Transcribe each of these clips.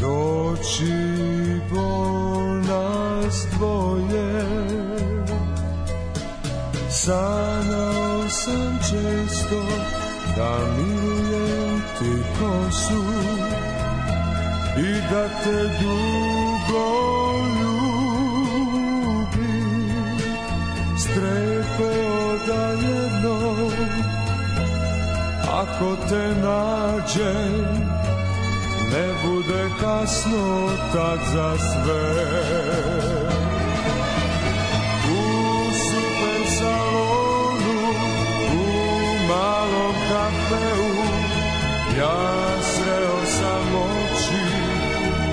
doći po nas dvoje. Sanjao sam često da milujem ti kosu i da te dugo ljubim, strepeo da jednom ako te nađem ne bude kasno tad za sve. U super salonu, u malom kafeu, ja sreo sam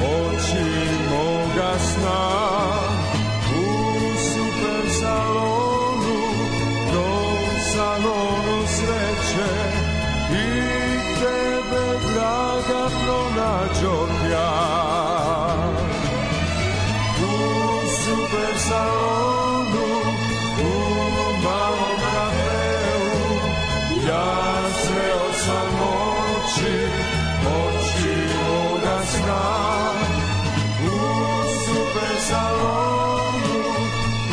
oči moga sna. U super salonu, tom salonu sreće, i tebe, draga, pronađoh ja. U super salonu, u malom kafeu, ja sreo sam oči moga sna. U super salonu,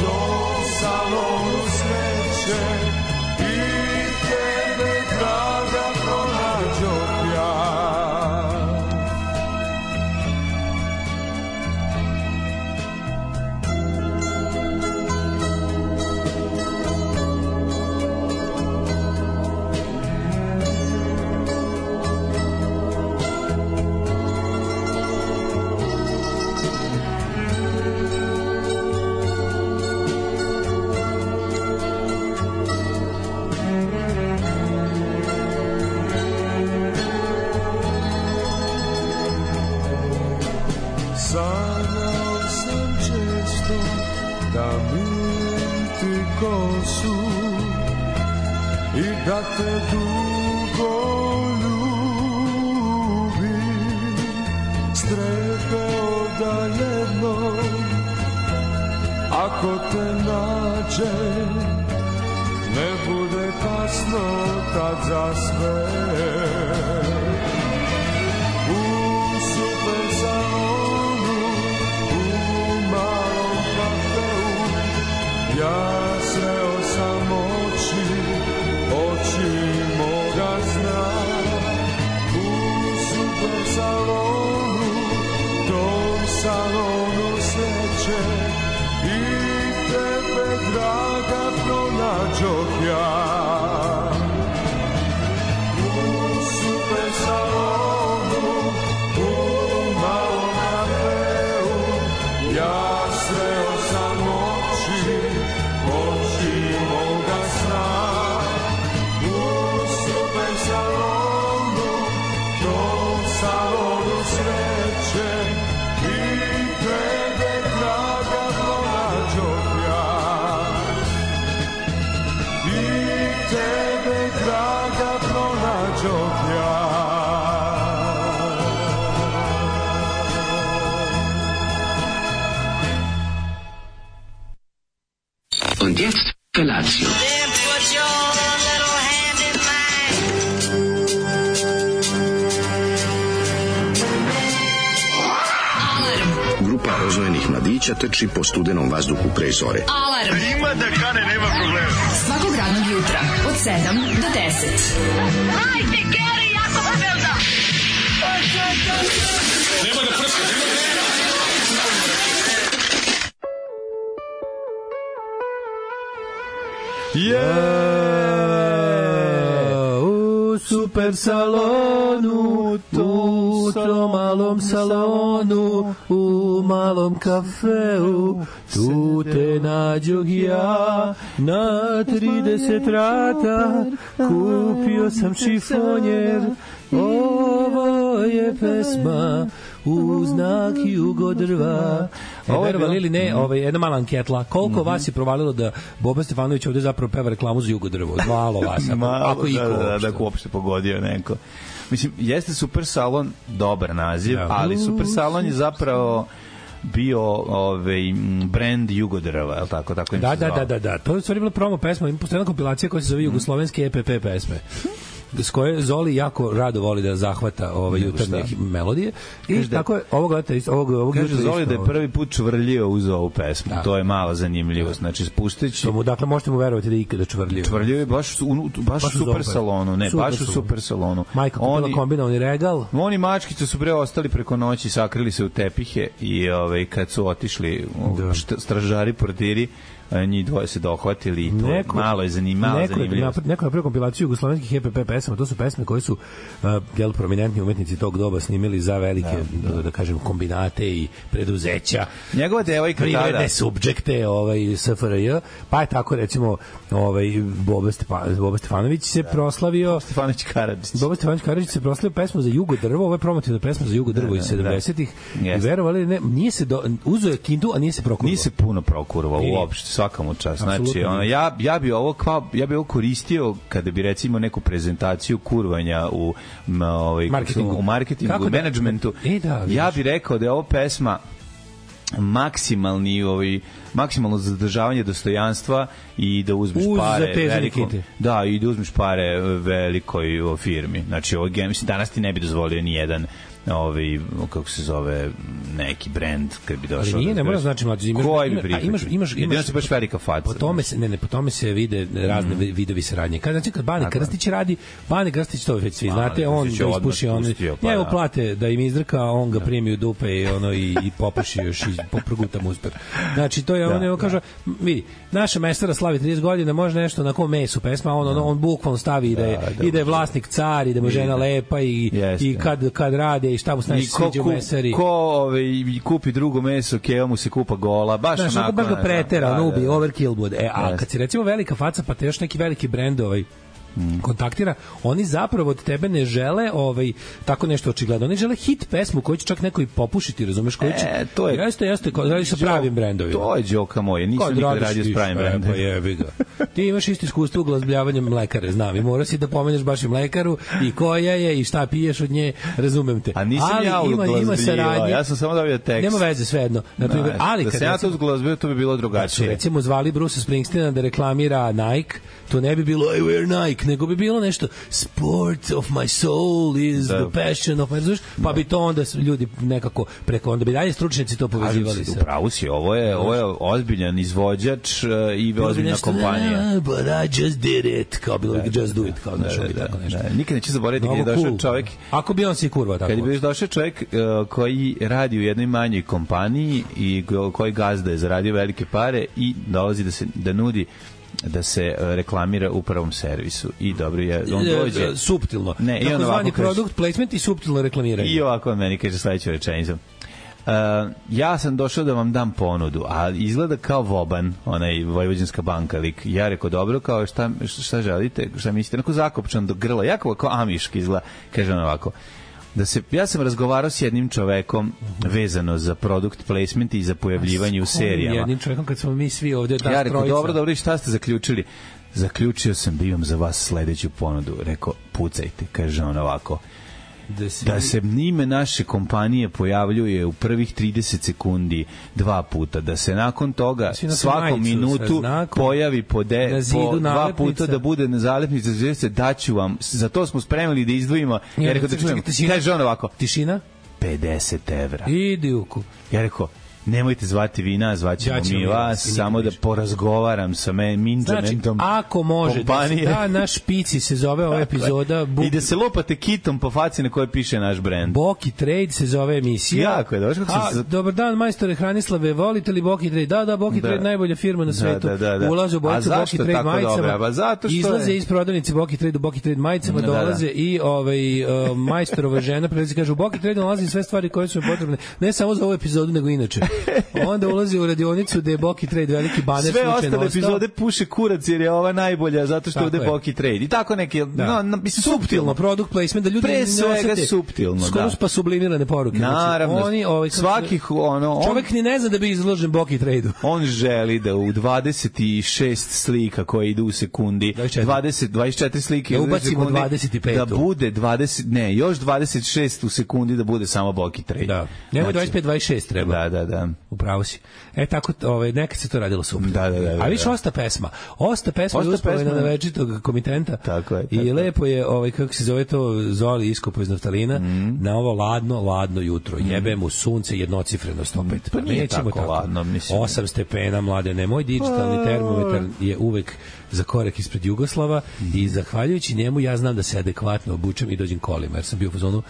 tom salonu sreće, i tebe, draga, pronađoh ja. Sanjao sam često da milujem ti kosu i da te dugo ljubim, strepeo da jednom ako te nađem ne bude kasno tad za sve. U super salonu, ja sreo sam oči moga sna. U super salonu, tom salonu sreće, i tebe, draga, pronađoh ja. U super salonu, u malom kafeu, ja sreo sam oči moga sna. U super salonu, tom salonu sreće, i tebe, draga, pronađoh ja. I tebe, draga, pronađoh ja. Und jetzt Felatio. Then put your little hand in mine. Grupa rozvojenih mladića trči po studenom vazduhu pre zore. Alarm. Ima da kane, nema problema. Svakog radnog jutra od 7 do 10. Hajde, Geri, jako se velda. Nema da prska, nema da prska. U super salonu, u tom malom salonu, u malom kafeu, tu te nađoh ja. Na 30 rata kupio sam šifonjer, ovo je pesma u znak jugodrva. Verovali ili ne, jedna mala anketla. Koliko vas je provalilo da Boba Stefanović ovde zapravo peva reklamu za jugodrvo? Malo vas. Ako iko da uopšte pogodio neko. Mislim, jeste super salon dobar naziv, ali super salon je zapravo bio brand Jugodrva, je li tako? Tako im se zvao. Da. To je u stvari bila promo pesma. Ima postoji jedna kompilacija koja se zove Jugoslovenske EPP pesme. s koje Zoli jako rado voli da zahvata jutarnje melodije. I tako je, ovog kaže Zoli da je prvi put čvrljio uz ovu pesmu. To je mala zanimljivost. Znači, spušteći... Dakle, možete mu verovati da je ikada čvrljio. Čvrljio je baš u super salonu. Ne, baš u super salonu. Majka kupila kombinovani regal. Oni mačkice su ostali preko noći, sakrili se u tepihe i kad su otišli stražari, portiri, njih dvoje se dohvatili i to malo je zanimljivo. Neko je napravio kompilaciju jugoslovenskih EPP pesama, to su pesme koje su prominentni umetnici tog doba snimili za velike, da kažem, kombinate i preduzeća. Njegova devojka tada. Privredne subjekte SFRJ, pa je tako recimo Boba Stefanović se proslavio. Boba Stefanović Karadžić se proslavio pesmu za Jugo drvo, ovo je promotivna pesma za Jugo drvo iz 70-ih. I verovali, ne, nije se uzeo je kintu, a nije se prokurvao. Nije se puno prokurvao uopšte, svaka mu čast. Znači, ja bi ovo koristio kada bi recimo neku prezentaciju kurvanja u marketingu, u menadžmentu. Ja bih rekao da je ovo pesma maksimalno zadržavanje dostojanstva i da uzmeš pare veliko, i da uzmeš pare velikoj firmi. Znači, ovo danas ti ne bi dozvolio ni jedan kako se zove, neki brend kad bi došao. Ali nije, ne mora znači mlađi. Imaš baš velika faca. Po tome se vide razne vidovi saradnje. Kad Bane Krstić radi, Bane Krstić to već svi znate, on ga ispuši, njemu plate da im izdrka, on ga primi u dupe i popuši još i proguta mu uspeh. Znači, to je on kaže, vidi, naša mestara slavi 30 godina, može nešto na kom mesu pesma, on bukvalno stavi i da je vlasnik car i da mu žena lepa i kad rade i šta mu se sviđa u mesari. Ko kupi drugo meso, keva mu se kupa gola, baš onako. Baš ga pretera, nubi, overkill bude. A kad si recimo velika faca, pa te još neki veliki brend kontaktira, oni zapravo od tebe ne žele tako nešto očigledno. Oni žele hit pesmu koju će čak neko i popušiti, razumeš, koju će... Jeste, radi sa pravim brendovima. To je džoka moje, nisam nikad radio s pravim brendovima. Pa jebi ga. Ti imaš isto iskustvo u glazbljavanjem mlekare, znam, i mora si da pomeneš baš i mlekaru i koja je i šta piješ od nje, razumem te. A nisam ja u glazbljivao, ja sam samo dobio tekst. Nema veze, svejedno. Da se ja to uzglazbio, to bi bilo drugačije. Recimo zvali Bruce Springsteena da reklamira Nike, to ne bi bilo I wear Nike, nego bi bilo nešto sport of my soul is the passion of my... Pa bi to onda ljudi nekako preko, onda bi dalje stručnjaci to povezivali se. Upravo si, ovo je ozbiljan izvođač i ozbiljna kompanija. But I just did it, kao bilo just do it, kao tako nešto. Nikad neće zaboraviti kad je došao čovjek... Ako bi on se kurva tako. Kad je došao čovjek koji radi u jednoj manjoj kompaniji i koji gazda je zaradio velike pare i dolazi da nudi da se reklamira u prvom servisu i dobro je, on dođe suptilno, takozvani product placement i suptilno reklamiranje. I ovako on meni kaže sledeću rečenicu. Ja sam došao da vam dam ponudu, a izgleda kao Voban, onaj Vojvođanska banka lik. Ja rekao, dobro, kao šta želite, šta mislite, onako zakopčan do grla, jako kao amiški izgleda, kaže on ovako. Ja sam razgovarao s jednim čovekom vezano za product placement i za pojavljivanje u serijama. Jednim čovekom kad smo mi svi ovdje ja rekao, dobro, šta ste zaključili? Zaključio sam da imam za vas sledeću ponudu. Rekao, pucajte, kaže on ovako. Da se ime naše kompanije pojavljuje u prvih 30 sekundi 2 puta, da se nakon toga svaku minutu pojavi po 2 puta, da bude na zalepnici zvijezde, daću vam, za to smo spremili da izdvojimo. Ja rekao, da čujemo, kaže on ovako, tišina? 50 evra. Idi uku. Ja rekao, nemojte zvati vi nas, zvaćemo mi vas, samo da porazgovaram sa menadžmentom. Znači, ako može, da naš špici se zove ova epizoda. I da se lupate kitom po faci na kojoj piše naš brend. Boki Trade se zove emisija. Jako je, dobro. Dobar dan, majstore Hranislave, volite li Boki Trade? Da, Boki Trade, najbolja firma na svetu. Ulaze u bojicu Boki Trade majicama, izlaze iz prodavnice Boki Trade u Boki Trade majicama, dolaze i majstorova žena, prelazi kaže, u Boki Trade nalazi sve stvari koje su potrebne, ne samo za ovu epizodu, nego inače. Onda ulazi u radionicu gde je Boki Trade veliki baner slučajno ostao. Sve ostale epizode puše kurac jer je ova najbolja zato što ovde Boki Trade. I tako neke, suptilno, product placement, da ljudi pre svega suptilno, skoro pa sublimirane poruke. Naravno, svakih čovek ni ne zna da bi izložen Boki Trade-u. On želi da u 26 slika koje idu u sekundi, 24 slike da ubacimo 25. Da bude 20, još 26 u sekundi da bude samo Boki Trade. Da. Nema 25-26 treba. Da. Da. Upravo si. Tako, nekad se to radilo super. Da. A više Osta pesma je uspomena na večitog komitenta. Tako je. I lepo je, kako se zove to, Zoli iskopo iz naftalina, na ovo ladno jutro. Jebe mu sunce jednocifrenost opet. Pa nije tako ladno, mislim. 8 stepena, mladene. Moj digitalni termometar je uvek za korak ispred Jugoslava i zahvaljujući njemu ja znam da se adekvatno obučem i dođem kolima, jer sam bio u fazonu,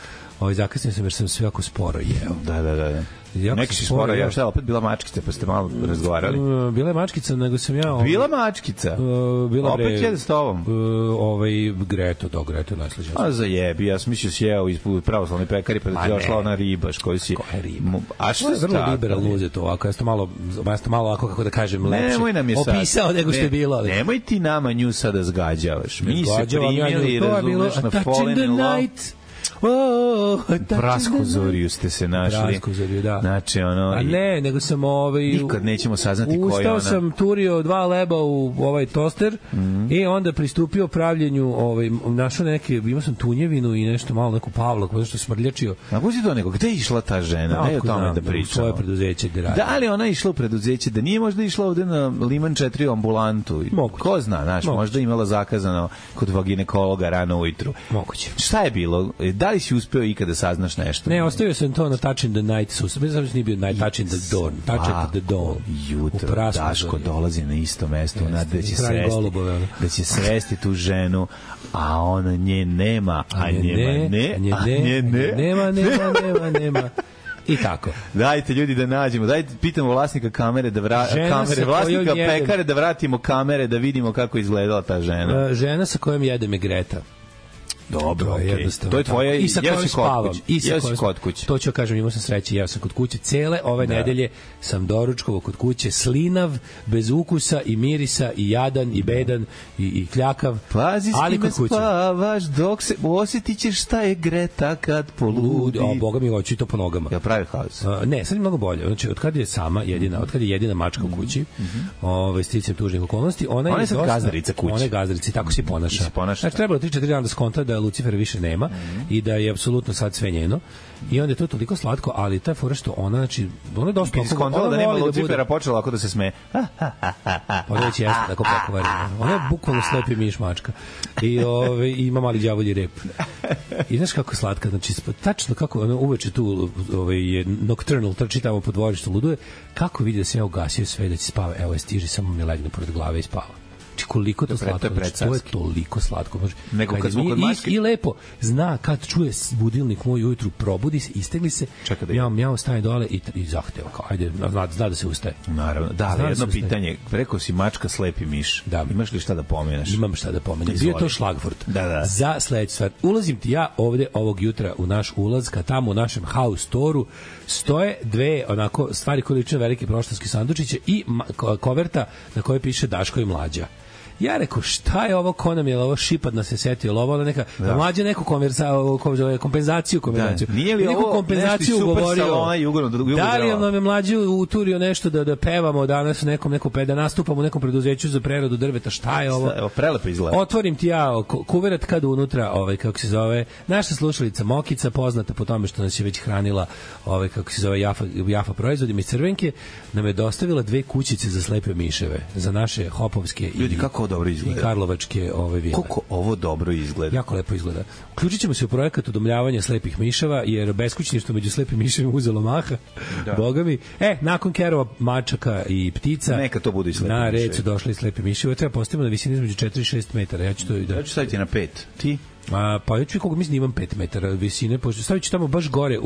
zakasnio sam jer sam sve jako sporo jeo. Da. Neki si sporo jeo, šta je opet bila mačkica, pa ste malo razgovarali? Bila je mačkica, nego sam ja... Bila mačkica? Opet jede s tobom? Greto je najslađa. A zajebi, ja sam mislio si jeo ispod pravoslavne pekari, pa da ti došla ona ribaš koju si... Koja je riba? A što je vrlo liberalno uzeti ovako, ja sam malo ovako, kako da kažem, lepše opisao nego što je bilo. Nemoj ti nama nju sada zgađavaš. Mi se primili, razumeš, na Fallen in Love. Brasku zoriju ste se našli. Brasku zoriju, da. Znači, a ne, nego sam nikad nećemo saznati ko je ona. Ustao sam, turio 2 leba u ovaj toster i onda pristupio pravljenju, našao imao sam tunjevinu i nešto malo, neku pavlak, zato što smrljačio. A ko si to neko? Gde je išla ta žena? Ne je o tome da pričamo. Svoje preduzeće gde radi. Da li ona išla u preduzeće? Da nije možda išla ovde na Liman 4 ambulantu? Moguće. Ko zna, možda imala zakazano kod ginekologa rano ujutru. Moguće. Šta je bilo? Da li si uspeo ikada saznaš nešto? Ne, ostavio sam to na Touch in the Night. Bez da nije bio Night, Touch in the Dawn. Touch at the Dawn. Jutro, Daško dolazi na isto mesto, da će sresti tu ženu, a ona nje nema, a nema. I tako. Dajte ljudi da nađemo, dajte pitamo vlasnika kamere vlasnika pekare da vratimo kamere da vidimo kako izgledala ta žena. Žena sa kojom jedem je Greta. Dobro, okay. To je tvoja i sa kojom spavam. Kod kuće. To ću kažem, imao sam sreće, jeo sam kod kuće. Cele ove nedelje sam doručkovao kod kuće, slinav, bez ukusa i mirisa i jadan i bedan i kljakav. Pazi s kime spavaš dok se osjetit ćeš šta je Greta kad poludi. Boga mi hoću i to po nogama. Ja pravi haos. Ne, sad je mnogo bolje. Znači, od kad je sama jedina, od kad je jedina mačka u kući, sticam tužnih okolnosti, ona je sad gazdarica kuće. Ona je gazdarica i tako se ponaša. Znači, trebalo 3-4 dana da skonta da Lucifera više nema i da je apsolutno sad sve njeno. I onda je to toliko slatko, ali taj fora što ona, znači, ona je dosta... Skontala da nema Lucifera, počela ako da se smeje. Pa već jeste, tako pokvarina. Ona je bukvalno slepi miš mačka. I ima mali đavolji rep. I znaš kako je slatka, znači, tačno kako ona uveče tu je nocturnal, trči tamo po dvorištu, luduje, kako vidi da se ja ugasio sve da će spava, evo je stiži, samo mi legne pored glave i spava. Koliko to slatko, to je toliko slatko. Nego kad smo kod mačke... I lepo zna kad čuje budilnik moj ujutru, probudi se, istegli se, mjao staje dole i zahteva, kao ajde, zna da se ustaje. Naravno, da, ali jedno pitanje, rekao si mačka slepi miš, imaš li šta da pomeneš? Imam šta da pomenem, bio to šlagvort. Za sledeću stvar, ulazim ti ja ovde ovog jutra u naš ulaz, kad tamo u našem house storu stoje dve onako stvari koje liče velike proštanske sandučiće i koverta na kojoj piše Daško i Mlađa. Ja rekao, šta je ovo, ko nam je ovo šipad nas se setio, ovo neka, Mlađa neku kompenzaciju. Nije li ovo nešto super salona Jugoslava? Da li nam je Mlađa uturio nešto da pevamo danas da nastupamo u nekom preduzeću za preradu drveta, šta je ovo? Evo, prelepo izgleda. Otvorim ti ja kuverat kad unutra, kako se zove, naša slušalica Mokica, poznata po tome što nas je već hranila, kako se zove, Jafa proizvodima iz Crvenke, nam je dostavila 2 kućice za slepe miševe, za naše hopovske ljudi, kako dobro izgleda. I karlovačke vile. Koliko ovo dobro izgleda. Jako lepo izgleda. Uključit ćemo se u projekat udomljavanja slepih miševa, jer beskućništvo među slepim miševima uzelo maha. Boga mi. Nakon kerova, mačaka i ptica, neka to bude i slepi na red su došli i slepi miševi. Treba postavimo na visini između 4 i 6 metara. Ja ću staviti na 5. Ti? Pa ja ću koga mislim da imam 5 metara visine, pošto stavit ću tamo baš gore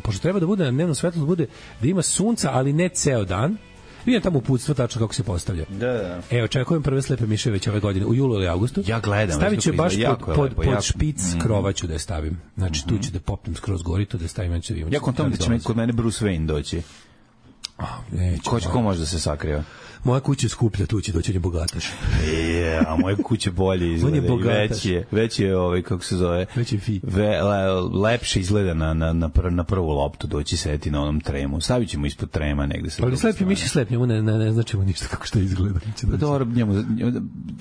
pošto treba da bude na dnevnom svetlu, da ima sunca, ali ne ceo dan. Vidim tamo uputstvo tačno kako se postavlja. Da. Evo, očekujem prve slepe miševe već ove godine, u julu ili avgustu. Ja gledam. Stavit ću baš pod špic krova ću da je stavim. Znači, tu ću da popnem skroz gori, tu da stavim. Ja kontam da će kod mene Bruce Wayne doći. Ko može da se sakriva? Moja kuća je skuplja, tu će doći bogataš. A moja kuća bolje izgleda i veći je kako se zove, veći fi. Lepše izgleda na prvu loptu, doći sedeti na onom tremu. Stavit ćemo ispod trema negde. Ali slepi miši slep, njemu ne znači mu ništa kako što izgleda. Dobro,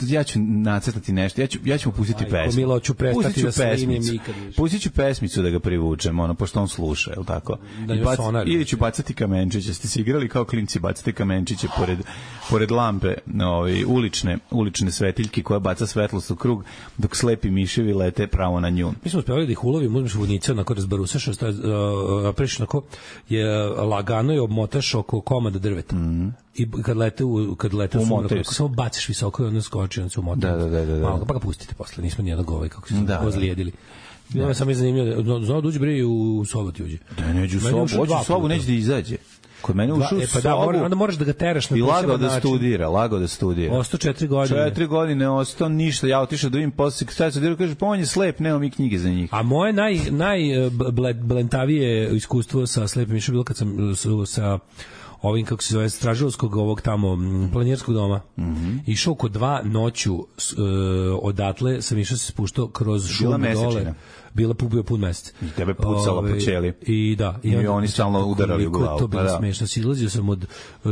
ja ću nacrtati nešto, ja ću mu pustiti pesmu. Milo, ću prestati da snimim nikad više. Pustit ću pesmicu da ga privučem, pošto on sluša, je li tako? Ili ću bacati kamenčiće, ste se igrali kao klinci, bacati kamenčiće pored lampe, ulične svetiljke koja baca svetlost u krug, dok slepi miševi lete pravo na nju. Mi smo uspjeli da ih ulovimo, uzmeš vodnice, onako razbarusaš, napriš onako, lagano je obmotaš oko komada drveta. I kad lete samo baciš visoko i onda skoči, onda se umota. Malo, pa ga pustite posle, nismo nijednog kako se ozlijedili. Ja sam je zanimljivo, znao da uđe bre u sobu ti uđe. Da, neđe u sobu, hoće u sobu, neće da izađe. Kod mene ušao u sobu. Onda moraš da ga teraš na poseban način. I lagao da studira. Ostao 4 godine. 4 godine, ostao ništa. Ja otišao da vidim posle kada se kaže, pa on je slep, nema mi knjige za njih. A moje najblentavije iskustvo sa slepim mišom bilo kad sam sa ovim, kako se zove, stražilovskog ovog tamo planjerskog doma. Išao kod 2 noću odatle, sam išao se spuštao kroz šumu dole. Bio pun mesec. I tebe pucalo po ćeli. I da. I oni stalno udarali u glavu. To bilo smešno. Silazio sam od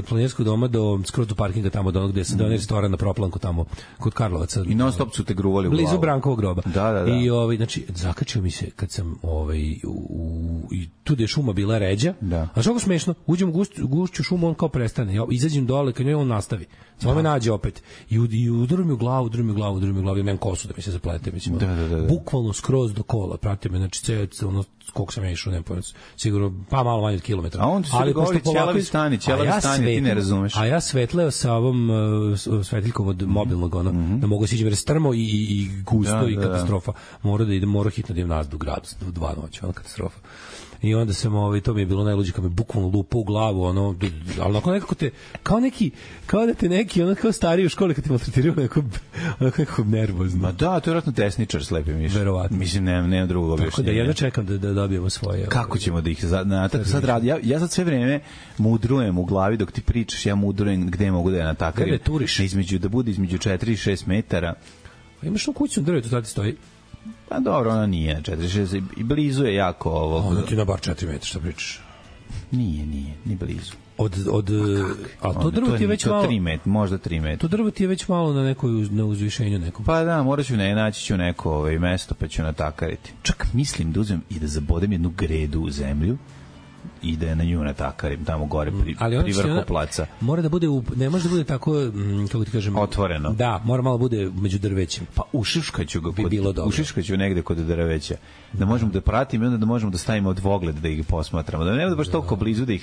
planjerskog doma skroz do parkinga tamo, do onog gde sam donio restoran na Proplanku tamo, kod Karlovaca. I non stop su te gruvali u glavu. Blizu Brankovog groba. Da. I znači, zakačio mi se kad sam i tu gde je šuma bila ređa. A što je smešno? Uđem u gušću šumu, on kao prestane. Ja izađem dole, kad njoj on nastavi. Samo me nađe opet. I udaru mi u glavu, i nemam kosu da mi se zaplete. Mislim, bukvalno skroz do kola, prati me, znači koliko sam ja išao, ne pojam, sigurno pa malo manje od kilometra. A on ti se govori ćelavi stani, ti ne razumeš. A ja svetleo sa ovom svetiljkom od mobilnog, da mogu siđem, jer je strmo i gusto i katastrofa. Mora hitno da idem nazad u grad, u 2 noći, katastrofa. I onda sam, to mi je bilo najluđe, kad me bukvalno lupa u glavu, ali onako nekako te, kao da te neki, kao stariji u školi, kad te maltretiraju, nekako nervozno. Ma da, to je vjerojatno tesničar slepi miš. Verovatno. Mislim, nema drugog objašnjenja. Tako da jedno čekam da dobijemo svoje. Kako ćemo da ih sad radi? Ja sad sve vreme mudrujem u glavi dok ti pričaš, ja mudrujem gde mogu da je natakarim. Gde turiš? Da bude između 4 i 6 metara. Imaš u kuću drvetu, tada ti stoji? Pa dobro, ona nije 4-6 i blizu je jako ovo. Onda ti na bar 4 metra, šta pričaš? Nije, ni blizu. Ali to drvo ti je već malo... 3 metra, možda 3 metra. To drvo ti je već malo na uzvišenju nekom. Pa da, naći ću neko mesto pa ću natakariti. Čak mislim da uzmem i da zabodem jednu gredu u zemlju i da je na nju natakarim tamo gore pri vrhu placa. Mora da bude, ne može da bude tako, kako ti kažem, otvoreno. Da, mora malo bude među drvećem. Pa ušiškaću ga, ušiškaću negde kod drveća. Da možemo da pratimo i onda da možemo da stavimo dvogled da ih posmatramo. Da ne bude baš toliko blizu da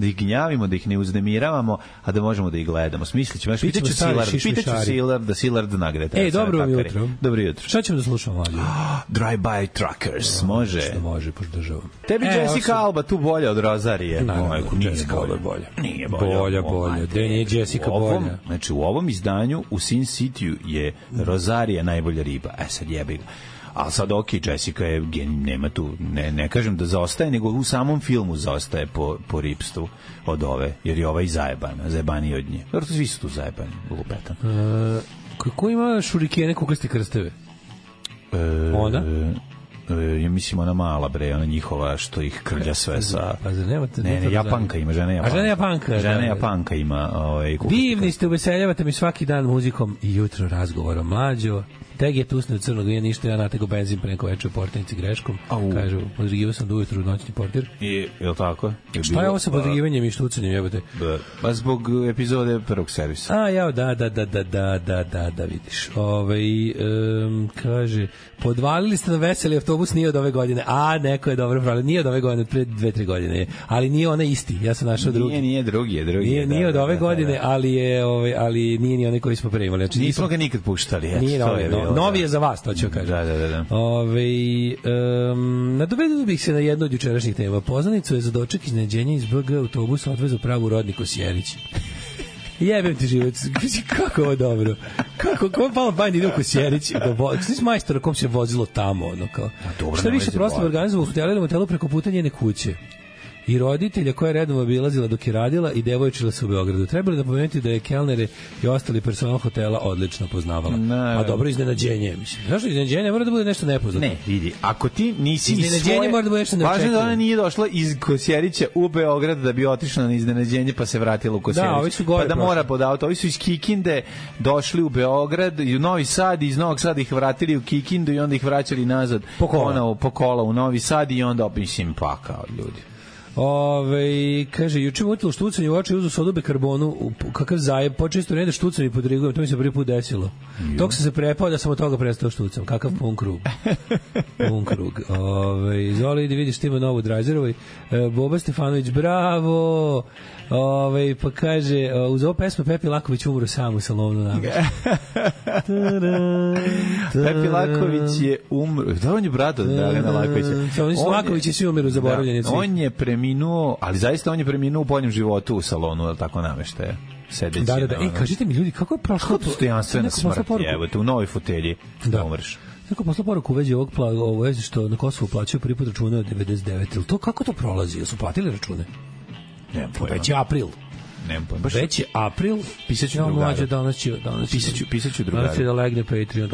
ih gnjavimo, da ih ne uznemiravamo, a da možemo da ih gledamo. Smislićemo. Pitaću Silard da Silard nagrade. Dobro jutro. Dobro jutro. Šta ćemo da slušamo, mlađe? Drive-by Truckers, može. Što može, podržavam. Tebi Jessica Alba tu bolja od Rozarije. Jessica Alba bolja. Nije bolja. Da nije Jessica bolja. Znači, u ovom izdanju u Sin City je Rozarija najbolja riba. Sad jebi ga. Ali sad Jessica je nema tu, ne kažem da zaostaje, nego u samom filmu zaostaje po ripstvu od ove, jer je ova i zajebaniji od nje. Jer svi su tu zajebani, lupetan. Kako ima šurikene kukaste krsteve? Ona? Ja mislim ona mala bre, ona njihova što ih krlja sve sa... Pa zar nemate... Ne, Japanka ima, žena Japanka. Žena Japanka ima... Divni ste, uveseljavate mi svaki dan muzikom i jutro razgovorom. Mlađo, teg je tusne od crnog, nije ništa, ja natego benzin preko veče u portanici greškom. Kažu, podrigivao sam do ujutru noćni portir. Je li tako? Šta je ovo sa podrigivanjem i štucanjem, jebote? Pa zbog epizode prvog servisa. Da, vidiš. Kaže, podvalili ste na veseli autobus, nije od ove godine. Neko je dobro pravilo, nije od ove godine, pre 2-3 godine. Ali nije onaj isti, ja sam našao drugi. Nije drugi. Nije od ove godine, ali nije ni onaj koji smo pre imali. Nismo ga nikad puštali. Nije novi je za vas, to ću kažem. Da. Nadovedio bih se na jednu od jučerašnjih tema. Poznanicu je za doček iznenađenja iz BG autobusa odvezao pravu rodnik Kosjerić. Jebem ti život, kako ovo dobro. Kako je palo bajni ide u Kosjerić, svi s majstora kom se vozilo tamo, ono kao. Šta više prosto organizovao u hotelu preko puta njene kuće. i roditelja koja je redom obilazila dok je radila i devojčila se u Beogradu. Trebali da pomenuti da je kelnere i ostali personal hotela odlično poznavala. A dobro iznenađenje, mislim. Zašto iznenađenje mora da bude nešto nepoznato? Ne, vidi, ako ti nisi iznenađenje mora da bude nešto neočekivano. Važno da ona nije došla iz Kosjerića u Beograd da bi otišla na iznenađenje pa se vratila u Kosjerić. Da, ovi su gore. Pa da mora pod auto. Ovi su iz Kikinde došli u Beograd i u Novi Sad i iz Novog Sada ih vratili u Kikindu i onda ih vraćali nazad po kola u Novi Sad i onda mislim pa kao ljudi. Kaže, juče mutilo štucanje u oči, uzu sodu bikarbonu, kakav zajeb, počeo isto ne da štucam i podrigujem, to mi se prvi put desilo. Dok sam se prepao da sam od toga prestao štucam, kakav pun krug. Pun krug. Zoli, da vidiš, ima novu Drajzerovoj. Boba Stefanović, bravo! Pa kaže, uz ovo pesma Pepi Laković umro sam u salonu nama. Pepi Laković je umro. Da, on je brat od Dragana Lakovića. Oni su Lakovići svi umiru zaboravljeni. On je preminuo, ali zaista on je preminuo u boljem životu u salonu, ili tako nameštaje. Sedeći. Da. Kažite mi ljudi, kako je prošlo to? Stojanstvena smrt, evo, u novoj fotelji da umreš. Neko posla poruku u vezi ovog vezi što na Kosovu plaćaju prvi put račune od 99. Ili to, kako to prolazi? Jel su platili račune? Ne, već je april. Već je april. Pisaću drugaru. Pisaću drugaru. Danas će da legne Patreon.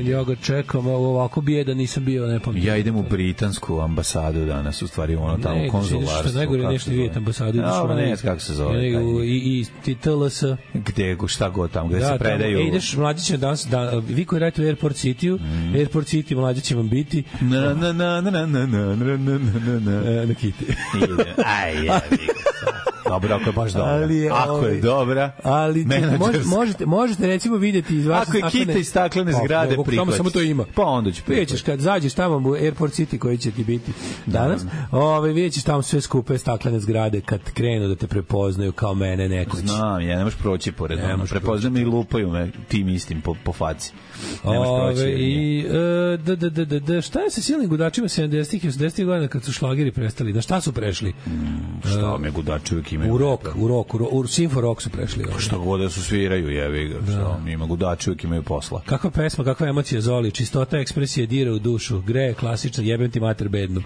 Ja ga čekam, ovako bijedan nisam bio, ne pametim. Ja idem u britansku ambasadu danas, u stvari ono tamo konzularstvo. Što najgore nešto vidjeti ambasadu. Ne, kako se zove. I TLS. Gde, šta god tamo, gde se predaju. Ideš, mlađiće danas, vi koji radite u Airport City-u, Airport City mlađe će vam biti. Na kiti. Dobro, ako je baš dobra. Ako je dobra, ali možete recimo vidjeti iz vaše staklene... Ako je kita iz staklene zgrade, prihvaći. Samo to ima. Pa onda ću prihvaći. Vidjet ćeš kad zađeš tamo u Airport City koji će ti biti danas, vidjet ćeš tamo sve skupe staklene zgrade kad krenu da te prepoznaju kao mene nekoć. Znam, ja ne možeš proći pored. Prepoznaju me i lupaju me tim istim po faci. Ne možeš proći. Šta je sa silnim gudačima 70-ih i 80-ih godina kad su šlageri prestali? Na šta su prešli? Šta me gudači uvijek imaju? U Simfo Rock su prešli. Šta god da su sviraju, jevi ga. Ima gudači uvijek imaju posla. Kakva pesma, kakva emocija, Zoli, čistota ekspresije dira u dušu, greje klasična, jebem ti mater bednu.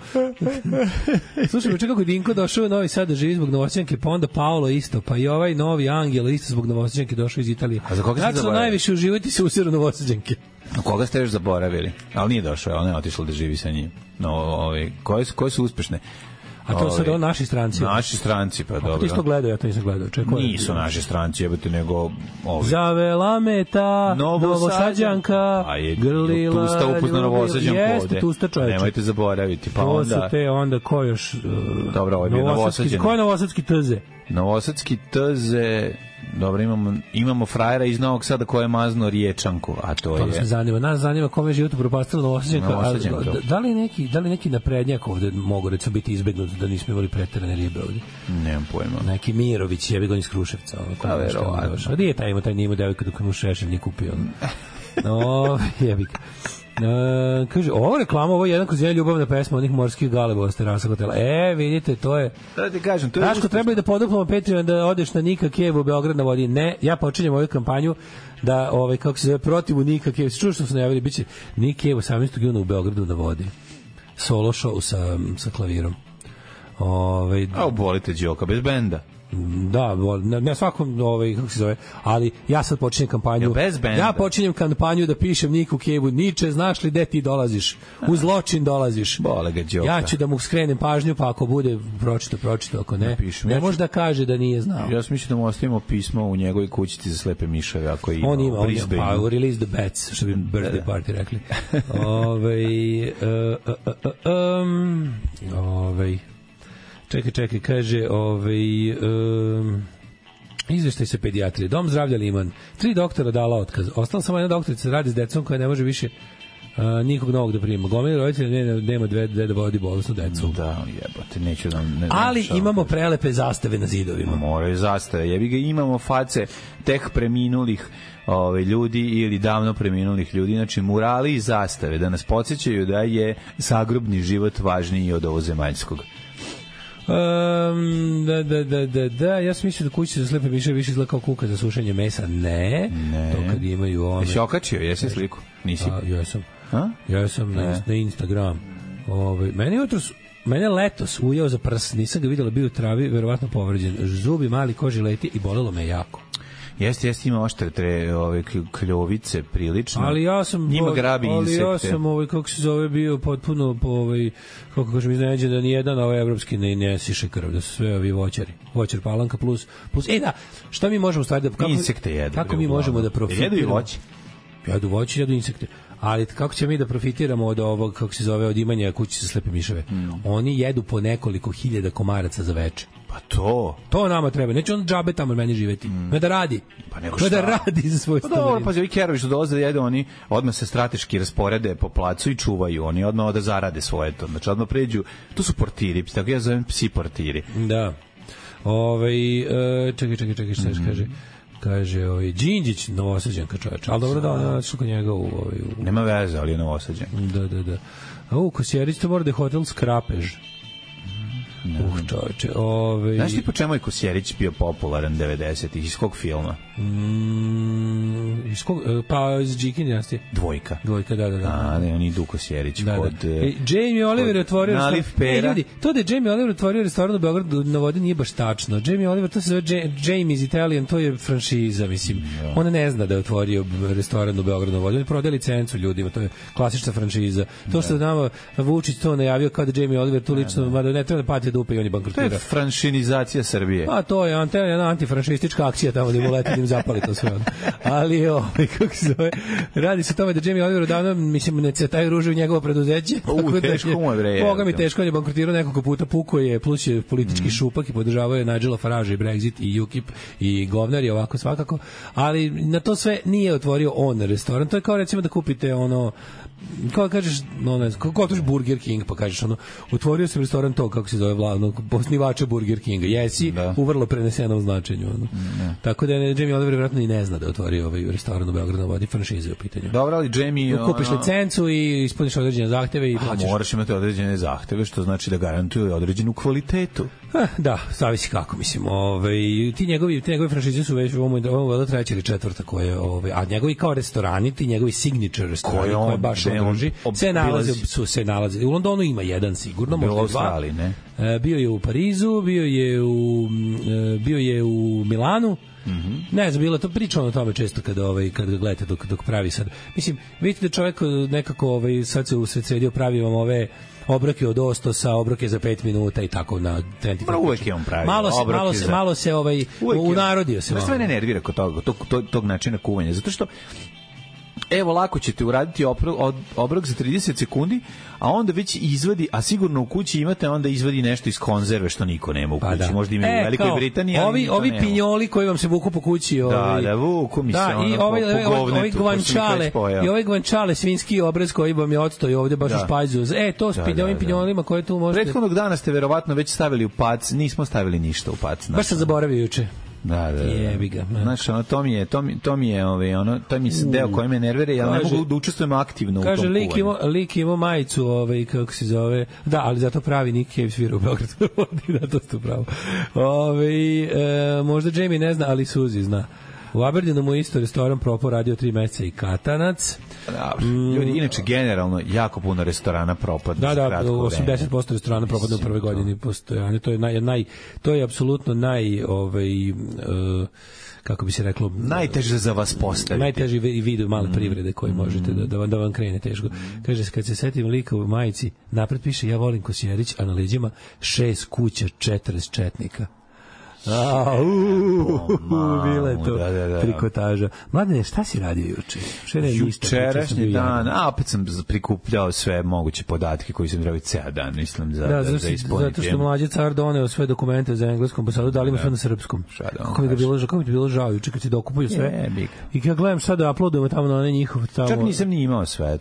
Slušaj, me kako je Dinko došao u Novi Sad da živi zbog Novosjećanke, pa onda Paolo isto, pa i ovaj novi Angel isto zbog Novosjećanke došao iz Italije. A za koga ste zaboravili? Najviše uživati se u siru Novosjećanke. Koga ste još zaboravili? Ali nije došao, ona je otišla da živi sa njim. Koje su uspešne? A to su da naši stranci. Naši stranci, pa dobro. Ti isto gledao, ja to nisam gledao. Nisu naši stranci, jebate, nego ovi. Zavela me ta Novosađanka, grlila. Tusta upuzna Novosađanku ovde. Jeste, Tusta čoveče. Nemojte zaboraviti. Pa to su te onda, ko još? Dobro, ovo je bio Novosađan. Ko je Novosadski Tze? Novosadski Tze, dobro, imamo frajera iz Novog Sada koja je mazno Riječanku, a to je... Nas zanima kome je život upropastila Novosađanka. Da li neki naprednjak ovde mogu recimo biti izbegnut da nismo imali preterane ribe ovde? Nemam pojma. Neki Mirović, jebi ga iz Kruševca. Pa verovatno. Gdje je taj nimo devojka dok mu Šešelj nije kupio? Jebi ga. Kaže, ovo reklama, ovo je jedan kroz jedan ljubavna pesma onih morskih galebova s terasa hotela. Vidite, to je... Da ti kažem, to je... Daško, treba da poduplamo Patreon da odeš na Nika Kevu, Beograd na vodi. Ne, ja počinjem ovu kampanju da, kako se zove, protivu Nika Kevu. Čuo što su najavili, bit će Nika Kevu 18. juna u Beogradu na vodi. Solo show sa klavirom. Volite Đoka bez benda. Da, ne svakom, kako se zove, ali ja sad počinjem kampanju. Ja počinjem kampanju da pišem Niku Kevu, Niče, znaš li gde ti dolaziš? U zločin dolaziš. Bole ga Đoka. Ja ću da mu skrenem pažnju, pa ako bude pročito, ako ne, ne može da kaže da nije znao. Ja sam mislio da mu ostavimo pismo u njegovoj kućici za slepe miševe, ako ima. On ima, pa release the bats, što bi birthday party rekli. Čekaj, kaže, izveštaj se pedijatrije. Dom zdravlja Liman. 3 doktora dala otkaz. Ostala samo jedna doktorica radi s decom koja ne može više nikog novog da prima. Gomili roditelja nema dve da vodi bolesnu decu. Da, jebote, neću da... Ali imamo prelepe zastave na zidovima. Moraju zastave. Jebi ga, imamo face tek preminulih ljudi ili davno preminulih ljudi, znači murali i zastave da nas podsjećaju da je zagrobni život važniji od ovozemaljskog. Ja sam mislio da kućice za slepe miše više izgleda kao kuka za sušenje mesa. Ne. To kad imaju ome. Jesi okačio, jesi sliku? Nisi? Ja sam na Instagram. Meni jutros Mene letos ujeo za prs, nisam ga videla, bio u travi, verovatno povređen. Zubi, mali, koži leti i bolelo me jako. Jeste, ima oštre ove kljovice prilično. Ali ja sam njima grabi insekte. Ali ja sam kako se zove bio potpuno kako kažem iznenađen da ni jedan evropski ne siše krv, da su sve ovi voćari. Voćar Palanka plus da, šta mi možemo stvari da insekte jedu. Kako mi možemo da profitiramo? Jedu i voće. Jedu voće, jedu insekte. Ali kako ćemo mi da profitiramo od ovog, kako se zove, od imanja kući za slepe miševe? Oni jedu po nekoliko hiljada komaraca za veče. Pa to nama treba. Neće on džabe tamo meni živeti. Ne da radi. Pa nego šta? Da radi za svoj stanovinu. Pa dobro, pazi, ovi kerovi što dolaze da jedu, oni odmah se strateški rasporede po placu i čuvaju. Oni odmah da zarade svoje to. Znači odmah pređu, to su portiri, tako ja zovem psi portiri. Da. Čekaj, šta kaže? Kaže, Đinđić, Novosađanka čoveč. Ali dobro da on su kod njega u... Nema veze, ali je Novosađan. Da. A Kosjerić, to mora da je hotel Skrapež. Čoveče, Znaš ti po čemu je Kosjerić bio popularan 90-ih? Iz kog filma? Pa iz Džikin dinastije. Dvojka, da. On idu Kosjerić kod... Jamie Oliver je otvorio... Naliv pera. Ljudi, to da je Jamie Oliver otvorio restoran u Beogradu na vodi nije baš tačno. Jamie Oliver, to se zove Jamie's Italian, to je franšiza, mislim. Ona ne zna da je otvorio restoran u Beogradu na vodi. On prodaje licencu ljudima, to je klasična franšiza. To što nama Vučić to najavio kao da Jamie Oliver tu lično, mada ne treba da pati dupe i on je bankrotirao. To je franšinizacija Srbije. A to je jedna antifranšistička akcija tamo da im uleti, da im zapali to sve. Ali kako se zove, radi se o tome da Jamie Oliver odavno, mislim, ne cetaju ruže u njegovo preduzeće. Teško mu je bre. Boga mi teško, on je bankrotirao nekoliko puta, puko je, plus je politički šupak i podržavao je Nigela Faragea i Brexit i UKIP i govnar je ovako svakako, ali na to sve nije otvorio on restoran. To je kao recimo da kupite kao kažeš, kako otvoriš Burger King, pa kažeš otvorio sam restoran to, kako se zove osnivača Burger Kinga, jesi u vrlo prenesenom značenju. Tako da Jamie Oliver vjerojatno i ne zna da je otvorio ovaj restoran u Beogradu na vodi, franšize u pitanju. Dobro, ali Jamie... Kupiš licencu i ispuniš određene zahteve i plaćaš. Moraš imati određene zahteve, što znači da garantuje određenu kvalitetu. Da, zavisi kako, mislim. Ti njegovi franšize su već ovo treća ili četvrta koje, a njegovi kao restorani, ti njegovi signature restorani koje baš održi, se nalaze. U Londonu ima jedan sigurno, možda dva. Bio je u Parizu, bio je u Milanu. Ne znam, bilo to pričano o tome često kad gledate dok pravi sad. Mislim, vidite da čovjek nekako sad se usred sredio, pravi vam ove obroke od ostosa, obroke za 5 minuta i tako na 25. Uvek je on pravi. Malo se unarodio se. Sve ne nervira kod tog načina kuvanja, zato što evo, lako ćete uraditi obrok za 30 sekundi, a onda već izvadi, a sigurno u kući imate, onda izvadi nešto iz konzerve što niko nema u kući. Možda ima u Velikoj Britaniji, ali ovi pinjoli koji vam se vuku po kući. Vuku mi se i ovaj gvančale, svinski obrez koji vam je odstoji ovde baš u špajzu. To s ovim pinjolima koje tu možete... Prethodnog dana ste verovatno već stavili u pac, nismo stavili ništa u pac. Baš sam zaboravio juče. Da. Jebi ga. Znaš, to mi je deo koji me nervira, ja ne mogu da učestvujem aktivno u tom kuvanju. Kaže, lik ima majicu, kako se zove, da, ali zato pravi Nick Cave svira u Beogradu, da, to ste pravo. Možda Jamie ne zna, ali Suzy zna. U Aberdeenu mu isto restoran propao, radio 3 meseca i katanac. Ljudi, inače, generalno, jako puno restorana propada. Da, 80% restorana propada u prvoj godini postojanja. To je apsolutno kako bi se reklo, najteže za vas postaviti. Najteži vid male privrede koji možete da vam krene teško. Kaže, kad se setim lika u majici, napred piše, ja volim Kosjerić, a na leđima 6 kuća, 40 četnika. Bila je to trikotaža. Mladene, šta si radio juče? Jučerašnji dan, opet sam prikupljao sve moguće podatke koji sam trebao ceo dan, mislim, za ispuniti. Zato što mlađi car doneo sve dokumente za engleskom, pa sad dali mu sve na srpskom. Kako mi je bilo žao juče kad si dokupuju sve. I kad gledam sad da uploadujemo tamo na one njihov tamo. Čak nisam ni imao sve.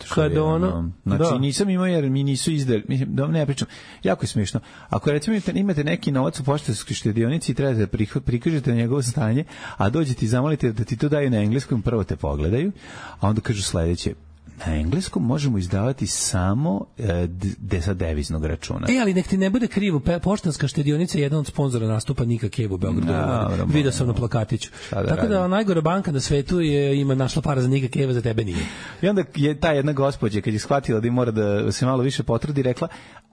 Znači nisam imao jer mi nisu izdali, mislim, da ne pričam. Jako je smiješno. Ako recimo imate neki novac u poštanskoj štedionici i trebate da prikažete njegovo stanje, a dođete i zamolite da ti to daju na engleskom, prvo te pogledaju, a onda kažu sledeće: na engleskom možemo izdavati samo sa deviznog računa. Ali nek ti ne bude krivo, Poštanska štedionica je jedan od sponzora nastupa Nika Cave u Beogradu. Video sam na plakatiću. Tako da najgora banka na svetu ima našla para za Nika Cave, za tebe nije. I onda je ta jedna gospođa kad je shvatila da mora da se malo više potrudi, rekla: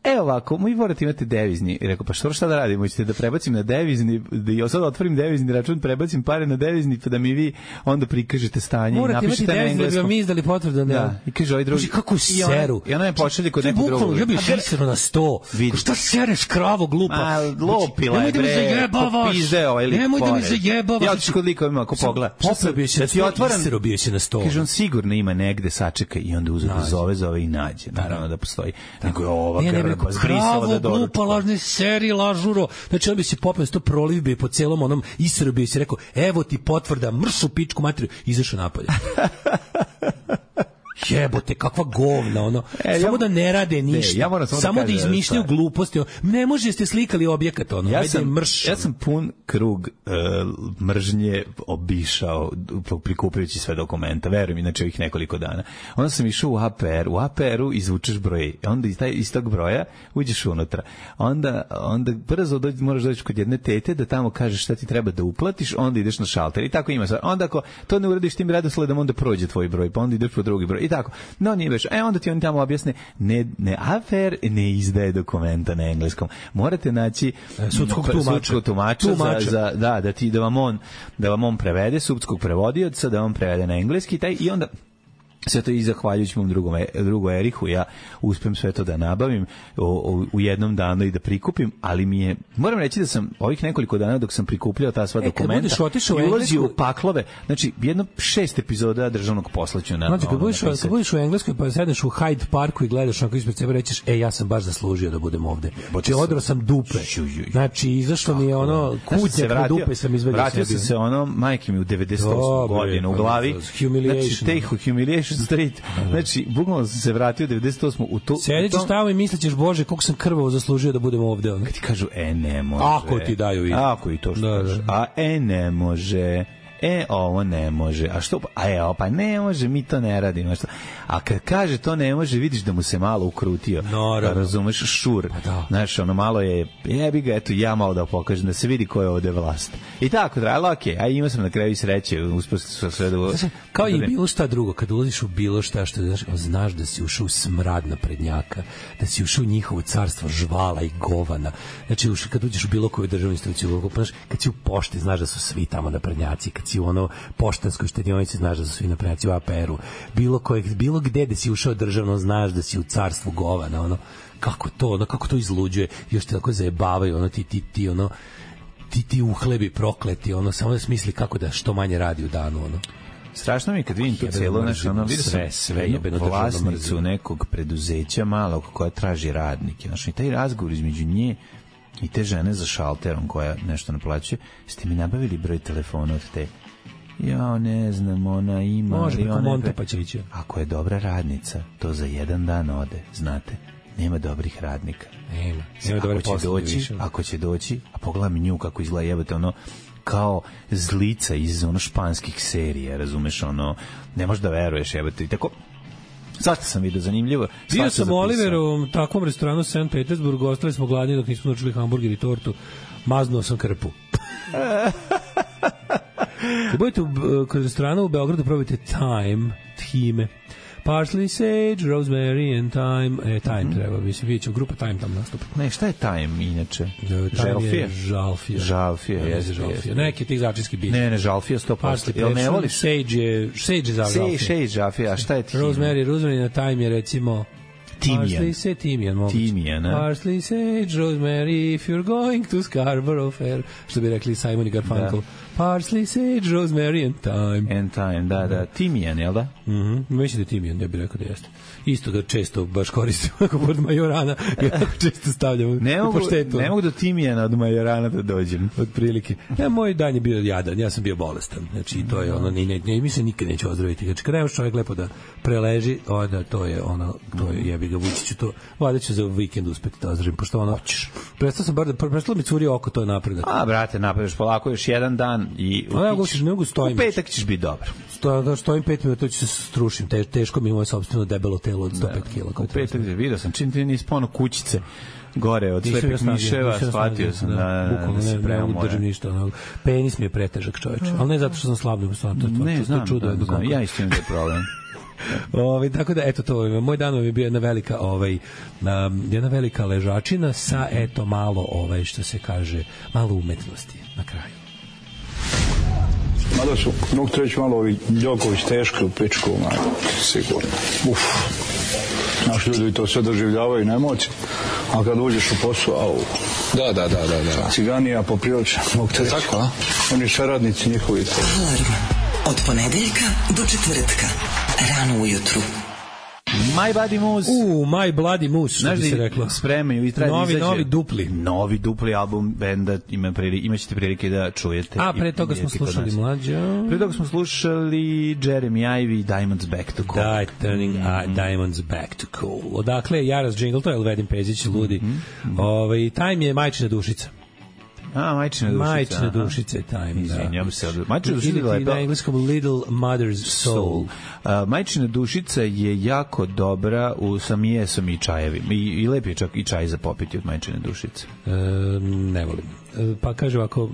"Evo ovako, mi morate imati devizni." I rekao: "Pa šta da radimo? Hoćete da prebacim na devizni, da ja sad otvorim devizni račun, prebacim pare na devizni, pa da mi vi onda prikažete stanje i napišete na engleskom." Morate imati devizni da bi mi izdali potvrdu. Da. I kaže ovaj drugi: "Kako seru?" I ona je pošalje kod nekog drugog. Ja bih sisero na 100. Šta sereš, kravo glupa? Ma, lopila je, bre. Popizde ovaj lik. Nemoj da mi zajebavaš. Ja ću kod likovima, ako pogleda. Da ti otvoram, sisero bio se na 100. Kaže, on sigurno ima negde, sačeka i onda zove i nađe. Naravno da postoji. Nego je ova grba zbrisala da doručka. Glupa, lažne serije, lažuro. Znači, on bi se popeo 100 proliv bi po celom onom isero bi se rekao: "Evo ti potvrda, mršu pičku materiju." Izašao napolje. Jebote, kakva govna, ono. Samo da ne rade ništa. Samo da izmišljaju gluposti. Ne može, ste slikali objekat, ono. Ja sam pun krug mržnje obišao prikupljajući sve dokumenta. Verujem, inače ovih nekoliko dana. Onda sam išao u APR. U APR-u izvučeš broj. Onda iz tog broja uđeš unutra. Onda brzo moraš doći kod jedne tete da tamo kažeš šta ti treba da uplatiš, onda ideš na šalter. I tako ima sad. Onda ako to ne uradiš tim redosledom, onda prođe tvoj broj, pa onda ideš po drugi broj. I tako. No, nije baš. Onda ti oni tamo objasne, ne AFR ne izdaje dokumenta na engleskom. Morate naći sudskog tumača da vam on prevede, sudskog prevodioca, da vam prevede na engleski i onda sve to i zahvaljujući mom drugu Erihu, ja uspem sve to da nabavim u jednom danu i da prikupim, ali moram reći da sam ovih nekoliko dana dok sam prikupljao ta sva dokumenta i ulazio u paklove, znači jedno 6 epizoda državnog posla ću na... Znači, kad budeš u Engleskoj pa sedneš u Hyde Parku i gledaš onako ispred sebe, rećeš: "Ja sam baš zaslužio da budem ovde." Znači, odrao sam dupe. Znači, izašlo mi je ono kutnjak na dupe sam izvadio. Vratio sam se majke mi u 98. godinu u glavi. Znači, te humiliation Street. Znači, bukvalno sam se vratio u 98. u to. Sedićeš tamo i mislićeš: "Bože, koliko sam krvavo zaslužio da budem ovde." Kad ti kažu: "Ne može." Ako ti daju i. Ako i to što kažeš. Ne može. Ovo ne može. A što? Pa ne može, mi to ne radimo. A kad kaže to ne može, vidiš da mu se malo ukrutio. Razumeš, šur. Znaš, ono malo je, jebi ga, eto, ja malo da pokažem, da se vidi ko je ovde vlast. I tako, ali okej, a imao sam na kraju sreće, uspio sam sve da... Kao i bilo šta drugo, kad ulaziš u bilo šta što znaš da si ušao u smrad naprednjaka, da si ušao u njihovo carstvo žvala i govana. Znači, kad uđeš u bilo koju državnu instituciju, kad si u pošti, znaš da su svi tamo naprednjaci, kad si u ono Poštanskoj štedionici, znaš da su svi naprednjaci, u APR-u, bilo gde da si ušao državno, znaš da si u carstvu govana, ono, kako to izluđuje, još te tako zajebavaju, ono, ti uhlebi prokleti, ono, samo da smisli kako da što manje radi u danu, ono. Strašno mi je kad vidim to cijelo, znači, ono, vidio sam sve vlasnicu nekog preduzeća malog koja traži radnike, znači, i taj razgovor između nje i te žene za šalterom koja nešto naplaćuje, ste mi nabavili broj telefona od te? Ja ne znam, ona ima... Može preko Monte pa će ići. Ako je dobra radnica, to za jedan dan ode, znate. Nema dobrih radnika. Nema dobre posle. Ako će doći, a pogledam nju kako izgleda, jebate, ono, kao zlica iz ono španskih serija, razumeš, ono, ne možeš da veruješ, jebate, i tako... Svašta sam vidio, zanimljivo. Bio sam u Oliveru, takvom restoranu St. Petersburg, ostali smo gladni dok nismo naučili hamburger i tortu. Maznuo sam krpu. Kad budete kod restorana u Beogradu, probajte Time. Parsley, sage, rosemary and thyme. Time treba, mislim, vidjet ću, grupa Time tam nastupa. Ne, šta je Time inače? Žalfija. Neki tih začinski bić. Ne, žalfija 100%. Jel ne voliš? Sage je žalfija. Sage žalfija, a šta je time? Rosemary na Time je recimo... Timian. Parsley, sage, rosemary, if you're going to Scarborough Fair. Što bi rekli Simon i Garfunkel. Parsley, sage, rosemary and thyme. Da. Timian, jel da? Mislim da je timian, ja bih rekao da jeste. Isto ga često baš koristim ako pod majorana, jako često stavljam u poštetu. Ne mogu do timijana od majorana da dođem. Od prilike. Moj dan je bio jadan, ja sam bio bolestan. Znači, to je ono, mislim nikad neće ozdraviti. Znači, kad nemaš čovjek lepo da preleži, onda to je ono, jebi ga Vučiću, to valjda ću za vikend uspeti da ozdravim, pošto ono, prestalo mi curi oko, to je napredak. A, brate, napredaš polako još jedan dan i u petak ćeš biti dobar. Stojim 5 minuta, to će se strušim, teško mi je moje sopstveno debelo telo od 105 kg. U petak vidio sam, čim ti nisi pono kućice gore od slepih miševa, shvatio sam bukvalno ne držim ništa. Penis mi je pretežak, čoveče, ali ne zato što sam slab, nego stvarno ne znam, ja isto imam da je problem. Tako da eto to moj dan je bio jedna velika ležačina sa eto malo što se kaže malo umetnosti na kraju. Mada su, mogu treći malo ovi Đoković teški u pičku, sigurno. Naši ljudi to sve doživljavaju na emociji, a kad uđeš u posao, au. Da. Ciganija poprilično, mogu te reći. Tako, a? Oni šeradnici njihovi. Alarm od ponedeljka do četvrtka, rano ujutru. My Bloody Moose. My Bloody Moose, što bi se reklo. Spremaju i novi dupli album benda, imaćete prilike da čujete. A pre toga smo slušali mlađo. Pre toga smo slušali Jeremy Ivy, Diamonds Back to Cool. Diamonds Back to Cool. Odakle je Jaras Jingle, to je Elvedin Pezić, ludi. Time je Majčina dušica. Majčina dušica je Time, da. Majčina dušica je na engleskom Little Mother's Soul. Majčina dušica je jako dobra sa mijesom i čajevima. I lep je čak i čaj za popiti od majčine dušice. Ne volim. Pa kaže ovako,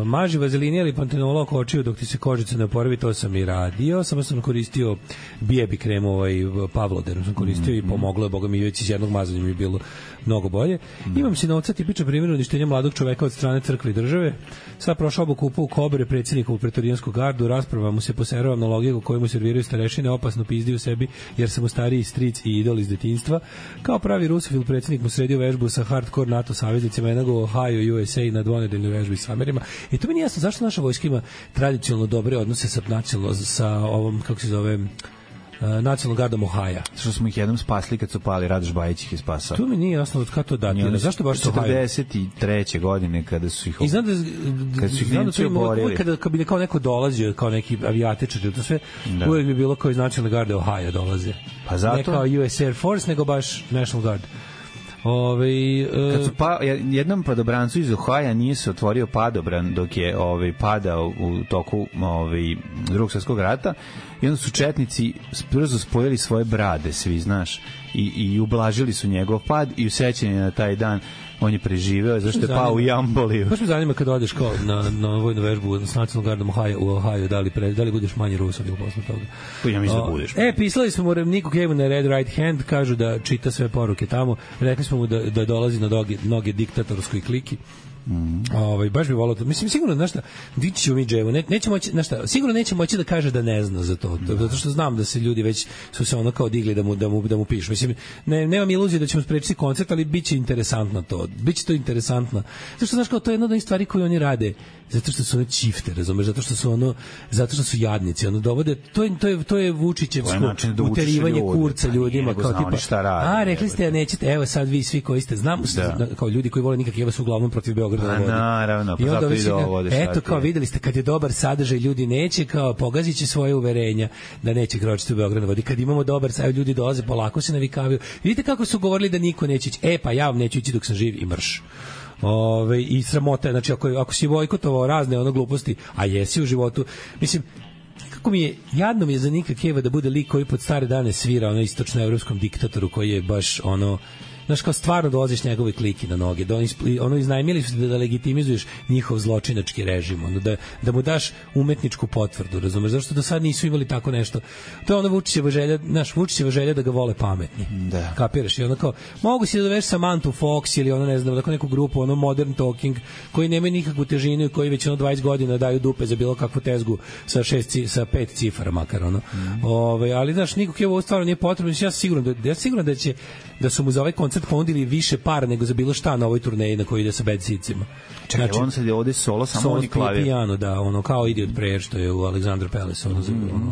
maži vazelini ili pantenol oko očiju dok ti se kožica ne oporavi, to sam i radio, samo sam koristio bijebi kremu, Pavloderu sam koristio i pomoglo je, boga mi već iz jednog mazanja mi je bilo mnogo bolje. Imam sinovca, tipičan primjer uništenja mladog čoveka od strane crkve i države. Sad prošao obuku u Kobre, predsjednikovu pretorijansku gardu, rasprava mu se poserava analogiju koju mu serviraju starešine, opasno pizdi u sebi jer sam mu stariji stric i idol iz detinjstva. Kao pravi rusofil predsjednik mu sredio vežbu sa hardcore NATO saveznicima, jednog Ohio, USA na dvonedeljnoj vežbi s Amerima. I to mi nije jasno zašto naša vojska ima tradicionalno dobre odnose sa ovom, kako se zove, nacionalnom gardom Ohaja. Što smo ih jednom spasli kad su pali, Radoš Bajić ih je spasao. To mi nije jasno od kada to datira. Zašto baš 43. godine kada su ih Nemci oborili. Kad bi kao neko dolazio, kao neki avijatičar, to sve, uvijek bi bilo kao iz nacionalne garde Ohaja dolaze. Pa zato? Ne kao US Air Force, nego baš National Guard. Kad su jednom padobrancu iz Ohaja nije se otvorio padobran dok je padao u toku Drugog svjetskog rata i onda su četnici brzo spojili svoje brade, svi znaš, i ublažili su njegov pad i u sećanje na taj dan on je preživeo zašto je pao u Jamboliju. Baš me zanima kad odeš kao na vojnu vežbu s nacionalnom gardom u Ohio, da li budeš manje Rusom ili posle toga? Ja mislim da budeš. Pisali smo mu Niku Kevu na Red Right Hand, kažu da čita sve poruke tamo, rekli smo mu da dolazi na noge diktatorskoj kliki. Baš bi volao to. Mislim, sigurno, znaš šta, dići ćemo mi Dževu, neće moći, znaš šta, sigurno neće moći da kaže da ne zna za to, zato što znam da se ljudi već su se ono kao digli da mu pišu. Mislim, nemam iluzije da ćemo sprečiti koncert, ali biće interesantno to. Biće to interesantno. Zato što, znaš, kao to je jedna od onih stvari koje oni rade, zato što su one čifte, razumeš, zato što su jadnici, ono dovode, to je Vučićevsko uterivanje kurca ljudima, kao tipa, rekli ste, nećete, evo sad vi svi koji ste, znam, kao ljudi koji vole nikak, su uglavnom protiv Beograda na vodi. Naravno, pa zato i dovode. Eto, kao videli ste, kad je dobar sadržaj, ljudi neće, kao pogazit će svoje uverenja da neće kročiti u Beograd na vodi. Kad imamo dobar sadržaj, ljudi dolaze, polako se navikavaju. Vidite kako su govorili da niko neće ići. Pa ja vam neću ići dok sam živ i mrš. I sramota, znači ako si bojkotovao razne ono gluposti, a jesi u životu, mislim, kako jadno mi je za Nika Keva da bude lik koji pod stare dane svira istočnoevropskom diktatoru koji je baš znaš, kao stvarno dolaziš njegove kliki na noge, iznajmili su da legitimizuješ njihov zločinački režim, da mu daš umetničku potvrdu, razumeš, zašto do sad nisu imali tako nešto. To je Vučićeva želja da ga vole pametni. Da. Kapiraš? I kao, mogu si da doveš Samantha Fox ili ne znam, neku grupu, Modern Talking, koji nemaju nikakvu težinu i koji već 20 godina daju dupe za bilo kakvu tezgu sa 5 cifara makar, ali znaš, nikog je ovo stvarno nije potrebno. Ja sam siguran da su mu za ovaj koncert ponudili više para nego za bilo šta na ovoj turneji na kojoj ide sa Bad Seedsima. Čekaj, on sad je ovde solo, samo on i klavir. Pijano, da, kao Idiot Prayer što je u Alexander Palace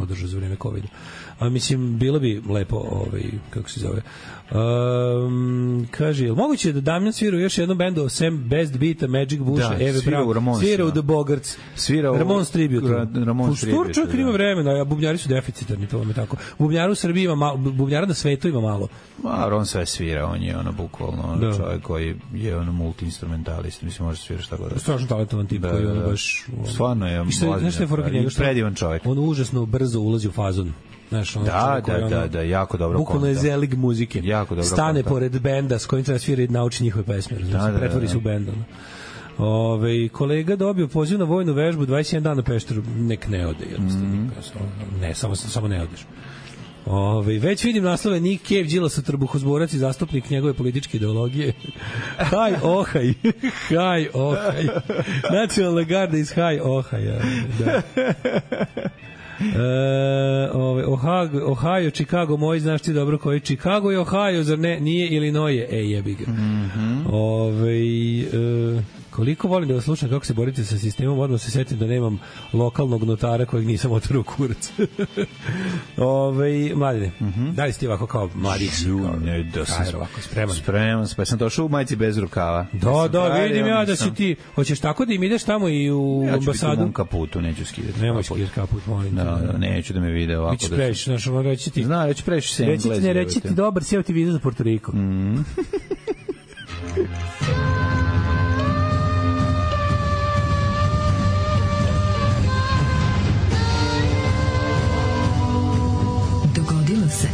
održao za vreme COVID-a. Mislim, bilo bi lepo, kako se zove, kaže, je moguće da Damjan svira u još jednom bendu sem Best Beata, Magic Busha, Eve Brown, svira u The Bogarts, Ramones Tribute. Čovjek ima vremena, a bubnjari su deficitarni, to vam je tako. Bubnjara u Srbiji ima malo, bubnjara na svetu ima malo. On sve svira, on je ono bukvalno čovjek koji je ono multi-instrumentalist, mislim može svirati šta god. Strašno talentovan tip koji ono baš... Stvarno je predivan čovjek. On užasno brzo ulazi u fazon. Znaš, da, jako dobro. Bukvalno je zelig muzike. Jako dobro. Stane pored benda s kojim treba svira i nauči njihove pesme. Pretvori se u bend. Kolega dobio poziv na vojnu vežbu 21 dana na Pešteru. Nek ne ode. Ne, samo ne odeš. Već vidim naslove Nick Cave, Đilasov trbuhozborac i zastupnik njegove političke ideologije. Haj Ohaj. Haj Ohaj. Nacionalna garda iz Haj Ohaja. Da. Ohio, Chicago, moj, znaš ti dobro koji Chicago je Ohio, zar ne? Nije Illinois, jebi ga. Koliko volim da vas slušam kako se borite sa sistemom, odmah se setim da nemam lokalnog notara kojeg nisam otvorao kurac. Mladine, da li ste ovako kao mladić? Ne, da sam spreman, pa sam došao u majici bez rukava. Da, vidim ja da si ti, hoćeš tako da im ideš tamo i u ambasadu? Ja ću biti u mom kaputu, neću skidati. Nemoj skidati kaput, molim. Da, neću da me vide ovako. Bićeš previše, znaš, reći ti. Zna, reći previše se Englezi. Reći ti dobar, sjeo ti viza za Porto Riko. Dogodilo se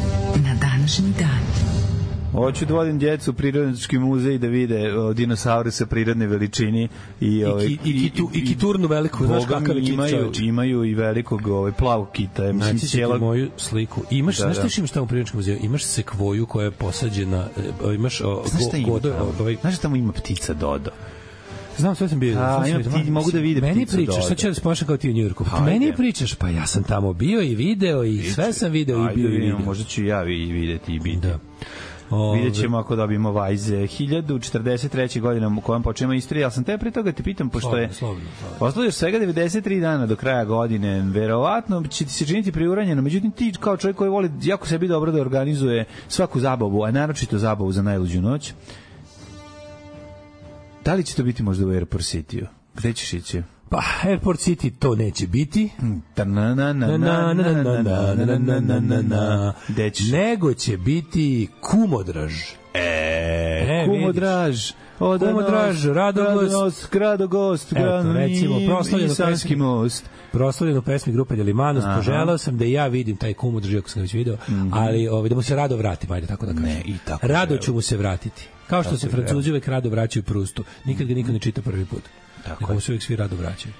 na današnji dan. Hoću da vodim djecu u Prirodnjački muzej da vide dinosauruse prirodne veličini i kiturnu veliku, znaš kakav je kit. Imaju i velikog plavog kita. Znači ti moju sliku. Znaš što imaš tamo u Prirodnjačkom muzeju? Imaš sekvoju koja je posađena, imaš znaš što tamo ima ptica Dodo? Znam, sve sam bio. Ti mogu da vide meni pričaš, sad ću da se ponašam kao ti u Njujorku. Meni pričaš, pa ja sam tamo bio i video i sve sam video i bio i video. Možda ću ja videti i biti. Vidjet ćemo ako dobijemo vajze. 1043. godina u kojem počnemo istoriju, ali sam te pre toga te pitam, pošto je ostalo još svega 93 dana do kraja godine, verovatno će ti se činiti priuranjeno, međutim ti kao čovjek koji voli jako sebi dobro da organizuje svaku zabavu, a naročito zabavu za najluđu noć, da li će to biti možda u Airport City-u? Gde ćeš ići? Pa, Airport City to neće biti. Nego će biti Kumodraž. Kumodraž. Kumodraž, Radogost, recimo, proslavljeno pesmi grupe Delimanos. Poželao sam da ja vidim taj Kumodraž, ako sam ga već video, ali da mu se rado vratim, ajde tako da kažem. Rado ću mu se vratiti. Kao što se Francuzi uvek rado vraćaju Prustu. Nikad ga niko ne čita prvi put. Nego mu se uvek svi rado vraćaju.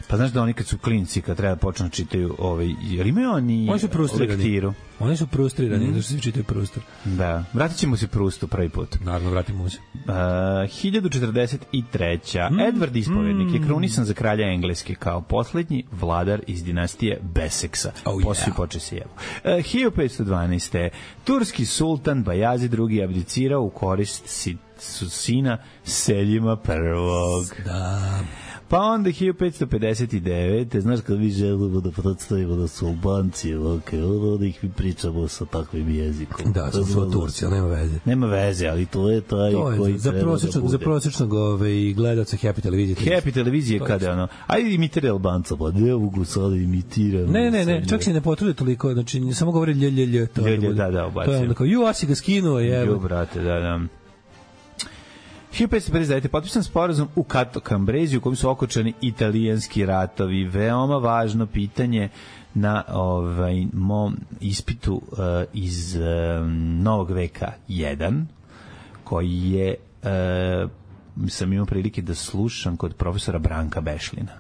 Pa znaš da oni kad su klinci, kad treba počnu čitaju jer imaju oni lektiru. Oni su frustrirani, zato što svi čitaju Prustu. Da, vratit ćemo se Prustu prvi put. Naravno, vratimo se. 1043. Edward Ispovednik je krunisan za kralja Engleske kao poslednji vladar iz dinastije Beseksa. Poslije poče se jevo. 1512. Turski sultan Bajazid II. Abdicirao u korist sina Seljima I. Da. Pa onda 1559. Znaš kad vi želimo da predstavimo da su Albanci, onda ih mi pričamo sa takvim jezikom. Da, su Turci, ali nema veze. Nema veze, ali to je taj koji za treba da bude. Za prosječnog gledalca Happy televizije. Happy televizije kada ono, ajde imitira Albanca, pa ne mogu sada imitiram. Ne, čak se ne potrude toliko, znači samo govori lj. Da, obacio. To je onda kao, a si ga skinuo, Ju, brate, da. 1559. potpisan sporazum u Cato Cambresi u kojem su okončani italijanski ratovi. Veoma važno pitanje na mom ispitu iz Novog veka 1, koji je sam imao prilike da slušam kod profesora Branka Bešlina.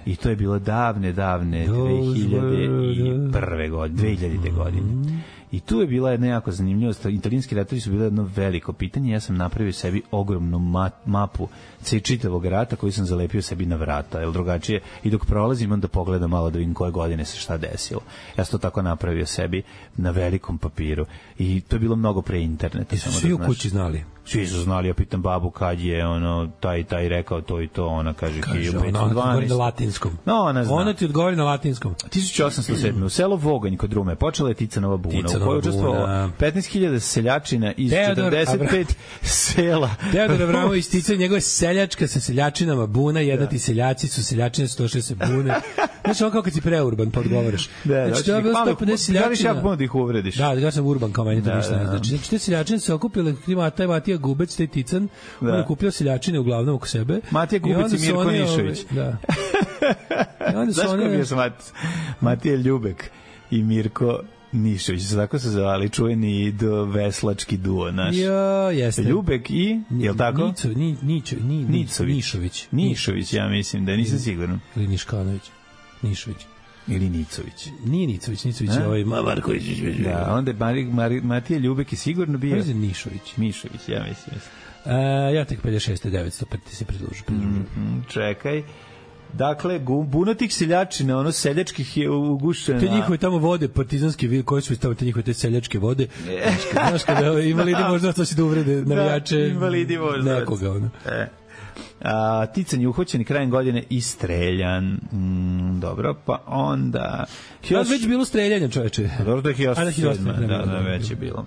I to je bilo davne 2000. godine. I tu je bila jedna jako zanimljivost. Italijanski ratovi su bile jedno veliko pitanje. Ja sam napravio sebi ogromnu mapu čitavog rata koju sam zalepio sebi na vrata. Jer drugačije, i dok prolazim, onda pogledam malo da vidim koje godine se šta desilo. Ja sam to tako napravio sebi na velikom papiru. I to je bilo mnogo pre interneta. I su svi u kući znali? Svi su znali. Ja pitam babu kad je taj rekao to i to. Ona kaže 1512. Ona odgovori na latinskom. No, ona zna. Ona ti odgovori na latinskom. 1807. U selo Voganj kod Rume počela je Ticanova buna. koje učestvovalo 15.000 seljačina iz 45 sela. Teodor Avramović isticao njegove seljačka sa seljačinama, buna, jednati seljaci su seljačine, 160 bune. Znači, ono kao kad si preurban, pa odgovaraš. Znači, to je bilo 150 seljačina. Da ih uvrediš. Da, ja sam urban, kao meni to ništa ne znači. Znači, te seljačine se okupile, taj Matija Gubec, taj Tican, on je kupio seljačine uglavnom oko sebe. Matija Gubec i Mirko Nišović. Da. Znaš ko bio sam Matija Ljubek i Mirko Nišović, tako se zvali, čuveni veslački duo naš. Jo, jeste. Ljubek i, je li tako? Nišović. Nišović, ja mislim da nisam siguran. Ili Niškanović. Nišović. Ili Nicović. Nije Nicović je ovaj Marković. Da, onda Matija Ljubek je sigurno bio. Ovo je Nišović. Nišović, ja mislim. Ja tek 56. 900, pa ti se pridružu. Čekaj. Dakle, buno tih seljačina, ono seljačkih je ugušeno. Te njihove tamo vode, partizanske, koje su stavili te njihove te seljačke vode. Znaš kada invalidi možda to si da uvrede navijače nekoga. Ono. Tican je uhvaćen krajem godine i streljan. Dobro, pa onda... Već bilo streljanje, čoveče. Dobro, da je 1807. Da, već je bilo.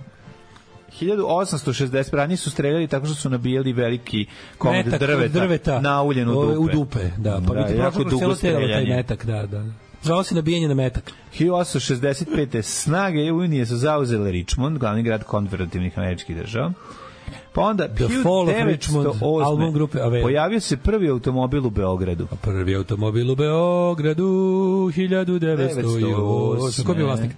1860 ranije su streljali tako što su nabijali veliki komad drveta na uljenu dupe. U dupe, da. Pa biti prošlo celo telo taj metak, da. Zvao se nabijanje na metak. 1865. snage Unije su zauzele Richmond, glavni grad konfederativnih američkih država. Pa onda, 1908. pojavio se prvi automobil u Beogradu. Prvi automobil u Beogradu, 1908. Ko je bio vlasnik?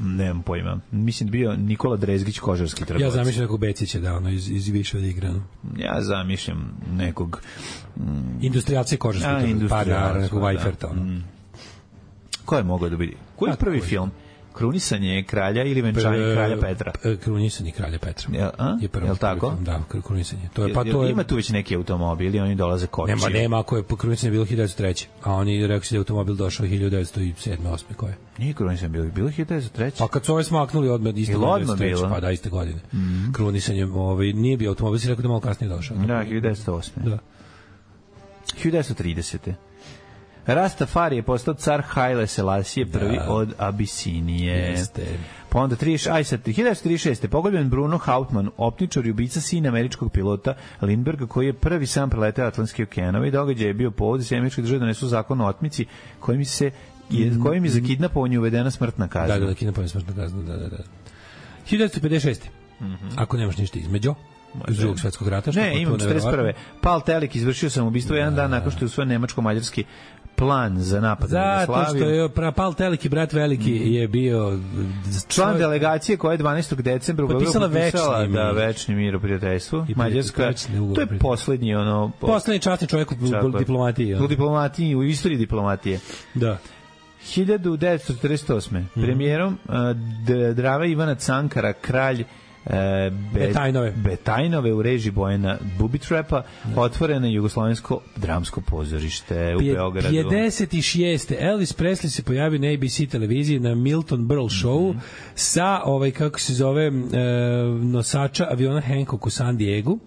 Nemam pojma. Mislim da bio Nikola Drezgić, kožarski trgovac. Ja zamišljam nekog Becića, da, ono, iz više od igranu. Ja zamišljam nekog... industrijalce kožarski trgovac. Nekog Vajferta. Ko je mogao da biti? Koji je prvi film? Krunisanje kralja ili venčanje kralja Petra? Krunisanje kralja Petra. Je li tako? Da, krunisanje. Ima tu već neki automobil i oni dolaze kočiju. Nema, ako je krunisanje bilo 1903. A oni rekli da je automobil došao 1907. 8. Koje? Nije krunisanje bilo 1903. Pa kad su ove smaknuli odmah iste godine. Pa da, iste godine. Krunisanje nije bio automobil, si rekao da malo kasnije došao. Da, 1908. Da. 1930. Rastafari je postao car Haile Selasije prvi od Abisinije. Jeste. Pa onda 1936. pogođen Bruno Hauptmann, optičar i ubica sina američkog pilota Lindberga, koji je prvi sam preletao Atlantski okean. Ovaj događaj je bio povod da se američke države donesu zakon o otmici kojim je za kidnapovanje uvedena smrtna kazna. Da, kidnapovanje smrtna kazna, da. 1956. Ako nemaš ništa između iz Drugog svetskog rata. Ne, imam 41. Pal Telik izvršio samoubistvo jedan dan nakon što je usvojen nemačko-mađarski plan za napad na Jugoslaviju. Zato što je Pal Telik i brat veliki je bio član delegacije koja je 12. decembra potpisala večni mir u prijateljstvu. Mađarska, to je poslednji časni čovjek u diplomatiji. U diplomatiji, u istoriji diplomatije. Da. 1948. Premijerom Drava Ivana Cankara, kralj Betajnove u režiji Bojana Bubitrapa, otvoreno jugoslovensko dramsko pozorište u Beogradu. 56. Elvis Presley se pojavio na ABC televiziji na Milton Berle showu sa kako se zove nosača aviona Hancock u San Diego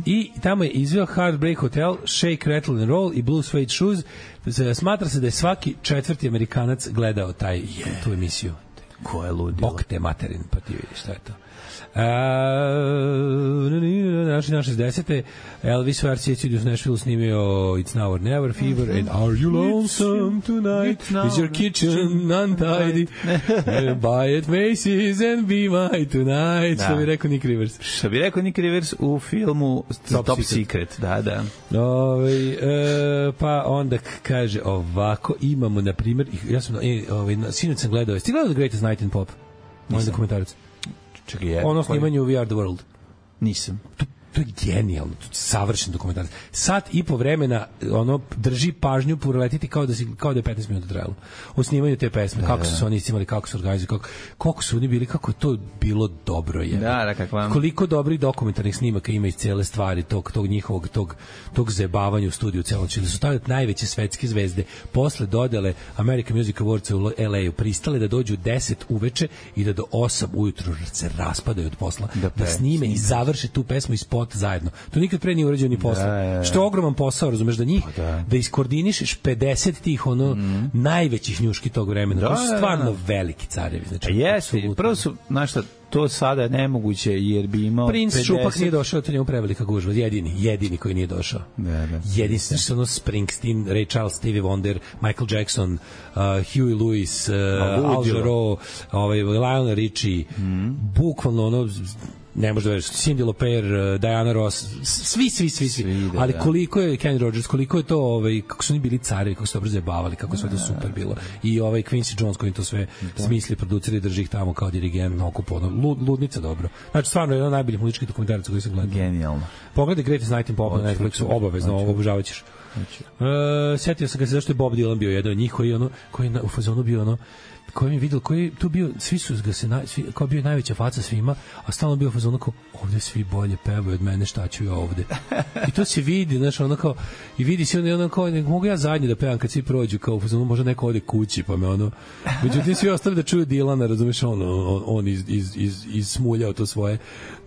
i tamo je izveo Heartbreak Hotel, Shake, Rattle and Roll i Blue Suede Shoes. Smatra se da je svaki četvrti Amerikanac gledao tu emisiju. Ko je ludio? Bog te materin, pa ti vidiš šta je to. Na 60. Elvis u RCA u Nashville snimio It's Now or Never, Fever and Are You Lonesome Tonight? Is your kitchen untidy? Buy at Macy's and be my tonight. Što bi rekao Nick Rivers. Što bi rekao Nick Rivers u filmu Top Secret. Da. Pa onda kaže ovako, imamo na primjer, ja sam sinoć sam gledao, ti gledao The Greatest Night in Pop? Moj dokumentarac. Ono snimanje u We Are the World. Nisam. To je genijalno, to je savršen dokumentarac. Sat i po vremena drži pažnju proletiti kao da je 15 minuta trajalo. O snimanju te pesme, kako su se oni iscimali, kako su organizovali, koliko su oni bili, kako je to bilo dobro je. Koliko dobrih dokumentarnih snimaka ima iz cele stvari, tog njihovog, tog zajebavanja u studiju celom. Da su tada najveće svetske zvezde posle dodele American Music Awards u LA-u pristale da dođu 10 uveče i da do 8 ujutru se raspadaju od posla, da snime i završe tu pesmu i spot života zajedno. To nikad pre nije urađeno ni posle. Što je ogroman posao, razumeš, da njih, da iskoordinišeš 50 tih najvećih njuški tog vremena. To su stvarno veliki carevi. Znači, jeste, prvo su, znaš šta, to sada nemoguće, jer bi imao Prince 50... Šupak nije došao, to njemu prevelika gužva. Jedini koji nije došao. Jedini, znači ono Springsteen, Ray Charles, Stevie Wonder, Michael Jackson, Huey Lewis, Al Jarreau, Lionel Richie, bukvalno ono, ne možda veriš, Cyndi Lauper, Diana Ross, svi. Ali koliko je Kenny Rogers, koliko je to, kako su oni bili carevi, kako su dobro zabavali, kako je sve to super bilo. I Quincy Jones koji to sve smisli, produceri, drži ih tamo kao dirigent na okupu, ludnica dobro. Znači, stvarno je jedan od najboljih muzičkih dokumentaraca koji sam gledao. Genijalno. Pogledaj Greatest Night in Pop na Netflixu, obavezno, obožavaćeš. Setio sam ga se zašto je Bob Dylan bio jedan od njih koji je u fazonu bio koji mi vidio, koji tu bio, svi su ga se kao bio najveća faca svima, a stalno bio fazon kao ovde svi bolje pevaju od mene, šta ću ja ovde. I to se vidi, znaš, ono kao, i vidi se ono kao, mogu ja zadnje da pevam kad svi prođu, kao fazon, možda neko ode kući, pa me ono, međutim svi ostali da čuju Dilana, razumeš, on izsmuljao to svoje,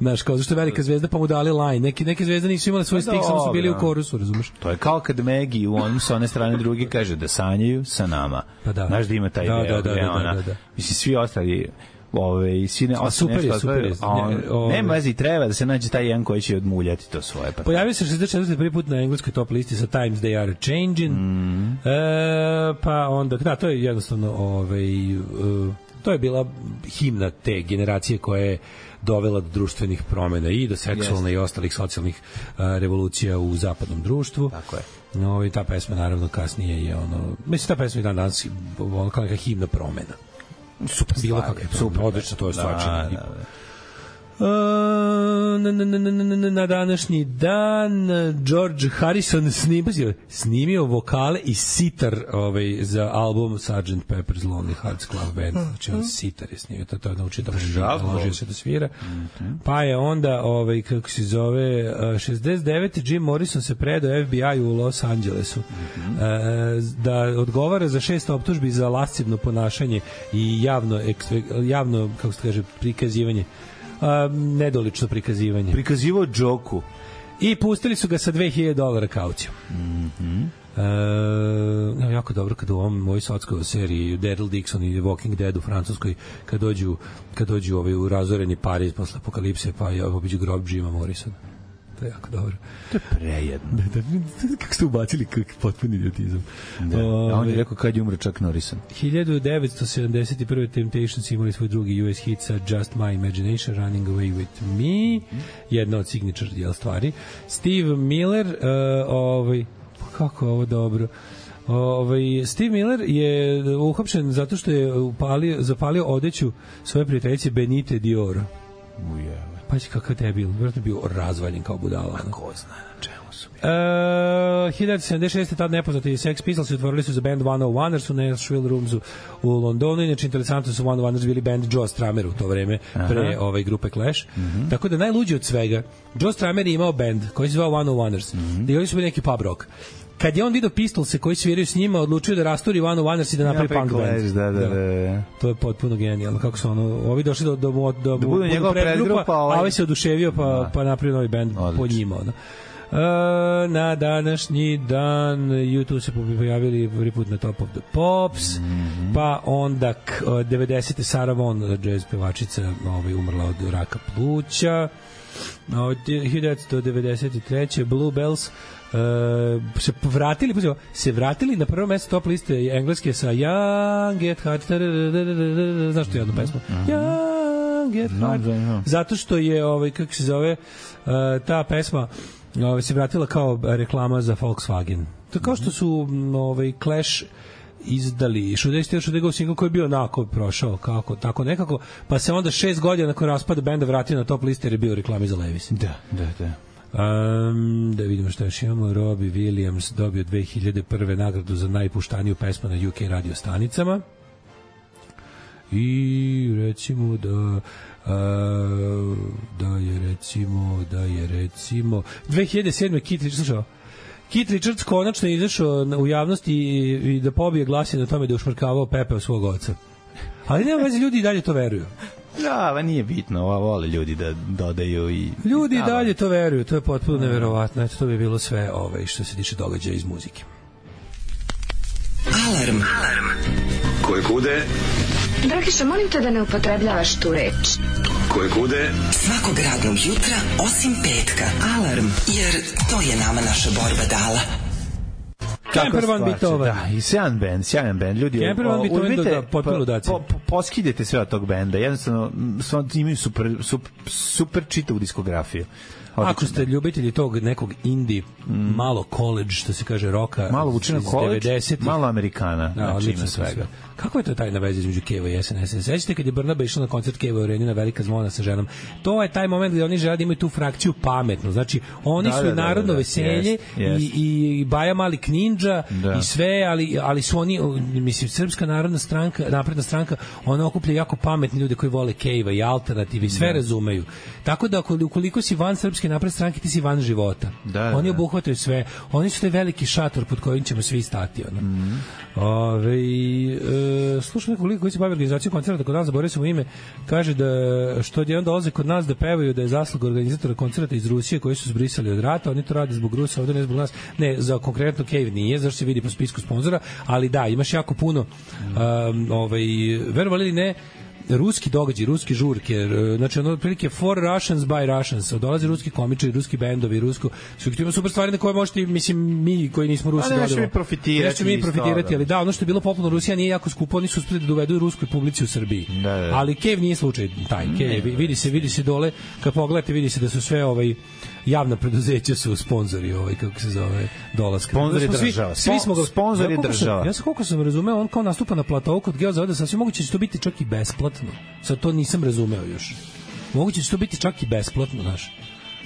znaš, kao zašto je velika zvezda, pa mu dali line, neke zvezde nisu imale svoj stik, samo su bili u korusu, razumeš. To je kao kad Maggie u onom sa one strane drugi kaže da sanjaju sa nama. Pa da. Znaš da ima taj deo, da. Mislim, svi ostali svi ne super je. Nema veze, treba da se nađe taj jedan koji će odmuljati to svoje. Pojavio se 64. prvi put na engleskoj top listi sa Times They Are Changing. Pa onda, da, to je jednostavno to je bila himna te generacije koja je dovela do društvenih promena i do seksualne i ostalih socijalnih revolucija u zapadnom društvu. Tako je. I ta pesma naravno kasnije je mislim ta pesma je danas kao neka himna promena. Super bilo kakva super, odlično to je stvar. Na današnji dan George Harrison snimio vokale i sitar za album Sgt. Pepper's Lonely Hearts Club Band. Znači on sitar je snimio, to je naučio da naložio se da svira. Pa je onda kako se zove 69. Jim Morrison se predao FBI u Los Angelesu da odgovara za 6 optužbi za lascivno ponašanje i javno kako se kaže prikazivanje nedolično prikazivanje. Prikazivao džoku. I pustili su ga sa $2.000 kaucijom. Jako dobro kad u ovoj sotskoj seriji Daryl Dixon i Walking Dead u Francuskoj kad dođu u razoreni Pariz posle apokalipse pa obiđu grob Jima Morrisona. To je jako dobro. To je prejedno. Kako ste ubacili potpuni idiotizam. On je rekao kad je umre Chuck Norrison. 1971. Temptations imali svoj drugi US hit sa Just My Imagination, Running Away With Me. Jedna od signature stvari. Steve Miller, kako je ovo dobro. Steve Miller je uhapšen zato što je zapalio odeću svoje prijateljice Benite Dior. Pa će kakav debil, vjerojatno bio razvaljen kao budala. Ko zna na čemu su bili. 1976. tad nepoznati Sex Pistols otvorili su za band 101ers u Nashville Roomsu u Londonu. Inače, interesantno su 101ers bili band Joe Strummer u to vreme, pre grupe Clash. Tako da najluđi od svega, Joe Strummer je imao band koji se zvao 101ers. I oni su bili neki pub rock. Kad je on vidio Pistolse koji sviraju s njima, odlučio da rasturi One Oneers i da napravi punk band. Da. To je potpuno genijalno. Kako su ovi došli da budu njegova predgrupa, a ovaj se oduševio pa napravio novi band po njima. Na današnji dan YouTube se pojavili prvi put na Top of the Pops, pa onda 90. Sarah Vaughan, jazz pevačica, umrla od raka pluća. 1993. Bluebells se vratili na prvo mesto top liste engleske sa Young at Heart. Znaš tu jednu pesmu? Young at Heart. Zato što je kako se zove ta pesma se vratila kao reklama za Volkswagen. To kao što su Clash izdali Should I Go single koji je bio onako prošao tako nekako, pa se onda 6 godina nakon raspada benda vratio na top liste jer je bio reklami za Levi's. Da. Da vidimo šta još imamo. Robbie Williams dobio 2001. nagradu za najpuštaniju pesmu na UK radio stanicama i recimo da je recimo 2007. Keith Richards konačno je izašao u javnosti i da pobije glasine na tome da je ušmrkavao Pepe od svog oca. Ali nema veze, ljudi i dalje to veruju. Da, nije bitno, vole ljudi da dodaju i... Ljudi i dalje to veruju, to je potpuno neverovatno. Eto, to bi bilo sve što se tiče događaja iz muzike. Alarm. Koje kude? Dragiša, molim te da ne upotrebljavaš tu reč. Koje kude? Svakog radnog jutra, osim petka. Alarm, jer to je nama naša borba dala. Campervan Beethoven. Da, i sjajan band. Ljudi, Campervan Beethoven da potpuno ludaci. Poskidete sve od tog benda. Jednostavno, imaju super čitavu diskografiju. Ako ste ljubitelji tog nekog indie, malo college, što se kaže, roka, malo vučeno college, 90-ih. malo Amerikana, da, znači ima svega. Kako je to tajna veza između Keva i SNS? Sećate kad je Brnaba išla na koncert Keva u Areni na Velika zvona sa ženom? To je taj moment gde oni žele da imaju tu frakciju pametnu. Znači, oni su i narodno veselje i Baja Mali Kninđa i sve, ali su oni, mislim, Srpska narodna stranka, napredna stranka, ona okuplja jako pametni ljude koji vole Keva i alternativi, sve razumeju. Tako da, ukoliko si van Srpske napredne stranke, ti si van života. Oni obuhvataju sve. Oni su taj veliki šator pod kojim ćemo svi stati. Slušam neko lik koji se bavi organizacijom koncerta kod nas, zaboravio sam mu ime, kaže da što jedan dolaze kod nas da pevaju da je zasluga organizatora koncerta iz Rusije koji su zbrisali od rata, oni to rade zbog Rusa, ovde ne zbog nas. Ne, za konkretno Cave nije, zašto se vidi po spisku sponzora, ali da, imaš jako puno verovali ili ne, ruski događaj, ruski žurke, znači ono otprilike for Russians by Russians, dolaze ruski komičari, ruski bendovi, rusko, su ima super stvari na koje možete, mislim, mi koji nismo Rusi gledamo. Nećemo mi profitirati, ali da, ono što je bilo popularno u Rusiji nije jako skupo, oni su uspeli da dovedu ruskoj publici u Srbiji. Da. Ali Cave nije slučaj taj. Cave, vidi se dole, kad pogledate, vidi se da su sve javna preduzeća su sponzori, kako se zove, dolaska. Sponzori država. Svi smo ga sponzori država. Ja sam koliko sam razumeo, on kao nastupa na platou kod Geozavoda, sasvim moguće će to biti čak i besplatno. Sad to nisam razumeo još. Moguće će to biti čak i besplatno, znaš.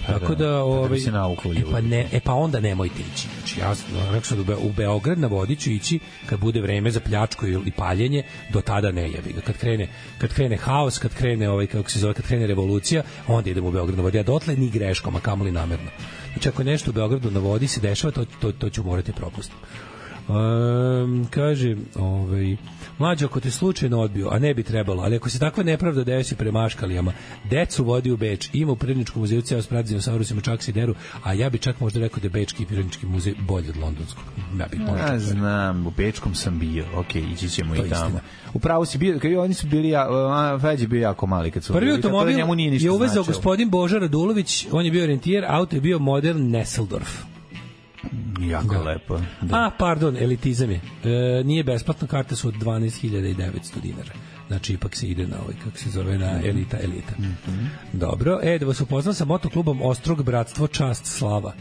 Tako da, pa onda nemojte ići. Znači, ja rekao sam u Beograd na vodi ću ići kad bude vreme za pljačku i paljenje, do tada ne jebi ga. Kad krene haos, kad krene kako se zove, kad krene revolucija, onda idemo u Beograd na vodi. A dotle ni greškom, a kamoli namerno. Znači, ako nešto u Beogradu na vodi se dešava, to ću morati propustiti. Kaže, mlađo, ako te slučajno odbio, a ne bi trebalo, ali ako se takva nepravda desi prema Aškalijama, decu vodi u Beč, ima u Prirodničkom muzeju ceo sprat dinosaurusima, čak se deru, a ja bi čak možda rekao da je Bečki Prirodnički muzej bolji od londonskog. Ja znam, u Bečkom sam bio, ići ćemo i tamo. Upravo si bio, kad oni su bili, Feđ je bio jako mali kad su prvi automobil je uvezao gospodin Boža Radulović, on je bio rentijer, auto je bio model Nesseldorf. Jako lepo. Da. Pardon, elitizam je. Nije besplatno, karte su od 12.900 dinara. Znači, ipak se ide na kako se zove, na elita. Dobro, da vas upoznam sa motoklubom Ostrog, Bratstvo, Čast, Slava.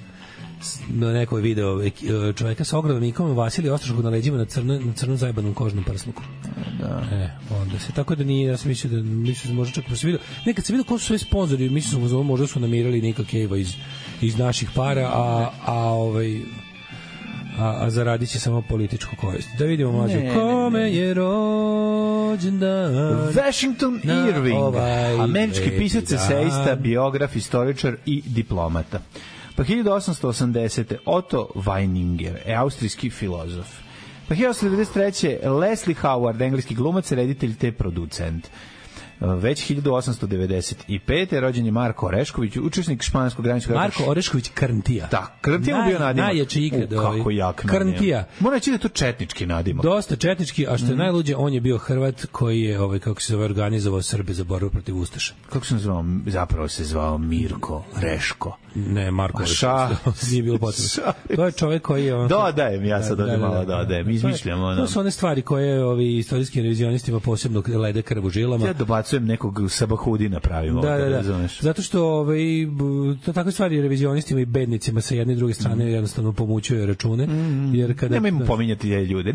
Na nekoj video čoveka sa ogromnim ikomom Vasilij Ostroškog na leđima na crnom zajebanom kožnom prsluku. Da. Onda se, tako da nije, ja sam mislio da možda čak se vidio, nekad se vidio ko su sve sponzori, mislio možda su namirali Nika Cave iz naših para, a zaradit će samo političku korist. Da vidimo mlađe. Kome je rođendan? Washington Irving, američki pisac, eseista, biograf, istoričar i diplomata. Pa 1880. Otto Weininger, austrijski filozof. Pa 1893. Leslie Howard, engleski glumac, reditelj te producent. Već 1895. rođen je Marko Orešković, učesnik španskog graničkog rata. Marko Orešković Krntija. Da, Krntija mu bio nadimak. Najjači ikad. Kako jak nadimak. Krntija. Mora reći da je to četnički nadimak. Dosta četnički, a što je najluđe, on je bio Hrvat koji je, kako se zove, organizovao Srbe za borbu protiv Ustaša. Kako se zvao? Zapravo se zvao Mirko Reško. Ne, Marko Orešković. Nije bilo potrebno. To je čovjek koji je... Dodajem, ja sad ovdje malo dodajem. Izmišljamo. To su one stvari koje ovi istorijski revizionistima posebno lede krv u žilama. Ja dobacujem nekog sabahudina pravimo. Da. Zato što to takve stvari revizionistima i bednicima sa jedne i druge strane jednostavno pomućuju račune. Jer kada nemojmo pominjati te ljude.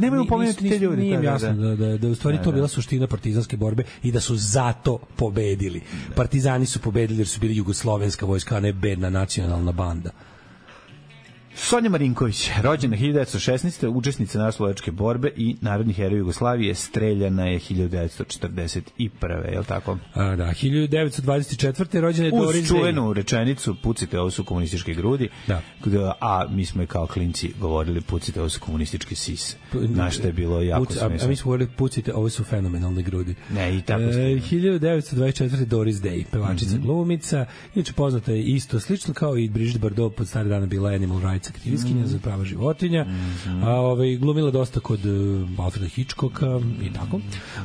Nije jasno da u stvari to bila suština partizanske borbe i da su zato pobedili. Partizani su pobedili jer su bili jugoslovenska vojska, a ne bedna nacionalna banda. Sonja Marinković, rođena 1916. učesnica naslovačke borbe i narodni heroj Jugoslavije, streljana je 1941. Je li tako? Da, 1924. rođena je Doris Day. Uz čuvenu rečenicu, pucite, ovo su komunističke grudi, da. A mi smo je kao klinci govorili, pucite, ovo su komunističke sise. Na što je bilo jako smiješno. A mi smo govorili, pucite, ovo su fenomenalne grudi. Ne, i tako 1924. Doris Day, pevačica, glumica, inače poznata je isto, slično kao i Brigitte Bardot, pod stare dana bila animal rights aktivistkinja za prava životinja, a glumila dosta kod Alfreda Hitchcocka i tako.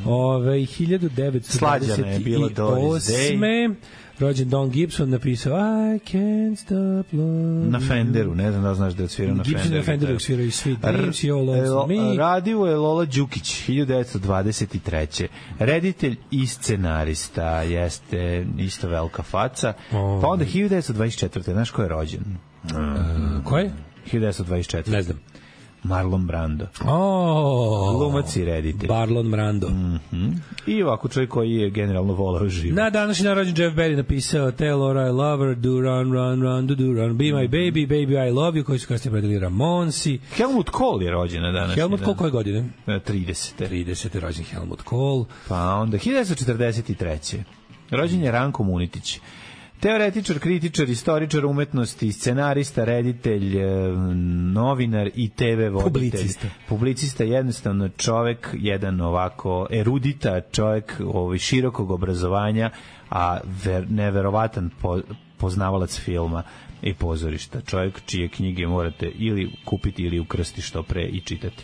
1928. rođen Don Gibson, napisao I can't stop love. Na Fenderu, ne znam da znaš da je svirao na Fenderu. Gibson na Fenderu svirao i Sweet Dreams i All Loves Me. Radio je Lola Đukić, 1923. Reditelj i scenarista, jeste isto velika faca. Pa onda 1924. Znaš ko je rođen? Ko je? 1924. Ne znam. Marlon Brando. Glumac i reditelj. Marlon Brando. I ovako čovjek koji je generalno volao živo. Na današnji dan rođen Jeff Berry napisao Tell Laura I love her, do run, do run, be my baby, baby I love you, koji su kasnije predali Ramonsi. Helmut Kohl je rođen na današnji dan. Helmut Kohl koje godine? 30. rođen Helmut Kohl. Pa onda 1943. Rođen je Ranko Munitić. Teoretičar, kritičar, istoričar umetnosti, scenarista, reditelj, novinar i TV voditelj. Publicista, jednostavno čovek, jedan ovako erudita čovek širokog obrazovanja, a neverovatan poznavalac filma i pozorišta. Čovek čije knjige morate ili kupiti ili ukrsti što pre i čitati.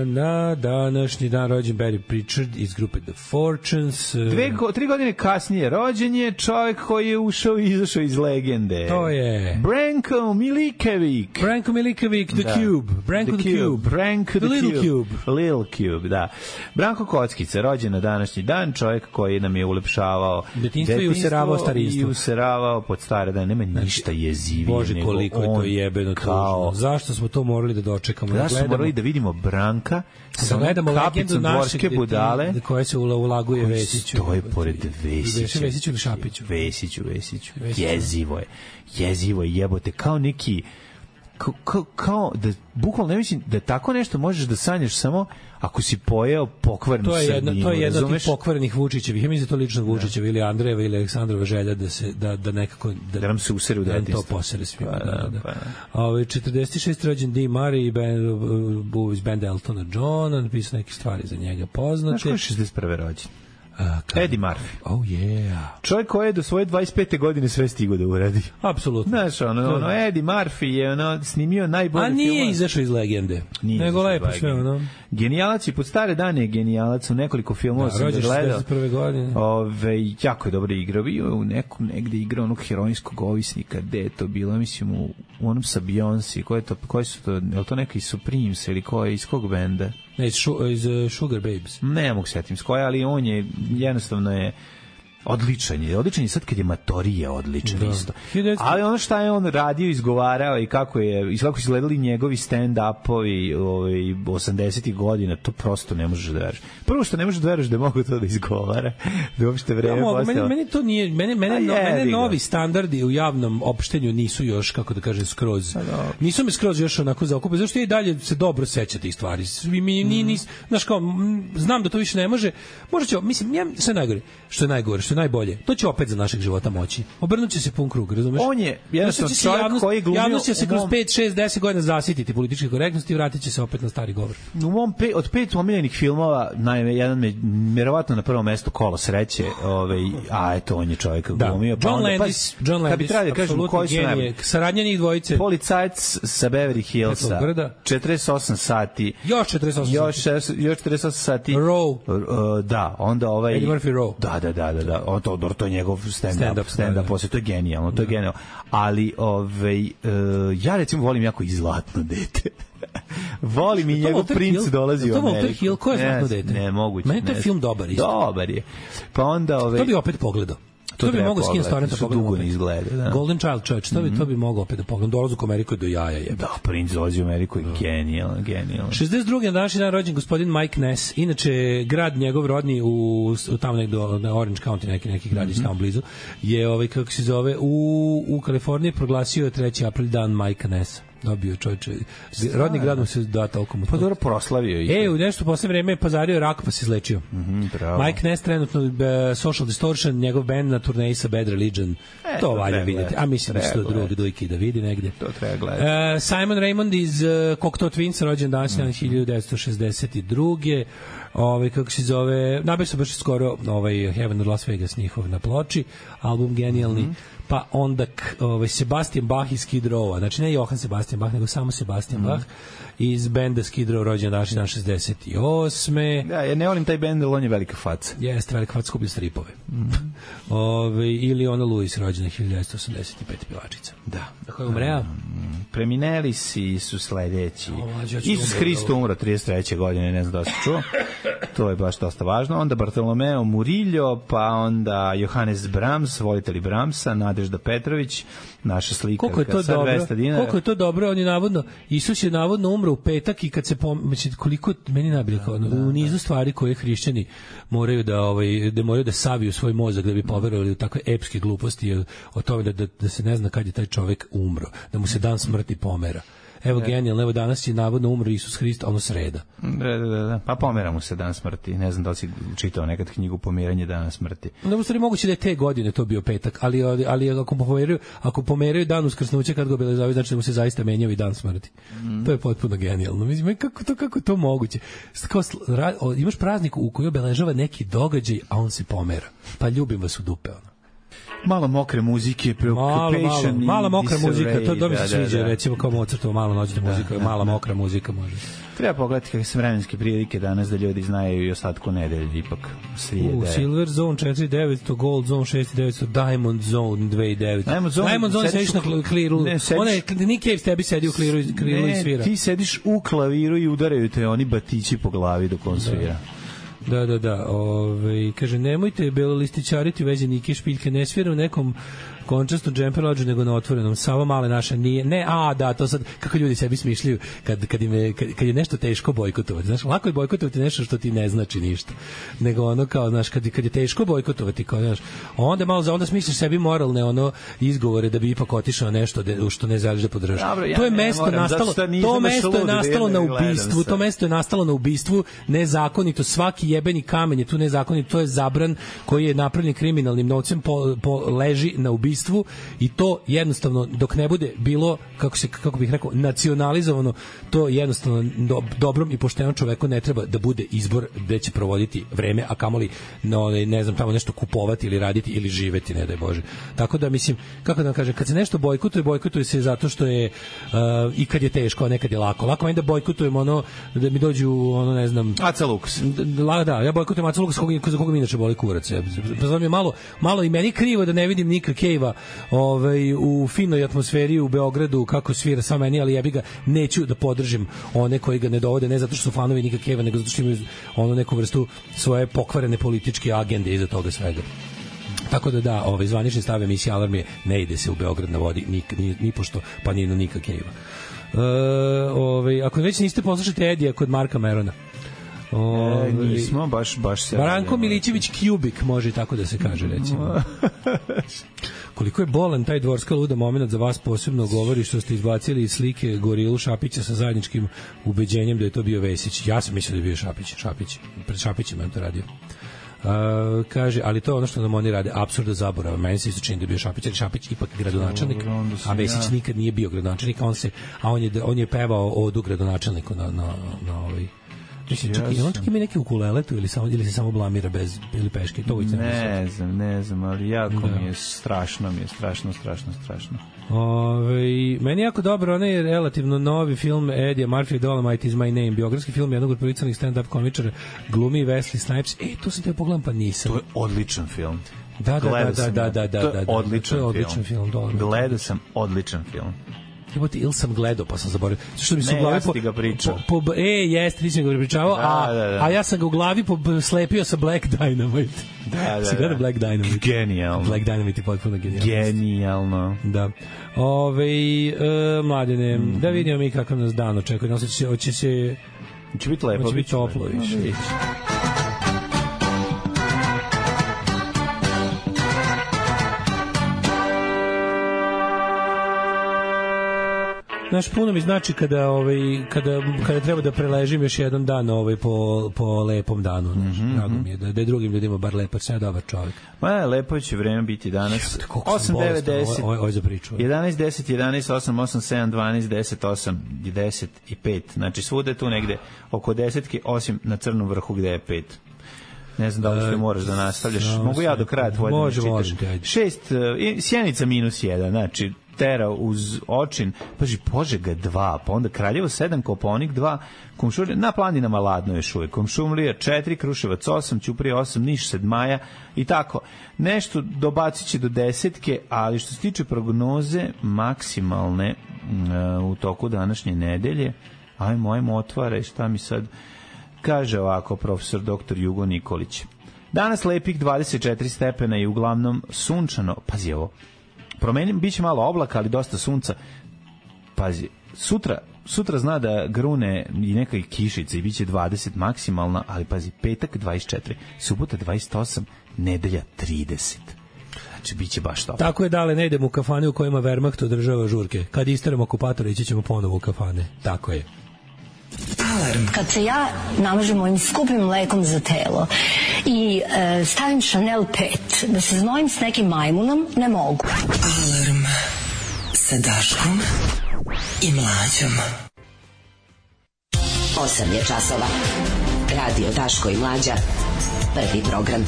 Na današnji dan rođen Barry Pritchard iz grupe The Fortunes. 3 godine kasnije rođen je čovjek koji je ušao i izašao iz legende. To je Branko Miliković. The Cube. Branko the Cube. Branko the Little Cube. Little Cube, da. Branko Kockica, rođen na današnji dan, čovjek koji nam je ulepšavao detinjstvo i useravao starinstvo. I useravao pod stare dane. Nema ništa jezivije. Bože, koliko je to jebeno tužno. Zašto smo to morali da dočekamo? Zašto smo morali da vidimo Branka sa kapicom dvorske budale koje se ulaguje Vesiću. To je pored Vesića. Vesiću ili Šapiću? Vesiću. Jezivo je, jebote, kao neki kao da bukvalno ne mislim da tako nešto možeš da sanjaš samo ako si pojeo pokvarenu srninu. To je jedna od tih pokvarenih Vučićevih. Ja mislim da to lično Vučićeva ili Andrejeva ili Aleksandrova želja da nekako da nam se usere u detinjstvo. Da to posere svima. 46. rođen Dee Murray iz benda Eltona Johna, napisao neke stvari za njega poznate. Znaš ko je 61. rođen? Eddie Murphy. Oh yeah. Čovjek koji je do svoje 25. godine sve stigao da uradi. Apsolutno. Znaš, Eddie Murphy je snimio najbolje filmove. A nije izašao iz legende. Nego lepo sve, Genijalac i pod stare dane je genijalac u nekoliko filmova sam gledao. 61. godine. Jako je dobro igrao. Bio u nekom negde igrao onog heroinskog ovisnika. Gde je to bilo? Mislim u onom sa Beyoncé. Koji su to? Je li to neki Supremes ili iz kog benda? Ne, iz Sugar Babes. Ne mogu setim s koja, ali on je jednostavno je odličan je sad kad je Matorije odličan isto. Ali ono šta je on radio, izgovarao i kako su izgledali njegovi stand-upovi 80-ih godina, to prosto ne možeš da veruješ. Prvo što ne možeš da veruješ da mogu to da izgovara, da uopšte vreme postao. Meni to nije, mene novi standardi u javnom opštenju nisu još, kako da kažem, skroz. Nisu me skroz još onako zaokupili, zašto ja i dalje se dobro sećam tih stvari. Znaš kao, znam da to više ne može. Možda će, mislim, sve najgore, što je najbolje. To će opet za našeg života moći. Obrnuće se pun krug, razumeš? On je jednostavno čovjek koji glumio... Javnost će se kroz 5, 6, 10 godina zasititi političke korektnosti i vratit će se opet na stari govor. Od 5 omiljenih filmova, jedan me vjerovatno na prvom mestu Kolo sreće, a eto, on je čovjek glumio. John Landis, kad bi trebali da kažemo koji su najbolji. Saradnja njih dvojice. Policajac sa Beverly Hillsa. 48 sati. Još 48 sati. Row. Da, onda Eddie Murphy Row. Da. To je njegov stand-up posle, to je genijalno, ali ja recimo volim jako i Zlatno dete. Volim i njegov princ dolazi u Ameriku. To Walter Hill, ko je Zlatno dete? Ne, moguće. Meni to je film dobar isto. Dobar je. Pa onda to bi opet pogledao. To bi mogao skin storenta pogledati. Dugo ne izgleda, da. Golden Child Church, to bi mogao opet da pogledam. Dolazak u Ameriku je do jaja je. Da, Prince dolazi u Ameriku je genijalan. 62. na današnji dan rođen gospodin Mike Ness. Inače, grad njegov rodni u tamo negde na Orange County, neki gradić tamo blizu, je, kako se zove, u Kaliforniji proglasio 3. april dan Mike Nessa. Dobio čovječe. Rodni grad mu se da toliko mu. Pa dobro proslavio ih. U nešto posle vreme pazario rak pa se izlečio. Mike Ness trenutno Social Distortion, njegov band na turneji sa Bad Religion. To valja vidjeti. A mislim da se to drugi dojki da vidi negde. To treba gledati. Simon Raymond iz Cocteau Twins, rođen danas 1962. Kako se zove, nabio se baš skoro Heaven of Las Vegas njihov na ploči, album genijalni. Pa onda Sebastian Bach iz Skid Rowa, znači ne Johann Sebastian Bach, nego samo Sebastian Bach iz benda Skid Row, rođen današnji dan 68. Da, ja ne volim taj bend, ali on je velika faca. Jeste, velika faca, skuplja stripove. Ili ona Louis, rođena 1985. pivačica. Da. Tako je umreo? Premineli su sledeći. Isus Hristo umro 33. godine, ne znam da se čuo. To je baš dosta važno. Onda Bartolomeo Murillo, pa onda Johannes Brahms, volitelji Brahmsa, Nadežda Petrović, naša slikarka sa 200 dinara. Koliko je to dobro, on je navodno, Isus je navodno umro u petak i kad se koliko meni nabili u nizu stvari koje hrišćani moraju da moraju da saviju svoj mozak da bi poverovali u takve epske gluposti o tome da se ne zna kad je taj čovek umro, da mu se dan smrti pomera. Evo genijalno, evo danas je navodno umro Isus Hrist, sreda. Da. Pa pomera mu se dan smrti. Ne znam da li si čitao nekad knjigu Pomeranje dana smrti. Da, u stvari moguće da je te godine to bio petak, ali ako pomeraju dan uskrsnuća kad ga obeležavaju, znači da mu se zaista menjao i dan smrti. To je potpuno genijalno. Mislim, kako to moguće? Imaš praznik u koji obeležava neki događaj, a on se pomera. Pa ljubim vas u dupe, Malo mokre muzike, Preoccupation. Mala mokra muzika, to mi se sviđa, recimo kao Mozartova mala noćna muzika, mala mokra muzika može. Treba pogledati kakve su vremenske prilike danas da ljudi znaju i ostatku nedelje, ipak srijede. Silver Zone 4900, Gold Zone 6900, Diamond Zone 2900. Diamond Zone sediš na kliru. Nick Cave tebi sedi u kliru i svira. Ne, ti sediš u klaviru i udaraju te oni batići po glavi dok on svira. Da. Kaže, nemojte belolističariti u vezi Nike Špiljke, ne svira u nekom končastom džemperlađu, nego na otvorenom. Sava male naše nije. To sad, kako ljudi sebi smišljaju kad je nešto teško bojkotovati. Znaš, lako je bojkotovati nešto što ti ne znači ništa. Nego kao, znaš, kad je teško bojkotovati, kao, znaš, onda smisliš sebi moralne izgovore da bi ipak otišao nešto što ne želiš da podržaš. To je mesto nastalo na ubistvu, nezakonito, svaki jebeni kamen je tu nezakonito, to je zabran koji je napravljen kriminalnim novcem, leži na ubistvu i to jednostavno dok ne bude bilo, kako bih rekao, nacionalizovano, to jednostavno dobrom i poštenom čoveku ne treba da bude izbor gde će provoditi vreme, a kamoli ne znam, tamo nešto kupovati ili raditi ili živeti, ne daj Bože. Tako da mislim, kako da vam kažem, kad se nešto bojkotuje se zato što je i kad je teško, a nekad je lako. Lako meni da bojkotujem da mi dođu ne znam, Aca Lukas. Da, ja bojkotujem Aca Lukas za koga mi inače boli kurac. Pa znam je malo i meni krivo da ne vidim Nika Cave-a u finoj atmosferi u Beogradu kako svira sa meni, ali jebi ga, neću da podržim one koji ga ne dovode, ne zato što su fanovi Nika Cave-a, nego zato što imaju neku vrstu svoje pokvarene političke agende iza toga svega. Tako da, zvanični stav emisije Alarm je ne ide se u Beograd na vodi ni pošto, pa ni na Nika Cave-a. Ako već niste poslušati Edija kod Marka Merona, nismo baš se Branko Milićević Kubik, može tako da se kaže, recimo. Koliko je bolan taj dvorska luda moment za vas, posebno govori što ste izbacili iz slike Gorilu Šapića sa zajedničkim ubeđenjem da je to bio Vesić. Ja sam mislio da je bio Šapić. Pred Šapićem je to radio. Kaže, ali to je ono što nam oni rade, apsurda zaborava. Meni se isto čini da je bio Šapić, ali Šapić ipak gradonačelnik, a Vesić nikad nije bio gradonačelnik, on je pevao odu gradonačelniku na čak ima neki ukulele tu ili se samo blamira ili peške, to ne znam, ali jako mi je strašno. Meni jako dobro, onaj je relativno novi film Eddie Murphy, Dolomite is my name, biografski film jednog od prolicanih stand-up komičara, glumi Wesley Snipes. To sam te pogledam pa nisam. To je odličan film. Da. To je odličan film. Gledao sam odličan film. ili sam gledao pa sam zaboravio. Što mi se u Ne, glavi ja sam ti ga pričao. jeste, ti si ga pričao, Da. a ja sam ga u glavi slepio sa Black Dynamite. Da. Si gleda Black Dynamite? Genijalno. Black Dynamite je potpuno genijalno. Genijalno. Da. Mladine, da vidimo mi kakav nas dan očekuje. Hoće biti lepo, hoće biti toplo više. Znaš, puno mi znači kada treba da preležim još jedan dan po lepom danu. Drago mi je da je drugim ljudima bar lepo, sam je dobar čovjek. Lepo će vreme biti danas. 8, 9, 10. Ovo je za priču. 11, 10, 11, 8, 8, 7, 12, 10, 8, 10 i 5. Znači svude tu negde oko desetke, osim na Crnom vrhu gde je 5. Ne znam da li što moraš da nastavljaš. Mogu ja do kraja tvoje da ne čitaš. 6, Sjenica -1, znači Tera uz Očin, paži, Požega 2, pa onda Kraljevo 7, Kopaonik 2, Kumšurlija, na planinama ladno još uvek, Kumšumlija 4, Kruševac 8, Ćuprija 8, Niš 7 i tako. Nešto dobacit će do desetke, ali što se tiče prognoze maksimalne u toku današnje nedelje, ajmo otvaraj, šta mi sad kaže ovako profesor dr. Jugo Nikolić. Danas lepih 24 stepena i uglavnom sunčano, pazi ovo, biće malo oblaka, ali dosta sunca. Pazi, sutra zna da grune i neka kišica i biće 20 maksimalna, ali pazi, petak 24, subota 28, nedelja 30. Znači, biće baš to. Tako je, dale, ne idemo u kafane u kojima Wehrmacht održava žurke. Kad isteramo okupatora, ići ćemo ponovo u kafane. Tako je. Alarm. Kad se ja namažem mojim skupim mlekom za telo i stavim Chanel 5 da se znojim s nekim majmunom, ne mogu. Alarm sa Daškom i Mlađom. 8 je časova. Radio Daško i Mlađa. Prvi program.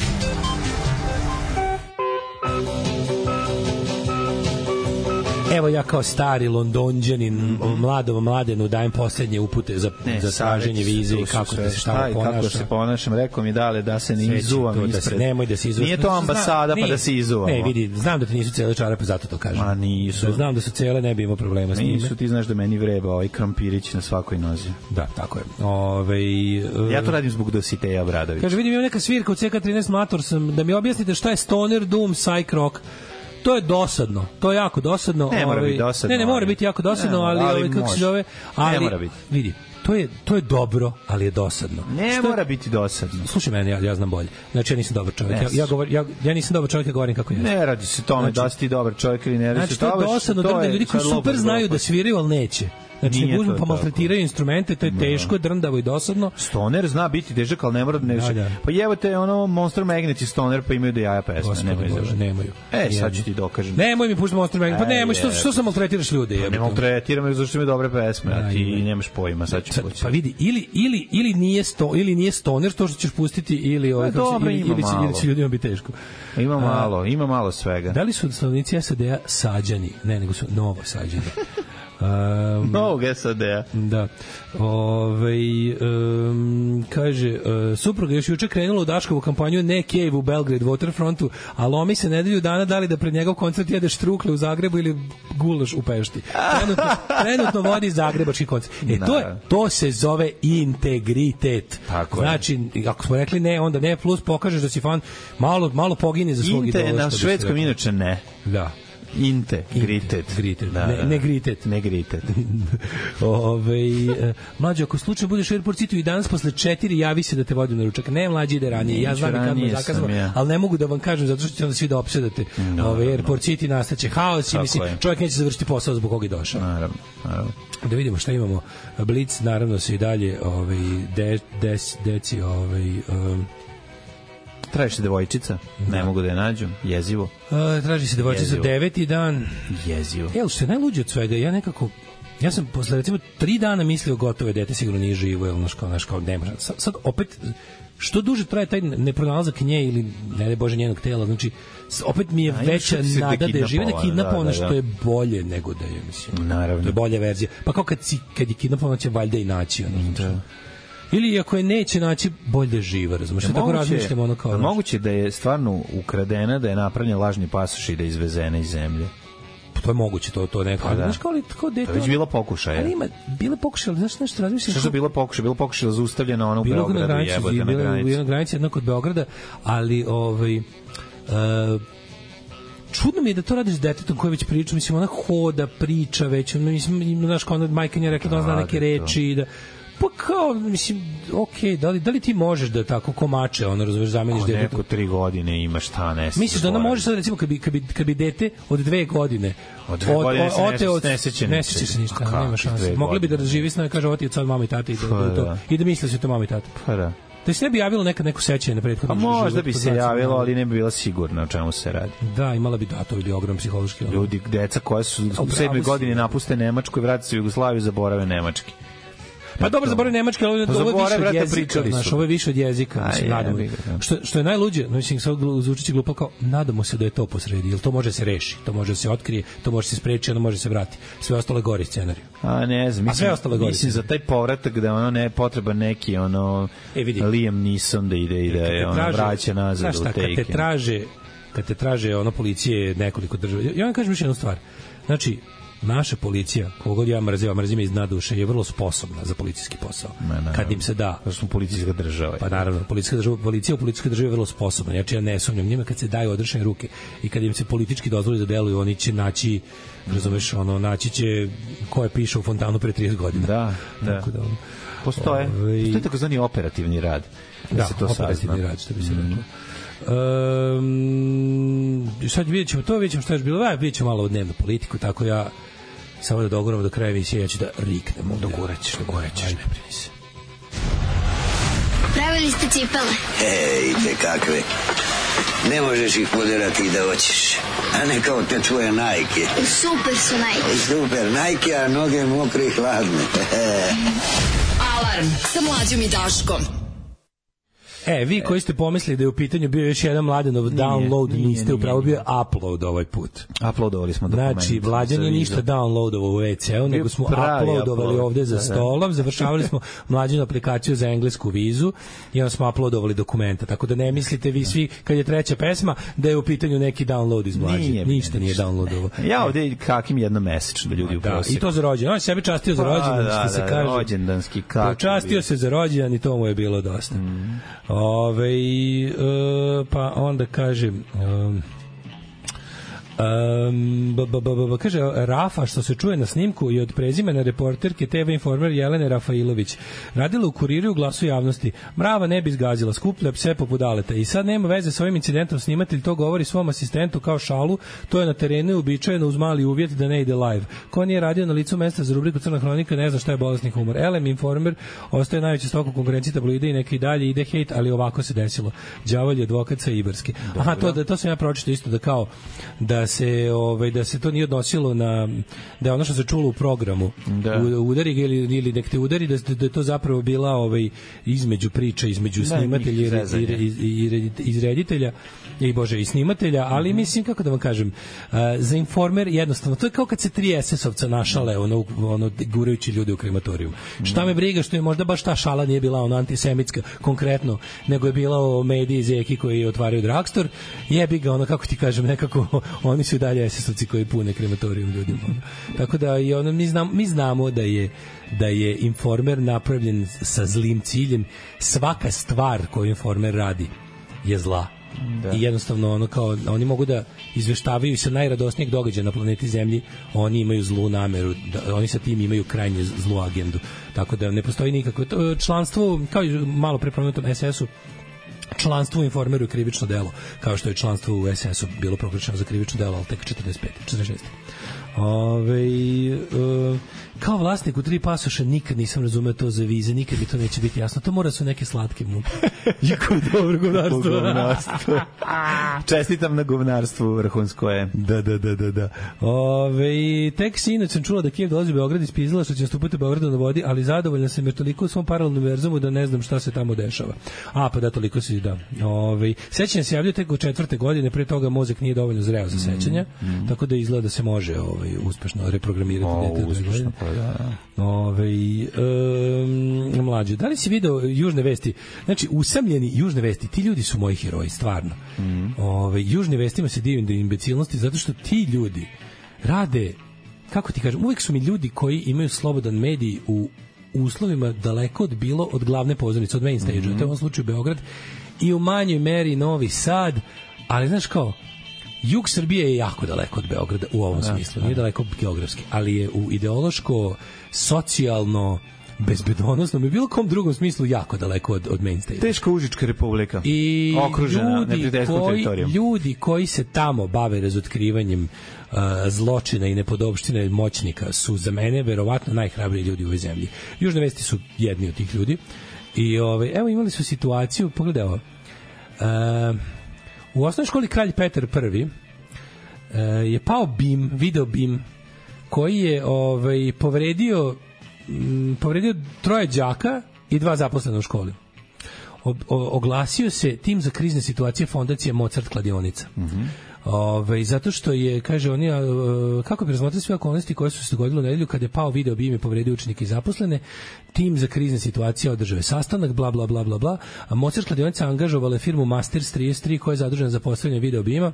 Evo ja kao stari Londonđanin mladom mladenu dajem poslednje upute za traženje vize i kako da se šta ponaša. Kako se ponašam, rekao mi dale da se ne izuvam ispred. Nemoj da se izuvaš. Nije to ambasada pa da se izuvamo. Ne, vidi, znam da ti nisu cele čarape, zato to kažem. A nisu. Da znam da su cele, ne bi imao problema s njime. Nisu, ti znaš da meni vreba ovaj krompirić na svakoj nozi. Da, tako je. Ja to radim zbog Dositeja Obradovića. Kaže, vidim, imam neka svirka u CK13 Mator sam, da mi objasnite šta je stoner, doom, psych rock. To je dosadno, to je jako dosadno. Ne mora biti dosadno. Ne mora biti jako dosadno, ali kako se zove, ne mora biti. Vidi, to je dobro, ali je dosadno. Ne mora biti dosadno. Slušaj mene, ja znam bolje. Znači ja nisam dobar čovjek. Ja nisam dobar čovjek, ja govorim kako je. Ne radi se tome da si ti dobar čovjek ili ne radi se. Znači to je dosadno, da ljudi koji super znaju da sviraju, ali neće. Znači, ne uzmu pa maltretiraju instrumente, to je teško, drndavo i dosadno. Stoner zna biti težak, ali ne mora da ne. Pa evo te Monster Magnet i Stoner, pa imaju da jaja pesme. Nemaju. Sad ću ti dokažem. Nemoj mi pušti Monster Magnet, pa nemoj, što sam maltretiraš ljude? Ne maltretiram, zašto imaju dobre pesme, a ti nemaš pojma, sad ću poći. Pa vidi, ili nije Stoner to što ćeš pustiti, ili će ljudima biti teško. Ima malo svega. Da li su stanovnici SAD-a Sađani? Ne, nego su Novo Sađani. Novog SAD-a. Da. Kaže, supruga još juče krenula u Daškovu kampanju Ne Cave u Belgrade Waterfrontu, a lomi se nedelju dana dali da pred njegov koncert jede štrukle u Zagrebu ili gulaš u Pešti. Trenutno vodi zagrebački koncert. To se zove integritet. Tako znači, ako smo rekli ne, onda ne, plus pokažeš da si fan, malo pogine za svog idola. Na švedskom inače ne. Da. Integritet. Ne gritet. Mlađe, ako slučajno budeš u Airport City i danas posle 4 javi se da te vodim na ručak. Ne, mlađe ide ranije. Ja znam kad me zakazano, ali ne mogu da vam kažem zato što ćete onda svi da opsedate. Airport City nastaće haos i mislim, čovjek neće završiti posao zbog koga je došao. Naravno. Da vidimo šta imamo. Blitz, naravno, se i dalje deci traži se devojčica, ne mogu da je nađu, jezivo. Traži se devojčica, 9. dan. Jezivo. Što je najluđe od svega, ja sam posle recimo 3 dana mislio gotovo je dete sigurno nije živo, ili kao nema. Sad opet, što duže traje taj nepronalazak nje ili ne daj Bože njenog tela, znači opet mi je veća nada da je žive, da kidnapovana, što je bolje nego da je, mislim. Naravno. To je bolja verzija. Pa kao kad je kidnapovana će valjda i naći, ili ako je neće naći, bolje da je živa, razumiješ? Tako razmišljamo ono kao... Moguće da je stvarno ukradena, da je napravljen lažni pasoš i da je izvezena iz zemlje. to je moguće, to neko. Pa da. Znaš, kao dete... To je već bilo pokušaja. Ali ima, bile pokušaje, ali znaš nešto razmišljam... Što je bilo pokušaj? Bilo pokušaj zaustavljeno ono u Beogradu, jebote, na granici. Bilo na granici jedno kod Beograda, ali čudno mi je da to radiš s detetom koje već priča, mislim, ona hoda, priča već, mislim, znaš, kao ona majka nje rekla da ona zna neke reči, da... Pa kao, mislim, okej, da li ti možeš da tako komače, ono, razumeš, zameniš detetu? Neko 3 godine ima šta, ne se. Misliš da ona može sad, recimo, kad bi dete od 2 godine od 2 godine ne seće se ništa, nema šanse. Mogli bi da živi s nama, kaže, ovo ti je od mama i tata i da misli se to mama i tata. Pa da. Da se ne bi javilo nekad neko sećanje na prethodnom životu. A možda bi se javilo, ali ne bi bila sigurna o čemu se radi. Da, imala bi to bi ogrom psihološki. Ljudi, deca koja su u 7. godini napuste Nemačku i vrate se u Jugoslaviju, zaborave nemački. Pa dobro, zaboravim nemački, ali ovo je više od jezika, znaš, ovo je više od jezika, mislim, nadamo. Što je najluđe, mislim, sad zvučići glupo kao, nadamo se da je to posredi, jer to može se reši, to može se otkrije, to može se spreči, ono može se vrati. Sve ostalo gori scenariju. A ne znam, mislim za taj povratak da ono ne potreba neki, ono, Liam Neeson da ide, ono, vraća nazad u Taken. Kad te traže, ono, policije nekoliko država, ja vam kažem još jednu stvar, znači, naša policija, kogod ja mrzim iz dna duše, je vrlo sposobna za policijski posao. Kad im se da... Da smo policijska država. Pa naravno, policija u policijskoj državi je vrlo sposobna. Znači ja ne sumnjam njima kad se daju odrešene ruke i kad im se politički dozvoli da deluju, oni će naći, razumeš, ono, naći će ko je pišao u fontanu pre 30 godina. Da. Postoje takozvani operativni rad. Da, operativni rad, što bi se reklo. Sad vidjet ćemo što je bilo, vidjet ćemo malo u dnevnu politiku, tako ja samo da doguramo do kraja emisije, ja ću da riknem. Dogorećeš, ne brini se. Pravili ste cipele? Ejte kakve. Ne možeš ih poderati i da hoćeš. A ne kao te tvoje Nike. Super su Nike. Super Nike, a noge mokre i hladne. Alarm sa Mlađom i Daškom. Vi koji ste pomislili da je u pitanju bio još jedan Mladenov download, niste upravo bio upload ovaj put. Uploadovali smo dokument. Znači, Mlađan je ništa downloadovao u WC-u, nego smo uploadovali ovde za stolom, završavali smo Mlađanu aplikaciju za englesku vizu i onda smo uploadovali dokumenta, tako da ne mislite vi svi, kad je treća pesma, da je u pitanju neki download iz Mlađe. Ništa nije downloadovao. Ja ovde kakim jednomesečno da ljudi u prosjeku. I to za rođendan. On sebe častio za rođendan, što se kaže. Rođendanski kak. Častio se za rođendan i to mu je bilo dosta. Pa onda kažem kaže Rafa, što se čuje na snimku i od prezimena reporterke TV Informer Jelene Rafailović, radila u Kuriru u Glasu javnosti. Mrava ne bi zgazila, skuplja pse poput Daleta. I sad nema veze s ovim incidentom, snimatelj to govori svom asistentu kao šalu, to je na terenu i uobičajeno uz mali uvjet da ne ide live. Ko nije radio na licu mesta za rubriku Crna hronika, ne zna šta je bolesni humor. LM Informer ostaje najveći stok u konkurenciji tabloida i neki dalje ide hejt, ali ovako se desilo. Đavolji advokat sa Ibarski. Aha, to sam ja pročitao isto, da kao da se to nije odnosilo na da je ono što se čulo u programu udari ili nek te udari, da je to zapravo bila između priča između snimatelja i reditelja i snimatelja, ali mislim, kako da vam kažem, za Informer jednostavno, to je kao kad se 3 SS-ovca našale ono gurajući ljude u krematorijum. Šta me briga što je možda baš ta šala nije bila ono antisemitska konkretno, nego je bila o mediji zeki koji otvaraju drugstore, jebi ga, ono, kako ti kažem, nekako oni su dalje SS-ovci koji pune krematorijum ljudima. Tako da i ono, mi znamo da je Informer napravljen sa zlim ciljem. Svaka stvar koju Informer radi je zla. I jednostavno ono, kao oni mogu da izveštavaju sa najradosnijeg događaja na planeti Zemlji, oni imaju zlu nameru, oni sa tim imaju krajnje zlu agendu. Tako da ne postoji nikakvo članstvo, kao i malo pre pomenutom SS-u, članstvo u Informeru je krivično delo, kao što je članstvo u SS-u bilo proglašeno za krivično delo, ali tek 46. Kao vlasnik u 3 pasoša nikad nisam razumeo to za vize, nikad mi to neće biti jasno. To mora su neke slatke muke. Jako dobro govnarstvo. Čestitam na govnarstvu, vrhunsko je. Da. Tek sinoć sam čula da Kijev dolazi u Beograd, ispizala što će nastupati u Beogradu na vodi, ali zadovoljna sam jer toliko u svom paralelnom univerzumu da ne znam šta se tamo dešava. Pa da, toliko si, da. Sećanje se javljaju tek u 4. godine, pre toga mozak nije dovoljno zreo za sećanja, tako da izgleda da se može uspešno reprogramirati dete. Mlađe, da li si video Južne vesti? Znači, usamljeni Južne vesti, ti ljudi su moji heroji, stvarno. Južne vestima se divim da imbecilnosti, zato što ti ljudi rade, kako ti kažem, uvek su mi ljudi koji imaju slobodan medij u uslovima daleko od glavne pozornice, od main stage-a, to je u ovom slučaju Beograd, i u manjoj meri Novi Sad, ali znaš kao, jug Srbije je jako daleko od Beograda u ovom smislu, nije daleko geografski, ali je u ideološko, socijalno, bezbedonosnom i bilo kom drugom smislu jako daleko od main stage. Teška Užička republika. I okružena neprijateljskom teritorijom. Ljudi koji se tamo bave razotkrivanjem zločina i nepodopština moćnika su za mene verovatno najhrabriji ljudi u ovoj zemlji. Južne vesti su jedni od tih ljudi. I evo imali su situaciju, pogledaj ovo. U osnovnoj školi Kralj Petar I je pao BIM, video BIM, koji je povredio 3 đaka i 2 zaposlena u školi. Oglasio se tim za krizne situacije fondacije Mozart kladionica. Zato što je, kaže oni, kako bi razmotrili sve okolnosti koje su se dogodile u nedelju kada je pao video BIM i povredio učenike i zaposlene, tim za krizne situacije održao je sastanak, bla, bla, bla, bla, bla, a Mozart kladionica angažovala firmu Masters 33 koja je zadužena za postavljanje video BIM-a.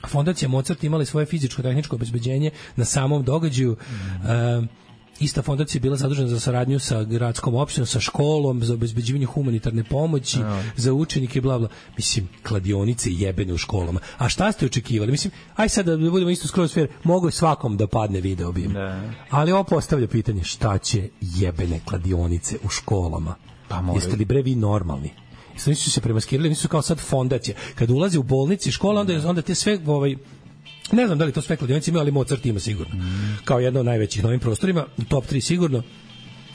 Fondacija Mozart imala svoje fizičko-tehničko obezbeđenje na samom događaju. Ista fondacija je bila zadužena za saradnju sa gradskom opštinom, sa školom, za obezbeđivanje humanitarne pomoći, za učenike, bla, bla. Mislim, kladionice jebene u školama. A šta ste očekivali? Mislim, aj sad da budemo isto skroz fair, mogu je svakom da padne video BIM. Ali ovo postavlja pitanje, šta će jebene kladionice u školama? Jeste li bre vi normalni? Nisu se premaskirali, nisu kao sad fondacija. Kad ulaze u bolnici, škola, onda te sve ne znam da li to sve kladionice imaju, ali Mozart ima sigurno. Kao jedna od najvećih na ovim prostorima, top 3 sigurno.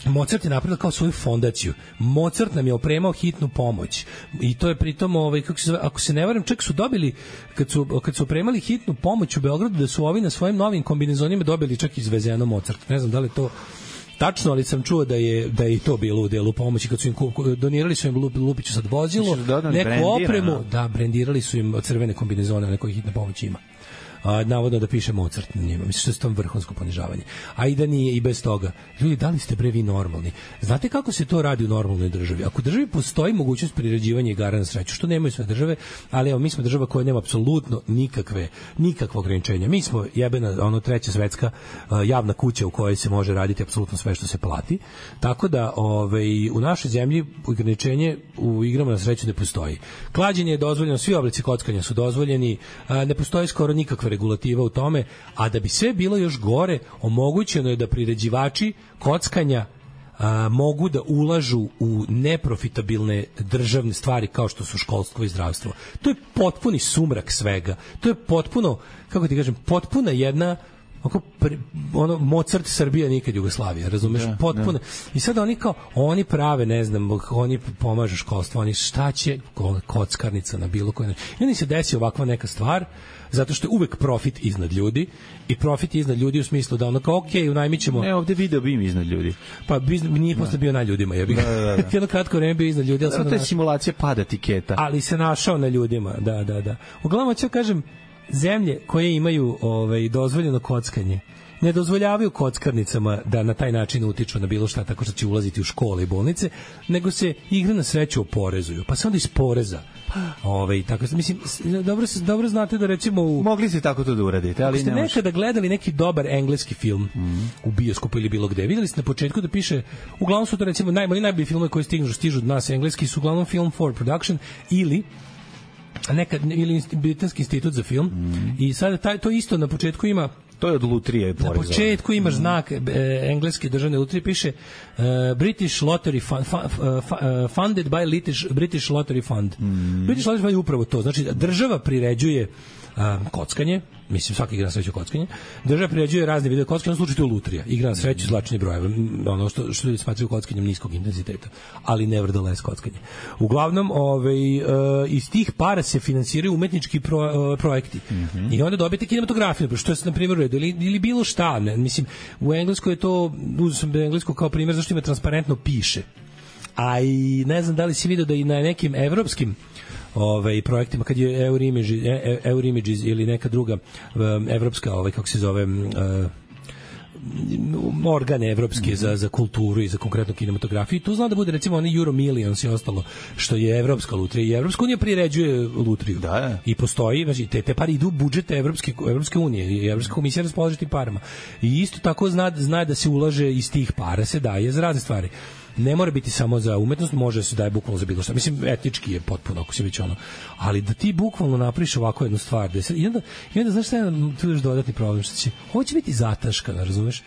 Mozart je napravio kao svoju fondaciju. Mozart nam je opremao hitnu pomoć. I to je pritom, kako se zove, ako se ne varam, čak su dobili, kad su opremali hitnu pomoć u Beogradu, da su ovi na svojim novim kombinezonima dobili čak izvezeno Mozart. Ne znam da li to tačno, ali sam čuo da je i to bilo u delu pomoći, kad su im donirali su im Lupiću sad vozilo, neku opremu, brendirali su im crvene kombinezone, neko hitna pomoć ima. Navodno da piše Mozart na njima. Mislim što je to vrhunsko ponižavanje. A i da nije i bez toga. Ljudi, da li ste bre vi normalni? Znate kako se to radi u normalnoj državi? Ako u državi postoji mogućnost priređivanja igara na sreću, što nemaju sve države, ali evo, mi smo država koja nema apsolutno nikakvo ograničenja. Mi smo jebena, treća svetska javna kuća u kojoj se može raditi apsolutno sve što se plati. Tako da, u našoj zemlji ograničenje u igrama na sreću ne postoji. Klađenje je dozvoljeno, svi oblici kockanja su dozvoljeni, ne postoji skoro nikakva regulativa u tome, a da bi sve bilo još gore, omogućeno je da priređivači kockanja mogu da ulažu u neprofitabilne državne stvari kao što su školstvo i zdravstvo. To je potpuni sumrak svega. To je potpuno, kako ti kažem, potpuna jedna Mozart Srbija nikad Jugoslavija, razumeš, potpuno. I sad oni prave, ne znam, oni pomažu školstvo, oni šta će kockarnica na bilo koji način. I onda se desi ovakva neka stvar, zato što je uvek profit iznad ljudi, i profit iznad ljudi u smislu da unajmit ćemo... Ne, ovde video BIM iznad ljudi. Pa nije posle bio na ljudima, jebi. Jedno kratko vreme bio iznad ljudi. To je simulacija pada tiketa. Ali se našao na ljudima, da. Uglavnom, ću kažem, zemlje koje imaju dozvoljeno kockanje ne dozvoljavaju kockarnicama da na taj način utiču na bilo šta tako što će ulaziti u škole i bolnice, nego se igre na sreću oporezuju. Pa se onda iz poreza tako, mislim, dobro znate da recimo mogli ste tako to da uradite, ali ste nekada gledali neki dobar engleski film u bioskopu ili bilo gde, videli ste na početku da piše, uglavnom su to recimo najbolji filmovi koji stižu od nas engleski su uglavnom Film for Production ili Britanski institut za film i sada to isto na početku ima. To je od lutrije porezovano. Na početku imaš znak engleske državne lutrije, piše British Lottery funded by British Lottery Fund. British Lottery Fund je upravo to. Znači, država priređuje kockanje, mislim svaki igra na sreću kockanje, država priređuje razne vidove kockanja, u slučaju to je lutrija, igra na sreću, zlačni brojeva, ono što ljudi smatraju kockanjem niskog intenziteta, ali nevertheless kockanje. Uglavnom, iz tih para se finansiraju umetnički projekti. I onda dobijete kinematografiju, što je na primjer ili bilo šta, mislim, u Engleskoj je to, uzeo sam Englesku kao primjer zašto ima transparentno piše. A i ne znam da li si vidio da i na nekim evropskim projektima, kad je Eurimages ili neka druga evropska, kako se zove, organe evropske za kulturu i za konkretnu kinematografiju. I tu zna da bude recimo oni Euro Millions i ostalo, što je evropska lutrija. I Evropska unija priređuje lutriju. Da. I postoji, znači, te pare idu u budžet Evropske unije i Evropska komisija raspolaže tim parama. I isto tako zna da se ulaže iz tih para, se daje za razne stvari. Ne mora biti samo za umetnost, može se daje bukvalno za bilo šta. Mislim, etički je potpuno, ako se već ono. Ali da ti bukvalno napraviš ovako jednu stvar, da se, i onda znaš šta je tu još dodatni problem, što će, ovo će biti zataškano, razumeš?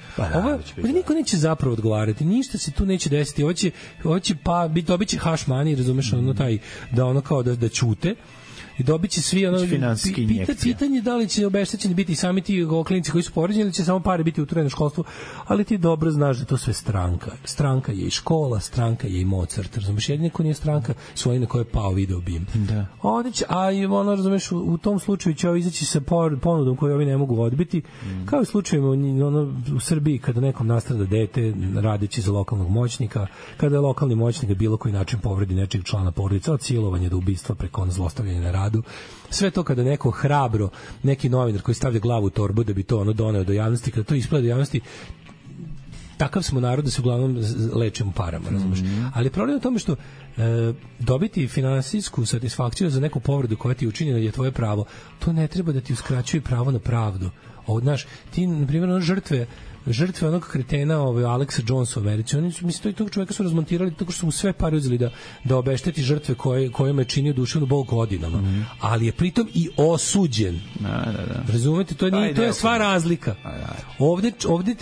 Ovdje niko neće zapravo odgovarati, ništa se tu neće desiti, ovo će dobit će hash money, razumeš, ono taj, da ono kao da ćute, i dobit će svi ono pitanje da li će obeštećeni biti sami ti klinci koji su povređeni ili će samo pare biti uturene u školstvu, ali ti dobro znaš da to sve stranka je i škola, stranka je i Mozart, razumeš, jedino ko nije stranka su oni na koje je pao video bim. Da. A i ono, razumeš, u tom slučaju će ovo izaći sa ponudom koju ovi ne mogu odbiti, kao i slučajima ono, u Srbiji kada nekom nastrada dete radeći za lokalnog moćnika, kada je lokalni moćnik bilo koji način povredi nečeg člana porodice, od silovanja do ubistva preko zlostavljanja na radu. Sve to kada neko hrabro, neki novinar koji stavlja glavu u torbu da bi to ono doneo do javnosti, kada to isplade do javnosti, takav smo narod da se uglavnom lečimo parama, razumiješ. Ali problem je u tome što dobiti finansijsku satisfakciju za neku povredu koja ti je učinjena je tvoje pravo. To ne treba da ti uskraćuje pravo na pravdu. Znaš, ti, na primjer, žrtve onog kretena Alexa Jonesa u Americi, oni su, mislim, tog čoveka su razmontirali tako što su mu sve pare uzeli da obešteti žrtve kojima je činio duševnu bol godinama. Ali je pritom i osuđen. Da. Razumete? To je sva razlika.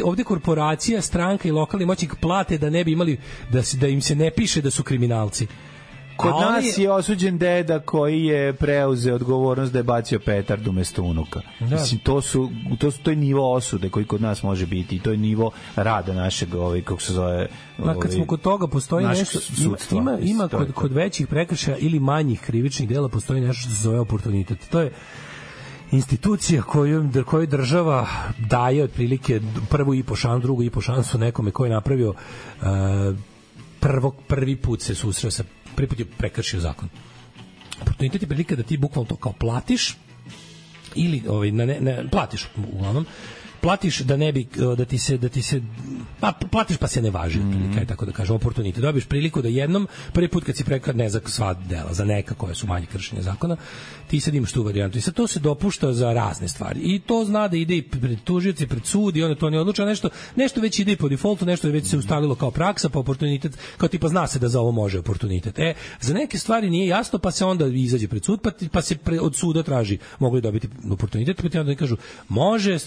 Ovde korporacija, stranka i lokalni moćnik plate da ne bi imali, da im se ne piše da su kriminalci. Kod nas je osuđen deda koji je preuzeo odgovornost da je bacio petard umesto unuka. Da. Mislim, to je nivo osude koji kod nas može biti i to je nivo rada našeg, kako se zove... Kad smo kod toga, postoji nešto... Ima kod većih prekršaja ili manjih krivičnih dela postoji nešto što se zove oportunitet. To je institucija koju država daje otprilike prvu i po šansu, drugu i po šansu nekome koji je napravio prvi put se susreo sa prvi put je prekršio zakon. Oportunitet je prilika da ti bukvalno to kao platiš ili platiš uglavnom, platiš da ne bi da ti se platiš pa se ne važi, kaj tako da kažem, oportunitet. Dobiješ priliku da jednom, prvi put kad si prekad ne za sva dela, za neka koja su manje kršenja zakona, ti sad imaš tu varijantu i sad to se dopušta za razne stvari i to zna da ide i pred tužioci, pred sud i onda to ne odluča, nešto već ide po defaultu, nešto je već se ustalilo kao praksa, pa oportunitet, kao tipa zna se da za ovo može oportunitet. Za neke stvari nije jasno, pa se onda izađe pred sud, pa se od suda traži, mogli dobiti oportunitet, pa ti onda kažu, može,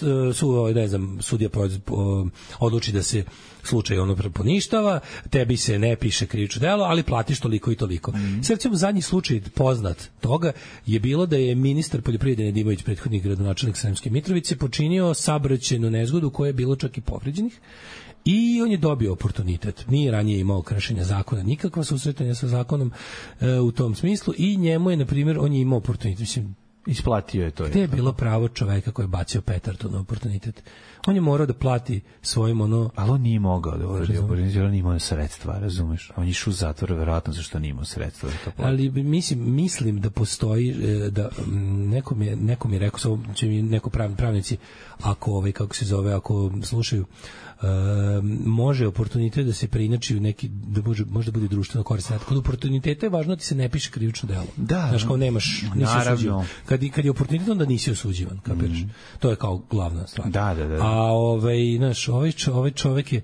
ne znam, sudija odluči da se slučaj poništava, tebi se ne piše krivično delo, ali platiš toliko i toliko. Sad recimo zadnji slučaj poznat toga je bilo da je ministar poljoprivrede Nedimović, prethodni gradonačelnik Sremske Mitrovice, počinio saobraćajnu nezgodu koja je bilo čak i povređenih i on je dobio oportunitet. Nije ranije imao kršenja zakona, nikakva susretanja sa zakonom u tom smislu i njemu je, na primjer, on je imao oportunitet. Mislim, isplatio je to. Gde je bilo pravo čoveka koji je bacio petardu na oportunitet? On je morao da plati svojim ali on nije mogao da uradi oportunitet, on nije imao sredstva, razumeš? On je išao u zatvor, verovatno zašto nije imao sredstva. Ali mislim da postoji, da neko mi je rekao, će mi neko pravnici, ako kako se zove, ako slušaju, može oportunitet da se preinači u neki, da može bude društveno koristan. Kod oportuniteta je važno da ti se ne piše krivično delo. Da, znaš, kao nemaš, nisi osuđivan. Kad je oportunitet, onda nisi osuđivan, kapiraš. To je kao glavna stvar. Da. A znaš, ovaj čovek je,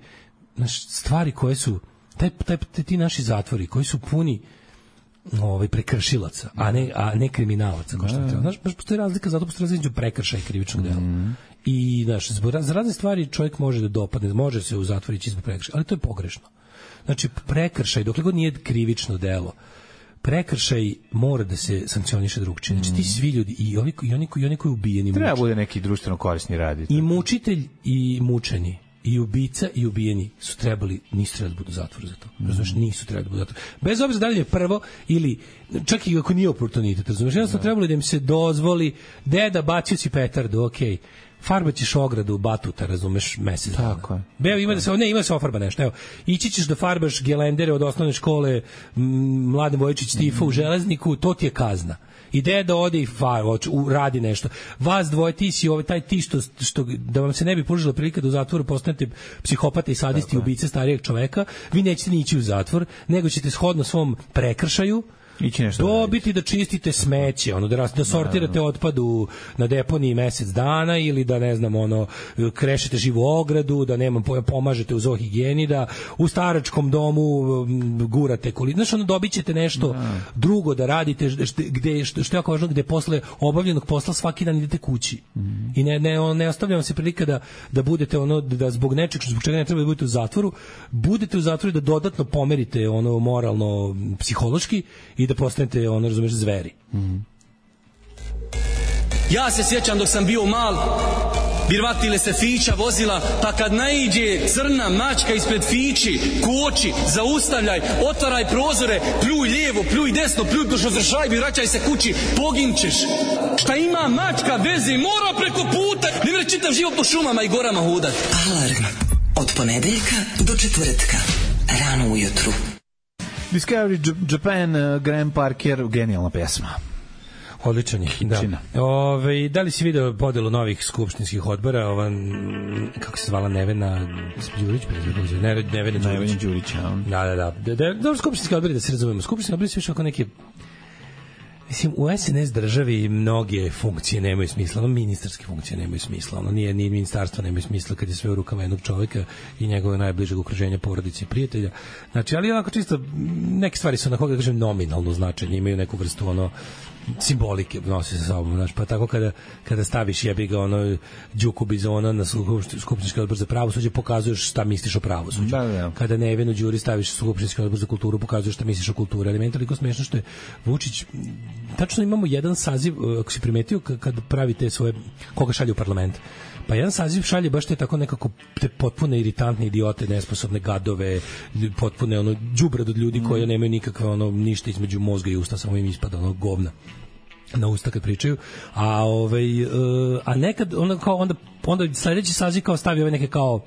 znaš, stvari koje su, ti naši zatvori koji su puni prekršilaca, a ne kriminalaca, kao što treba. Znaš, baš postoji razlika, zato postoji razlika između prekršaja i krivičnog dela. I znaš, za razne stvari čovjek može da dopadne, može se u zatvor ići zbog prekršaja, ali to je pogrešno. Znači, prekršaj, dokle god nije krivično delo, prekršaj mora da se sankcioniše drugčije. Znači, ti svi ljudi, i oni koji ubijeni, treba bude neki društveno korisni rad. I mučitelj i mučeni, i ubica i ubijeni nisu trebali da budu u zatvoru za to. Razumeš, nisu trebali da budu u zatvoru. Bez obzira da li je prvo ili čak i ako nije oportunitet, razumeš, jednostavno trebalo da im se dozvoli, deda, bacio si petardu, okej. farbaćeš ogradu Batuta, razumeš, mesec dana. Tako je. Beo ima da se, ne, ima se ofarba nešto. Evo, ići ćeš da farbaš gelendere od osnovne škole Mladen Vojičić Tifa u Železniku, to ti je kazna. Ideja da ode i radi nešto. Vas dvoje, ti si taj ti što da vam se ne bi pružila prilika da u zatvoru postanete psihopata i sadisti i ubice starijeg čoveka, vi nećete ni ići u zatvor, nego ćete shodno svom prekršaju dobiti da čistite smeće, da sortirate otpad na deponiji mesec dana ili da, ne znam, krešete živu ogradu, da pomažete u zoohigijeni, da u staračkom domu gurate znači, dobit ćete nešto drugo da radite, što je jako važno, gde posle obavljenog posla svaki dan idete kući. I ne ostavlja vam se prilika da budete da zbog nečeg, zbog čega ne treba da budete u zatvoru, budete u zatvoru da dodatno pomerite moralno, psihološki i da postanete, razumeš, zveri. Ja se sjećam dok sam bio mal, birvatile se fića vozila, pa kad naiđe crna mačka ispred fići, koči, zaustavljaj, otvaraj prozore, pljuj lijevo, pljuj desno, pljuj do šozršajbi, vraćaj se kući, poginčeš. Šta ima mačka veze, mora preko puta, ne vre čitav život po šumama i gorama hudat. Alarm od ponedeljka do četvrtka, rano ujutru. Discovery Japan, Graham Parker, genijalna pesma. Odličan je, da. Da li si video podelu novih skupštinskih odbora, kako se zvala Nevena Đurić, Nevena Đurić. Da. Dobro, skupštinski odbori, da se razumemo. Skupštinski odbori su više ako neke... Mislim, u SNS državi mnoge funkcije nemaju smisla, ministarske funkcije nemaju smisla, nije ministarstvo nemaju smisla kad je sve u rukama jednog čovjeka i njegove najbližeg okruženja, porodice i prijatelja. Znači, ali onako čisto, neke stvari su onako, da kažem, nominalno značenje, imaju neku vrstu simbolike nosi sa sobom, znači, pa tako kada staviš jebi ga Đuku Bizona na skupštinski odbor za pravosuđe, pokazuješ šta misliš o pravosuđu. Da. Kada Nevenu Đuri staviš skupštinski odbor za kulturu, pokazuješ šta misliš o kulturi. Ali meni je toliko smešno što je Vučić, tačno imamo jedan saziv, ako si primetio, kad pravite svoje, koga šalje u parlament, pa jedan saziv šalje baš te tako nekako te potpune iritantne idiote, nesposobne gadove, potpune đubrad od ljudi koji nemaju nikakve ništa između mozga i usta, samo im ispada govna na usta kad pričaju, a nekad onda sledeći saziv kao stavi neke kao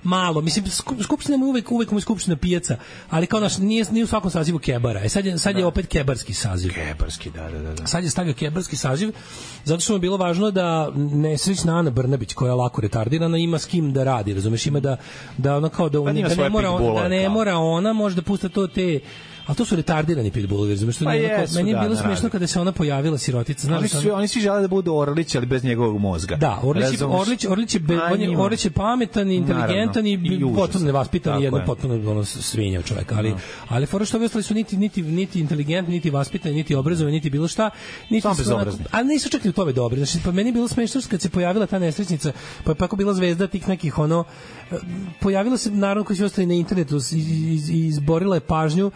malo, mislim, skupština je uvek mu je skupština pijaca, ali kao nije u svakom sazivu kebara. Sad je opet kebarski saziv. Kebarski, da. Sad je stavio kebarski saziv, zato što mu je bilo važno da nesrećna Ana Brnabić, koja je lako retardirana, ima s kim da radi, razumeš, ima da ona kao da ne mora ona može da pusta to te. A to su retardirani pitbullovi, razumiješ? Meni je bilo smiješno kada se ona pojavila, sirotica. Oni svi žele da budu Orlić, ali bez njegovog mozga. Da, Orlić je pametan, inteligentan i potpuno nevaspitan i jedno potpuno svinja čoveka. Ali fora što ostali su niti inteligentni, niti vaspitani, niti obrazovani, niti bilo šta. Ali nisu čak ni u tome dobri. Znači, pa meni je bilo smiješno kad se pojavila ta nesrećnica, pa je tako bila zvezda tih nekih pojavila se, naravno, koji su ostali na internetu i izborila je pažnju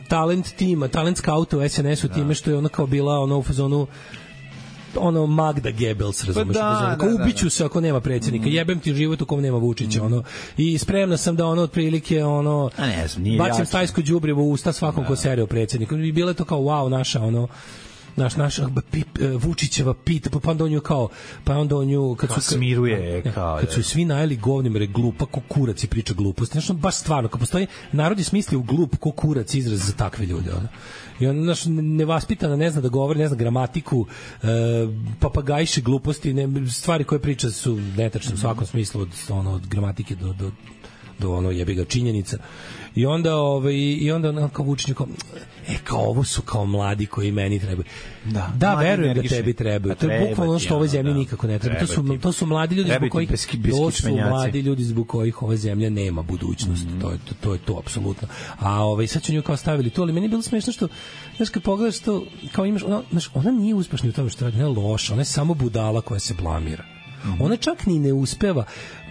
talent tima, talent scouta u SNS-u time što je ona kao bila u fazonu Magda Goebbels, razumeš, ubiću se ako nema predsjednika, jebem ti život u kom nema Vučića, i spremna sam da otprilike bacim stajsko đubrivo u usta svakom ko sere o predsjedniku, i bilo je to kao wow, naša naš Vučićeva pita, pa onda on nju kad su svi najeli govnim re glupa ko kurac i priča gluposti. Znači, baš stvarno, kad postoji narod je smislio glup ko kurac izraz za takve ljude. I on nevaspitana, ne zna da govori, ne zna gramatiku, papagajše gluposti, stvari koje priča su netačne u svakom smislu, od gramatike do jebi ga činjenica. I onda kao Vučić kao ovo su kao mladi koji meni trebaju. Da, verujem da tebi trebaju. To je bukvalno što ovoj zemlji nikako ne treba. To su mladi ljudi zbog kojih ova zemlja nema budućnost. To je to apsolutno. A sad će nju kao stavili to, ali meni je bilo smešno što, znaš, kad pogledaš to, kao imaš, ona nije uspešna u tome što radi, ona je loša, ona je samo budala koja se blamira. Ona čak ni ne uspeva.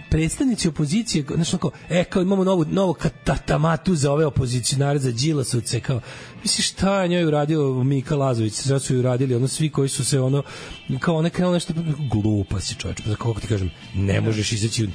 Predstavnici opozicije, znači kao imamo novu katamatu za ove opozicionare, za Đilasovce, kao, misliš šta je njoj uradio Mika Lazović, sad su ju uradili, svi koji su se kao ona krenuo nešto, glupa si čovječ, kako ti kažem, ne možeš izaći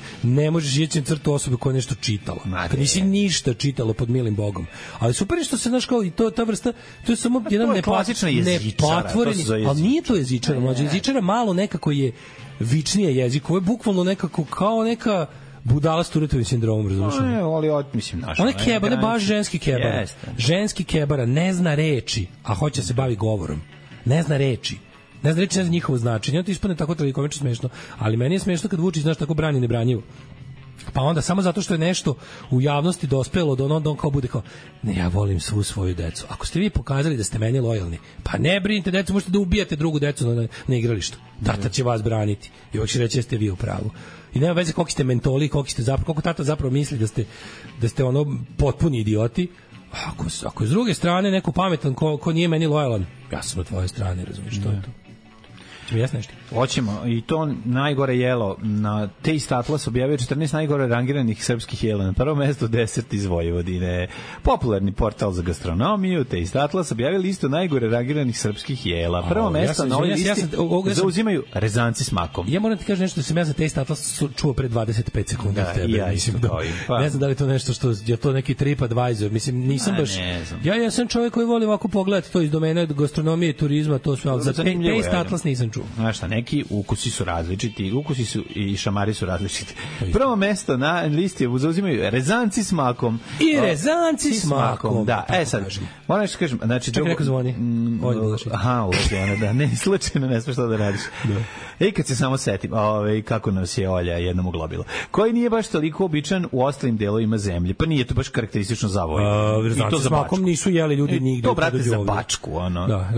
na crtu osobe koja je nešto čitala, kad nisi ništa čitalo pod milim Bogom, ali super je što se, znaš, kao, i ta vrsta, to je samo jedan nepatvoreni, ali nije to jezičara, jezičara malo nekako je vičnije jezik, ovo je bukvalno nekako kao neka budala s Turetovim sindromom, razumiješ? Ne, ali mislim naš. On je kebar, ne baš ženski kebara. Ženski kebara ne zna reči, a hoće se bavi govorom. Ne zna reči. Ne zna njihovo značenje. On ti ispadne tako tragikomično smešno, ali meni je smešno kad Vučić, znaš, tako brani nebranjivo. Pa onda samo zato što je nešto u javnosti dospelo do on kao bude kao ne, ja volim svu svoju decu. Ako ste vi pokazali da ste meni lojalni, pa ne brinite decu, možete da ubijate drugu decu na igralištu. Tata će vas braniti i uvijek će reći da ste vi u pravu. I nema veze koliko ste mentoli, koliko tata zapravo misli da ste ono potpuni idioti. Ako je s druge strane neko pametan ko nije meni lojalan, ja sam na tvojoj strani, razumiješ, što je to. Hoćemo, i to najgore jelo na Taste Atlas objavio 14 najgore rangiranih srpskih jela. Na prvo mesto 10 iz Vojvodine. Popularni portal za gastronomiju Taste Atlas objavio listu najgore rangiranih srpskih jela. Prvo mesto na ovoj listi zauzimaju rezanci s makom. Ja moram ti kažem nešto da sam ja za Taste Atlas čuo pre 25 sekundi. Ne znam da li to nešto što je to neki TripAdvisor. Mislim, nisam baš... Ja sam čovjek koji voli ovako pogledati to iz domena gastronomije, turizma, to sve, ali za Taste Atlas nisam čuo. Znaš šta, neki ukusi su različiti, ukusi su i šamari su različiti. Prvo mesto na listi zauzimaju rezanci s makom. I rezanci s makom. Da, sad, moram nešto kažem, znači... Čekaj, neko zvoni. Da, ne, slučajno ne smeš to da radiš. I kad se samo setim, kako nas je Olja jednom uglobila, koji nije baš toliko običan u ostalim delovima zemlje, pa nije to baš karakteristično za Vojvodinu. I to za Bačku. Nisu jeli ljudi nigde. To, brate, za Bačku,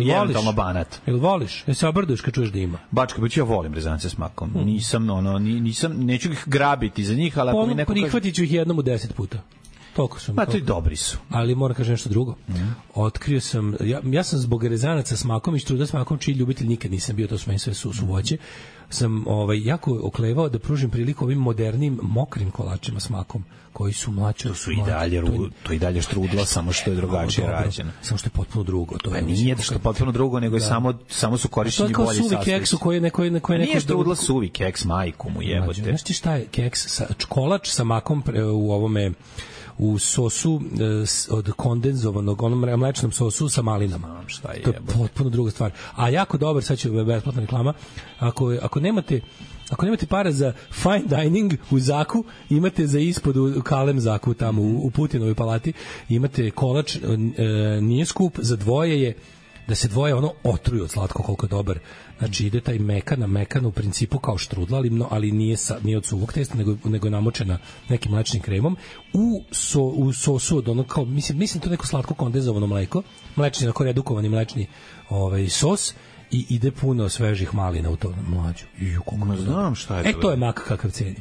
i eventualno Banat. Jel voliš? Jel se obrduš kad čuješ da ima? Bačka, ja volim rezance s makom. Nisam, neću ih grabiti za njih, ali ako mi neko prihvatit ću ih jednom u 10 puta. Toliko su. Ma to i dobri su. Ali moram kažem nešto drugo. Otkrio sam, ja sam zbog rezanaca s makom i štruda s makom, čiji ljubitelj nikad nisam bio, to su meni sve su voće, sam jako oklevao da pružim priliku ovim modernim mokrim kolačima s makom, koji su mlađi. To su i dalje štrudla, samo što je drugačije rađeno. Samo što je potpuno drugo. To je nije što je potpuno drugo, nego je samo su korišćeni bolji sastojci. To je kao suvi keks u koji neko nije štrudla suvi keks, majku mu jebote. Znaš ti šta je keks? Kolač sa makom u ovome u sosu od kondenzovanog, onom mlečnom sosu sa malinama. To je potpuno druga stvar. A jako dobar, sad će besplatna reklama, ako nemate para za fine dining u Zaku, imate za ispod u Kalem Zaku tamo u Putinovoj palati, imate kolač, nije skup, za dvoje je, da se dvoje otruju od slatko koliko je dobar. Znači ide taj mekan u principu kao štrudla, ali nije od suvog testa, nego je namočena nekim mlečnim kremom u sosu od kao, mislim to neko slatko kondenzovano mleko, mlečni, onako redukovani mlečni sos, i ide puno svežih malina u to, mlađu. Znam šta je to. To je mak kakav ceni.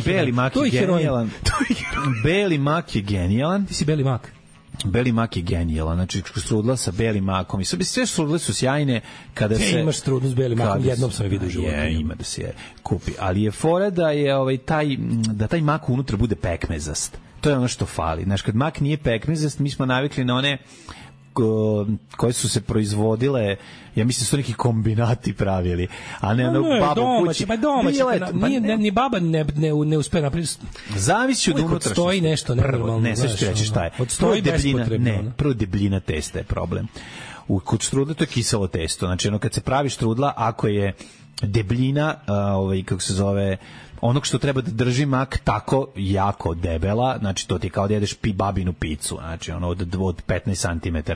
Beli mak je genijalan. Beli mak je genijalan. Ti si beli mak. Beli mak je genijalan, znači strudla sa belim makom i sve strudle su sjajne kada se... imaš strudlu s belim makom, jednom sam je vidio u životu. Ima da se kupi, ali je fora da je da taj mak unutra bude pekmezast. To je ono što fali. Znaš, kad mak nije pekmezast, mi smo navikli na one koje su se proizvodile, ja mislim su neki kombinati pravili, a ne baba u kući. Ni baba ne uspe napraviti. Zavisi od unutrašnjosti. Stoji nešto nenormalno. Ne, sve ću reći šta je. Prvo debljina testa je problem. Kod štrudla to je kiselo testo. Znači, kad se pravi štrudla, ako je debljina, kako se zove, onog što treba da drži mak tako jako debela, znači to ti kao da jedeš babinu picu, znači od 15 cm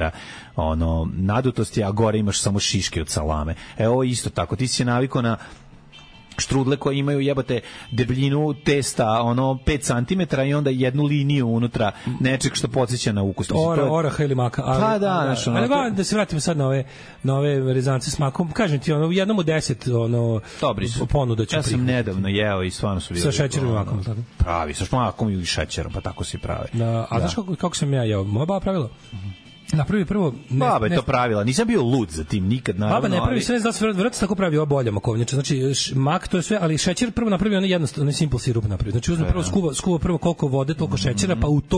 nadutosti, a gore imaš samo šiške od salame. Ovo isto tako, ti si navikao na štrudle koje imaju jebote debljinu testa 5 cm i onda jednu liniju unutra nečeg što podsjeća na ukus. Oraha ili maka. Pa da, da se vratimo sad na ove rezance s makom. Kažem ti, jednom u 10 ponuda ću. Ja sam nedavno jeo i stvarno su bili. Sa šećerom i makom, tako? Pravi, sa makom i šećerom, pa tako se pravi. A znaš kako sam ja jeo? Moja baba pravila? Napravi prvo... Baba je to pravila, nisam bio lud za tim nikad, naravno. Baba ne pravi sve, da se vrati tako pravi ova bolja makovnjača, znači mak to je sve, ali šećer prvo napravi jednostavno, simple sirup napravi, znači uzme prvo skuva prvo koliko vode, toliko šećera, pa u to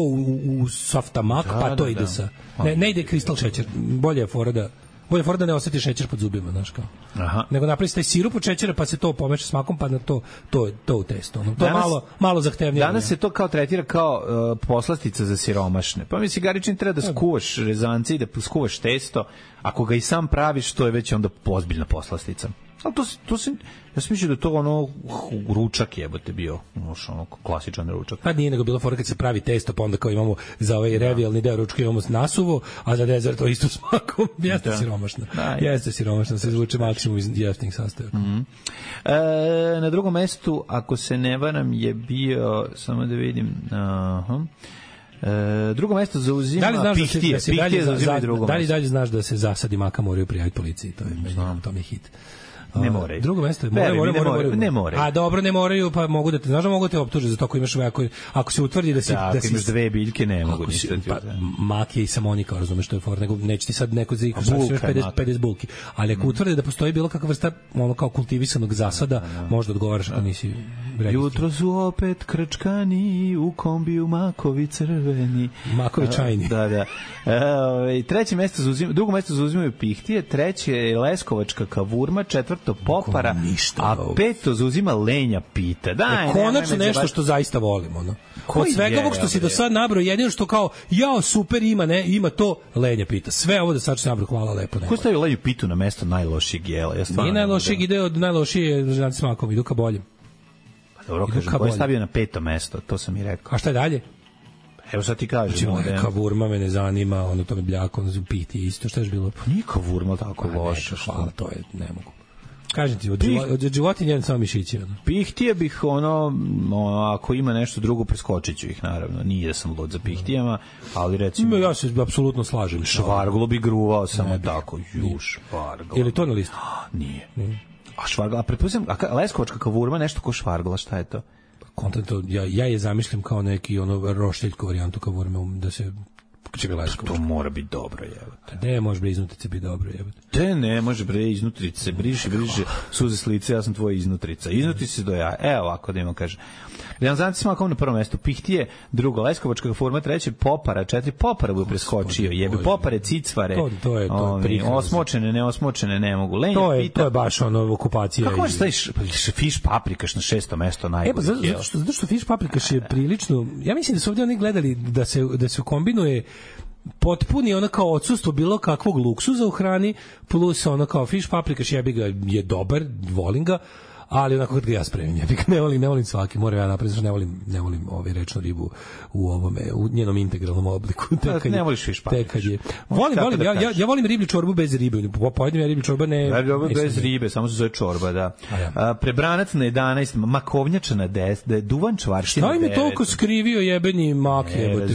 u safta mak, pa to ide sa... Ne ide kristal šećer, bolje je fora da ne osjetiš šećer pod zubima, znaš kao. Nego napravi taj sirup od šećera, pa se to pomeša s makom, pa na to u testo. To je malo zahtevnije. Danas se to kao tretira kao poslastica za siromašne. Pa mi Garičin treba da skuvaš rezance i da skuvaš testo. Ako ga i sam praviš, to je već onda ozbiljna poslastica. Ali to se, ja sam mislio da to ono ručak jebote bio, ono klasičan ručak. Pa nije nego bilo fora kad se pravi testo, pa onda kao imamo za ovaj revijalni deo ručka imamo nasuvo, a za dezert to isto smakom. Jeste siromašno. Jeste siromašno, se izvuče maksimum iz jeftinih sastojaka. Na drugom mestu, ako se ne varam, je bio, samo da vidim, drugo mesto zauzima Pihtije. Pihtije zauzima drugo mesto. Da li dalje znaš da se zasadi maka moraju prijaviti policiji? To je hit. Ne moraju. Drugo mesto je ne moraju. A dobro, ne moraju, pa mogu da te, znaš da mogu te optužiti za to ako imaš ako se utvrdi da si ako imaš dve biljke ne mogu ništa. Mak je i samonika, razumeš što je for, nego neće ti sad neko za 50 bulki. Ali ako utvrdi da postoji bilo kakva vrsta ono kao kultivisanog zasada, možda odgovaraš ako nisi registruo. Jutro su opet krčkani u kombiju makovi crveni. Makovi čajni. Da. Treće mesto zauzima, drugo mesto zauzimaju Pihtije, treće je Leskovačka kavurma, četvrto Popara, a peto zauzima Lenja pita. Daj, konačno nešto što zaista volimo, no. Od svega ovog što si do sad nabrao, jedino što kao jao super ima to Lenja pita. Sve ovo da sad se nabrao, hvala lepo. Ko stavio Lenju pitu na mesto najlošijeg jela? Nije najlošijeg, ide od najlošije žanci smakom, idu ka boljem. Dobro, kažem, ko je stavio na peto mesto, to sam i rekao. A šta je dalje? Evo sad ti kažem. Kavurma me ne zanima, ono to me bljako, ono piti isto, šta je bilo? Pa nije kavurma tako loša. Hvala, to je, ne mogu. Kažem ti, od životinja jedan samo mišići. Pihtije bih, ako ima nešto drugo, preskočit ću ih, naravno. Nije da sam lud za pihtijama, ali recimo... Ja se apsolutno slažem. Švarglo bi gruvao samo tako. Švarglo. Je li to na listu? Nije. A švargla, pretpostavljam, Leskovačka kavurma, nešto ko švargla, šta je to? Kontent, ja je zamišljam kao neki rošteljko varijantu kavurme, da se... To mora biti dobro, jebote. Ne može bre iznutrice biti dobro, jebote. Te ne može bre iznutrice, briše suze s lice, ja sam tvoja iznutrica. Iznutrice do ja. Evo ovako da imam kaže. Realizanci smakom na prvom mestu Pihtije, drugo Leskovačka forma, treće Popara, četiri Popara bi preskočio. Jebe Popare, cicvare. To je osmočene, neosmočene ne mogu. Lenja to je baš ono okupacija. Kako možeš staviš fiš paprikaš na šesto mesto najbolje? Zato što fiš paprikaš je prilično. Ja mislim da su ovdje oni gledali da se kombinuje potpuni ono kao odsustvo bilo kakvog luksuza u hrani plus ono kao fiš paprikaš jebi ga je dobar, volim ga, ali onako kad ga ja spremim, jebi ga ne volim svaki, moram ja napraviti, ne volim rečnu ribu u njenom integralnom obliku. Ne voliš fiš paprikaš? Volim, ja volim riblju čorbu bez ribe, pojedem ja riblju čorba bez ribe, samo se zove čorba, da. Prebranac na 11, makovnjača na 10, duvan čvarština na 9. Šta im je toliko skrivio jebeni mak, jebote?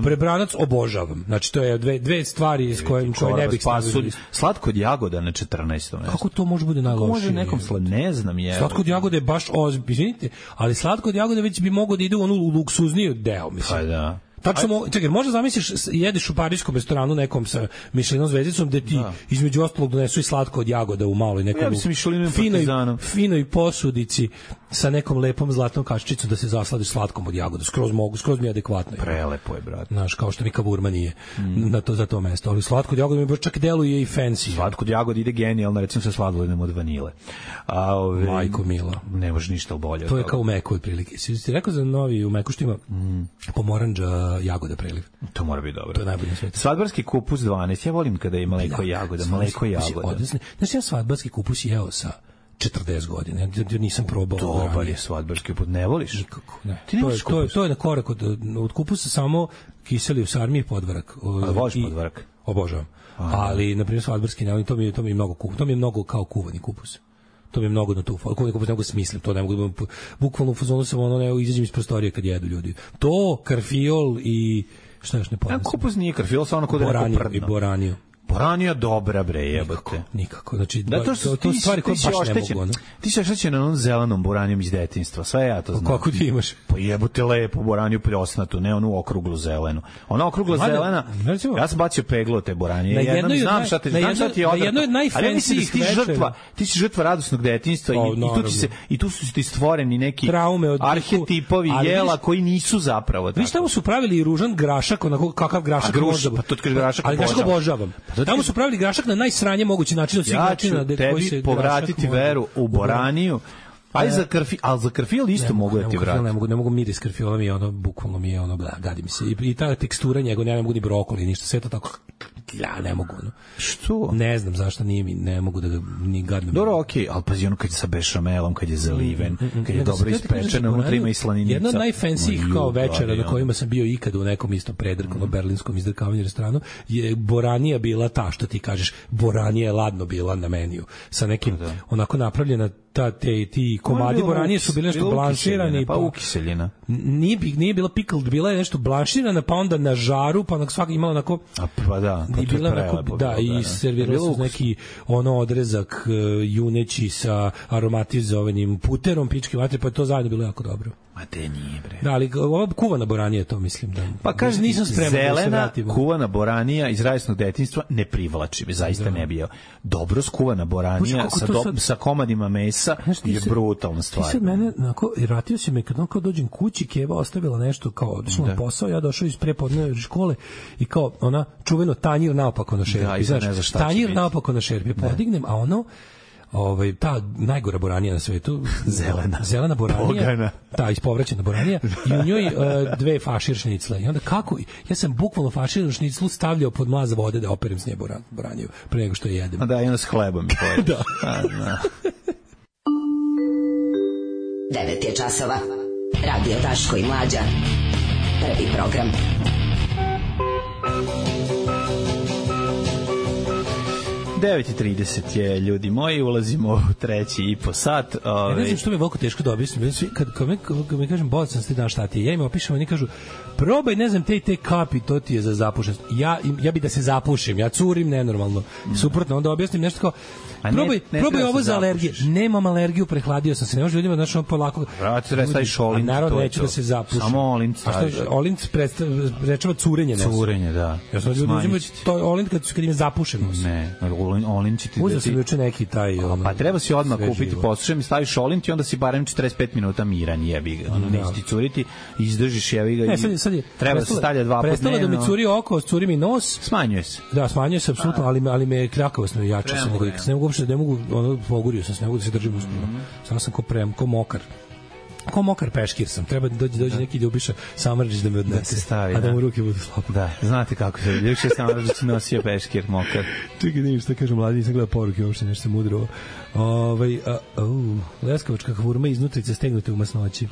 Prebranac obožavam. Znači, to je dve stvari s koje ne bih stavili. Slatko od jagoda na 14. mesto. Kako to može bude najlošije? Može nekom ne znam je. Slatko od jagode je baš izvinite, ali slatko od jagode već bi mogao da ide u onu luksuzniju deo, mislim. Pa da. Tačno, čekaj, možda zamisliš, jedeš u parijskom restoranu nekom sa Michelinom zvezdicom, gde ti između ostalog donesu i slatko od jagoda u maloj nekom finoj posudici sa nekom lepom zlatnom kaščicom da se zasladiš slatkom od jagoda. Skroz mi je adekvatno. Prelepo je, brate. Znaš, kao što mi kavurma nije za to mesto. Ali slatko od jagoda mi baš čak deluje i fancy. Slatko od jagoda ide genijalno, recimo sa sladoledom od vanile. Majko mila. Ne može ništa bolje. To je kao u Meku otprilike. Si rekao za novi u Meku što ima pomorandža jagoda preliv. To mora biti dobro. To je najbolje na svijetu. Svadbarski kupus 12. Ja volim kada je mleko i jagoda. Mleko i jagoda. Znači, ja svadbarski kupus jeo sa 40 godina. Ja nisam probao. Dobar je svadbarski kupus. Ne voliš? Nikako. Ne. Ti ne voliš kupus? To je na korak od kupusa samo kiseli u sarmi i podvarak. Ali voliš podvarak? Obožavam. Ali, na primjer, svadbarski ne volim. To mi je mnogo kupus. To mi je mnogo kao kuvani kupus. To mi je mnogo na tu. Kuvani kupus ne mogu smislim. To ne mogu da bukvalno u fazonu sam izađem iz prostorije kad jedu ljudi. To, karfiol i šta još ne poznam. Kupus nije karfiol, samo kod neko prdno. I boraniju. Boranija dobra, bre, jebote. Nikako. Znači, to stvari koje baš ne mogu. Ti si oštećen na onom zelenom boranijom iz detinjstva. Sve ja to znam. Kako ti imaš? Pa jebote lepo boraniju pljosnatu, ne onu okruglu zelenu. Ona okrugla zelena, ja sam bacio peglo te boranije. Znam šta ti je odvrtno. Ali mislim da ti si žrtva radosnog detinjstva i tu su ti stvoreni neki arhetipovi jela koji nisu zapravo tako. Viš tamo su pravili i ružan grašak, onako kakav grašak možda. Pa to kaže grašak obožavam. Tamo su pravili grašak na najsranje mogući način od svih načina. Ja ću tebi povratiti veru u boraniju, ali za karfiol isto mogu da ti vratim. Ne mogu miris karfiola mi je bukvalno mi je gadi mi se. I ta tekstura njegov, ne mogu ni brokoli, ništa, sve to tako ja ne mogu. No. Što? Ne znam zašto nije mi, ne mogu da ga ni gadno. Dobro, okej, ali pazi ono kad je sa bešamelom, kad je zaliven, kad je dobro ispečeno, unutra ima i slaninica. Jedna od najfensijih kao večera na kojima sam bio ikad u nekom istom predrkanom berlinskom izdrkavanju restoranu je boranija bila ta što ti kažeš, boranija je ladno bila na meniju sa nekim onako napravljena ti komadi boranije su bile nešto blanširani pa ukiseljena. Nije bila pickled, bila je nešto blanširana pa onda na žaru, pa onak svaka imala onako pa da, i bila onako, i servirala se neki ono odrezak juneći sa aromatizovanim puterom, pički vatre, pa je to zajedno bilo jako dobro. Ma te nije, bre. Da, ali ova kuvana boranija, to mislim da... Pa kaže, nisam spreman da se vratim. Kuvana boranija iz rajsnog detinjstva ne privlači, zaista ne bio. Dobro skuvana boranija sa komadima mesa je brutalna stvar. Ti sad mene, vratio se me, kad dođem kući, Keva ostavila nešto, kao odšla na posao, ja došao iz prepodne škole i kao ona čuveno tanjir naopako na šerpi. Tanjir naopako na šerpi, podignem, a ono ta najgora boranija na svetu, zelena boranija, Bogana. Ta ispovraćena boranija i u njoj dve fašir šnicle. I onda kako? Ja sam bukvalno fašir šniclu stavljao pod mlaz vode da operem s nje boraniju pre nego što je jedem. A da, i onda s hlebom. Da. 9 je časova. Radio Daško i Mlađa. Prvi program. Devet 9:30 je, ljudi moji, ulazimo u 3,5 sat. Ja ne znam što mi je veliko teško da objasnim. Kad mi kažem, bolj sam ti dan šta ti je, ja im opišem, oni kažu, probaj, ne znam, te kapi, to ti je za zapušenost. Ja bi da se zapušim, ja curim nenormalno. Suprotno, onda objasnim nešto kao, probaj ovo za alergije. Nemam alergiju, prehladio sam se. Ne može ljudima, znači, on polako... Vrati, restaviš olint. Naravno, neću da se zapušim. Samo olint staviš. Olint rečeva curenje. Curenje, da. Ja sam ljudima, to je olint kad im je zapušenost. Ne, olint će ti... Uzeo sam juče neki taj... Pa treba si odmah kupiti, poslušaj mi, staviš olint i onda si barem 45 minuta miran, jebi ga. Ono, neće ti curiti, izdržiš, jebi ga. Sad je treba se stavlja 2 puta dnevno. Prestalo da mi curi oko, curi mi nos. Smanjuje se. Da, smanjuje se, apsolutno, ali me kljakavost me jača. Ne mogu uopšte, ne mogu, pogurio sam se, ne mogu da se držim uspjeno. Samo sam ko mokar. Ko mokar peškir sam. Treba da dođe neki ljubiša Samardžić da me odnese. A da mu ruke budu slobodne. Da, znate kako se ljubiša Samardžić nosio peškir mokar. Čekaj, da šta kažu mladi, nisam gledao poruke, uopšte nešto se mudrovo. Leskovačka hvurma iznutrice stegnute u masnoći.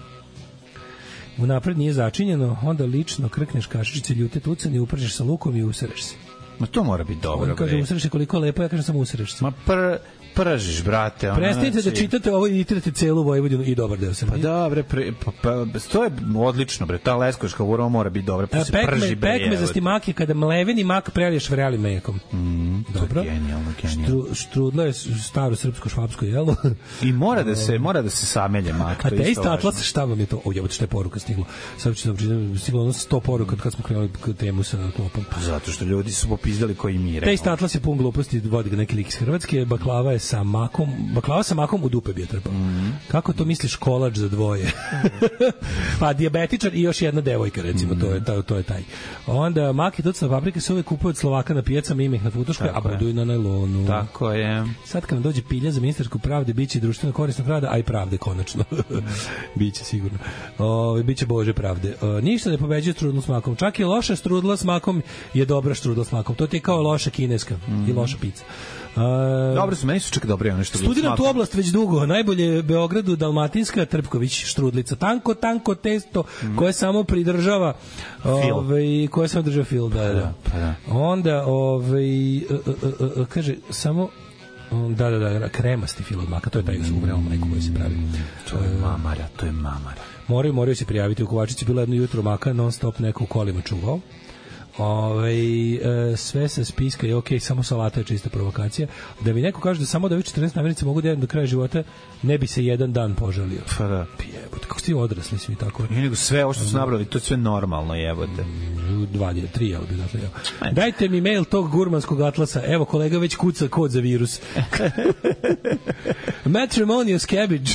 Unapred nije začinjeno, onda lično krkneš kašičice, ljute tucane, upržeš sa lukom i usereš se. Ma to mora biti dobro. On kaže, usereš se koliko lepo, ja kažem samo usereš se. Ma pržiš, brate. Prestanite da čitate ovo i itirate celu Vojvodinu i dobar deo Srbije. Pa da, bre, to je odlično, bre. Ta leskovačka hvurma mora biti dobra, pa se prži, bre. Pekme za stimake, kada mleveni mak preliješ vreli mekom. Dobro. To je genijalno. Štrudla je staro srpsko-švapsko jelo. I mora da se samelje mak. A te isto atlas, šta vam je to? Ovo što je poruka stigla. Sad ću da pričam, stiglo ono 100 poruka kad smo krenuli temu sa klopom. Pa zato što ljudi su popizdali koji mire. Te isto atlas je pun gluposti, vodi ga neki lik iz Hrvatske, baklava sa makom u dupe bi je trpao. Kako to misliš kolač za dvoje? Pa dijabetičar i još jedna devojka, recimo, to je taj. Onda mak i tucna paprike se uvek kupuju od Slovaka na pijacama, ima ih na futoškoj, a budu i na najlonu. Tako je. Sad kad nam dođe pilja za ministarsku pravde, biće i društveno korisna pravda, a i pravde konačno. Biće sigurno. Biće Bože pravde. Ništa ne pobeđuje strudlu s makom. Čak i loša strudla s makom je dobra strudla s makom. To ti je kao loša kineska i loša pizza. Dobro su, meni su čak dobre ono što studiram tu oblast već dugo. Najbolje Beogradu Dalmatinska Trpković štrudlica. Tanko testo koje samo pridržava koje samo država fil. Da. Onda kaže samo da, kremasti fil od maka, to je taj uvreo majku koji se pravi. To je mamara. Moraju se prijaviti u Kovačici, bilo jedno jutro maka non stop neko u kolima čuvao. Sve sa spiska je okej, samo salata je čista provokacija. Da mi neko kaže da samo da ovih 14 namirnica mogu da jedem do kraja života, ne bi se jedan dan požalio. Pa da. Jebote, kako ste vi odrasli svi tako? I nego sve ovo što su nabrali, to je sve normalno, jebote. 3, jel bi dakle. Dajte mi mail tog gurmanskog atlasa. Evo, kolega već kuca kod za virus. Matrimonious cabbage.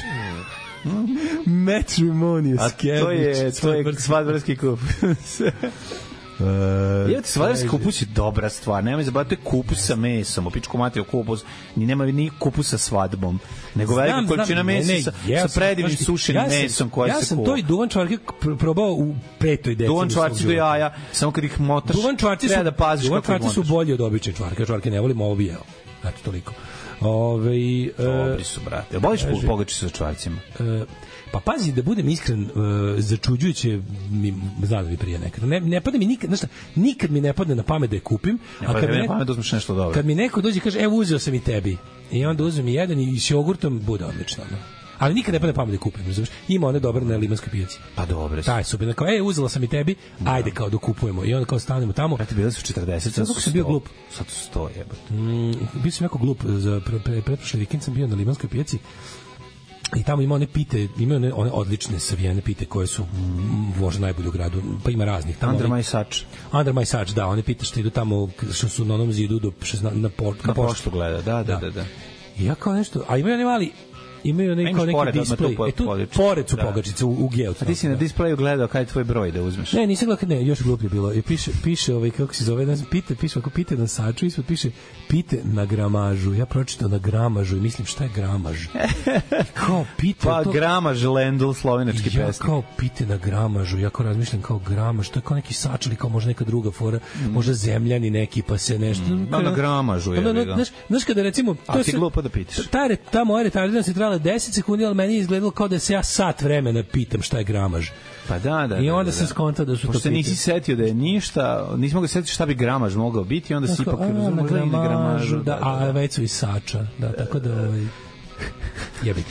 Matrimonious cabbage. A to je svadbarski kup. Jevati sladarski kupus je dobra stvar. Nemoj zabavati, to je kupus sa mesom. U pičku materiju kupus. Nema ni kupus sa svadbom. Nego velika količina mesa sa predivnim sušenim mesom koje se kuva. Ja sam to i duvan čvarke probao u petoj deceni. Duvan čvarci do jaja, samo kad ih motaš, treba da paziš kako ih motaš. Duvan čvarci su bolji od obične čvarke. Čvarke ne volim, ovo bi jeo. Eto, toliko. Dobri su, brate. Jel voliš pogačice sa čvarcima? Pa pazi, da budem iskren, začuđujuće mi, zna da mi prije nekada. Ne pada mi nikad, znaš šta, nikad mi ne padne na pamet da je kupim. A kad mi ne pamet da uzmeš nešto dobro. Kad mi neko dođe i kaže, evo uzeo sam i tebi. I onda uzmem i jedan i s jogurtom, bude odlično. No. Ali nikad ne padne na pamet da je kupim. Razumiješ? Ima one dobre na limanskoj pijaci. Pa dobre su. Taj su bili, kao, uzela sam i tebi, ajde kao dokupujemo. I onda kao stanemo tamo. Brate, bili su 40, sad su 100. Sam bio glup. Sad su 100, jebate. Bio sam jako glup. Za pretprošli vikend sam bio na limanskoj pijaci. I tamo ima one pite, imaju one odlične savijene pite koje su možda najbolje u gradu, pa ima raznih tamo. Under my Such. Under my Such, da, one pite što idu tamo, što su na onom zidu na poštu gleda, da. I ja kao nešto, a imaju one mali, imaju neki display. Tu pored su pogačice u Geocu. A ti si na displeju gledao kaj je tvoj broj da uzmeš? Ne, nisam gledao, ne, još gluplje bilo. I piše kako se zove, piše ako pite na saču, ispod piše pite na gramažu. Ja pročitao na gramažu i mislim šta je gramaž. Kao pite. Pa gramaž, Lendl, slovenački pesnik. Ja kao pite na gramažu, ja kao razmišljam kao gramaž, to je kao neki sač ili kao možda neka druga fora, možda zemljani neki pa se nešto. Na gramažu je. Znaš kada recimo... A ti glupo da pitaš. Ta moja retardirana se trajala 10 sekundi, ali meni je izgledalo kao da se ja sat vremena pitam šta je gramaž. Pa da. I onda sam skontao da su to pošto nisi setio da je ništa, nisi mogao setiti šta bi gramaž mogao biti, onda si ipak na gramažu. A već su i sača. Da, tako da... Jebi.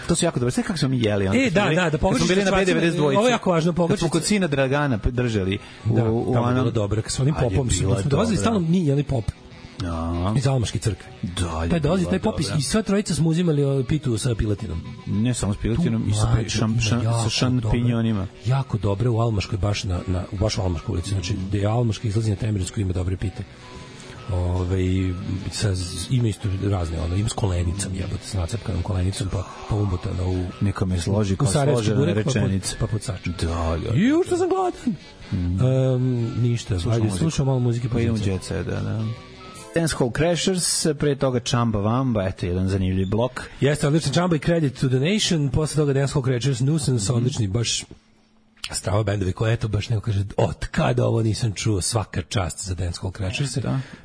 To su jako dobro. Sve kako smo mi jeli. Da pogačice. Smo bili na B92. Ovo je jako važno, pogačice. Kad smo kod sina Dragana držali. Da, tamo je bilo dobro. Kad smo onim popom smo dolazili stalno mi jeli pop. Iz Almaške crkve. Da, dolazi taj popis i sva trojica smo uzimali pitu sa piletinom. Ne samo s piletinom, i sa šampinjonima. Jako dobre u Almaškoj, baš u Almaškoj ulici. Znači, gde je Almaška izlazi na Temerinsku, ima dobre pite. Ima isto razne, ima s kolenicom, jebote, s nacrpkanom kolenicom, pa umotana u... Neka me složi kao složena rečenica. Pa pod sačem. Da. Ju, što sam gladan. Ništa, ajde, slušamo malo muzike. Pa idemo u Jet Set, da. Dance Hall Crashers, pre toga Chamba Wamba, eto jedan zanimljiv blok. Jeste, odličan Chamba i Credit to the Nation, posle toga Dance Hall Crashers, Nuisance, odlični, baš strava bendovi koje, eto, baš neko kaže, od kada ovo nisam čuo, svaka čast za Dance Hall Crashers.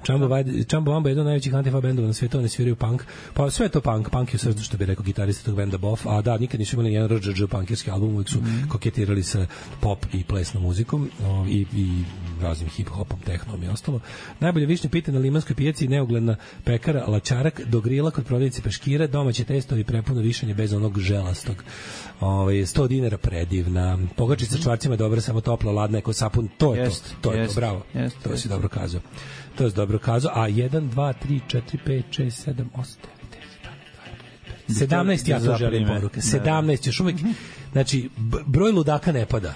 Chamba Wamba je jedan od najvećih antifa bendova na svijetu, oni sviraju punk, pa sve je to punk je u srcu, što bi rekao gitarista tog benda Boff, a da, nikad nisu imali jedan RGG punkirski album, uvijek su koketirali sa pop i plesnom muzikom i raznim hip-hopom, tehnom i ostalo. Najbolje višnje pite na limanskoj pijaci, neugledna pekara Lačarak, do grila kod prodavnice peškira, domaće testovi prepuno višanje bez onog želastog. 100 dinara predivna. Pogačica sa čvarcima dobra, samo topla, ladna, jako sapun. To je to, bravo. To si dobro kazao. A 1, 2, 3, 4, 5, 6, 7, 8, 9, 10, 17 ja to želim poruke. 17 još uvijek. Znači, broj ludaka ne pada.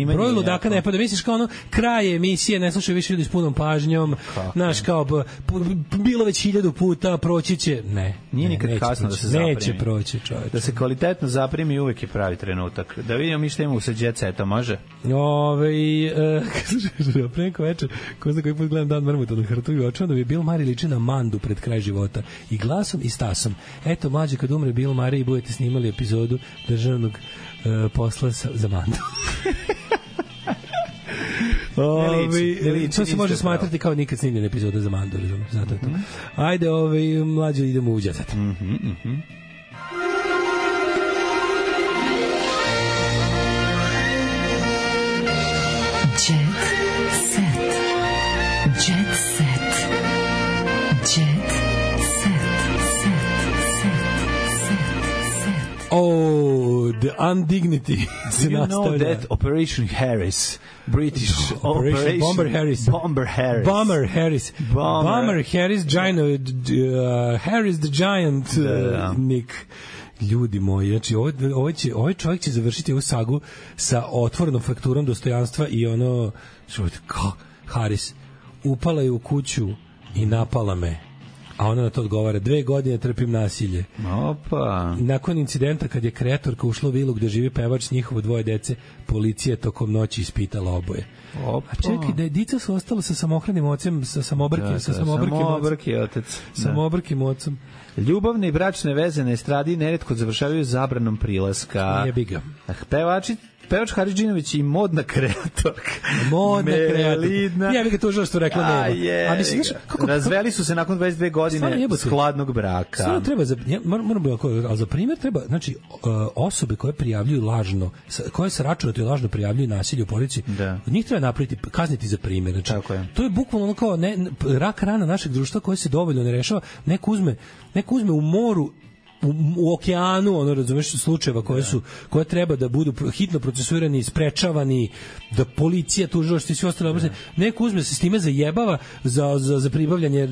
Broj ludaka ne pada. Misliš kao kraj emisije, ne slušaju više ljudi s punom pažnjom, znaš, kao bilo već 1000 puta, proći će. Ne. Nije nikad kasno da se zaprimi. Neće proći, čovječe. Da se kvalitetno zaprimi, uvek je pravi trenutak. Da vidimo mi šta imamo sa Jet Setom, može? Preko večer, ko zna koji put gledam Dan Mrmuta na Hrtu i očuvam da bi Bill Murray liči na Mandu pred kraj života. I glasom i stasom. Eto, mlađe, kad umre Bill Murray i budete snimali epizodu državnog posla za Mandu. To se može smatrati kao nikad snimljena epizoda za Mandu, zato je to. Ajde, mlađe, idemo u Jet Set. The Undignity. Do you know that Operation Harris, British Operation Bomber Harris. Bomber Harris, Harris the Giant, Nick. Ljudi moji, znači ovaj čovjek će završiti ovu sagu sa otvorenom frakturom dostojanstva i Harris upala je u kuću i napala me. A ona na to odgovara, 2 godine trpim nasilje. Opa. Nakon incidenta kad je kreatorka ušla u vilu gde živi pevač s njihovo 2 dece, policija tokom noći ispitala oboje. Opa. A čekaj, da je dica su ostala sa samohranim ocem, sa samobrkim ocem. Ljubavne i bračne veze na estradi neretko završavaju zabranom prilaska. Jebi ga. Pevač Haridžinović i modna kreatorka. Jebi ga, to što rekla nema. A mislim, razveli su se nakon 22 godine skladnog braka. Stvarno treba, ali za primjer treba, znači, osobe koje prijavljuju lažno, koje se računate i lažno prijavljuju nasilje u porodici, njih treba napraviti, kazniti za primjer. Znači, to je bukvalno kao rak rana našeg društva koje se dovoljno ne rešava. Neko uzme u moru, u okeanu, ono, razumeš, slučajeva koje treba da budu hitno procesuirani, sprečavani, da policija, tužilaštvo i svi ostale oblasti, neko uzme se s time zajebava za pribavljanje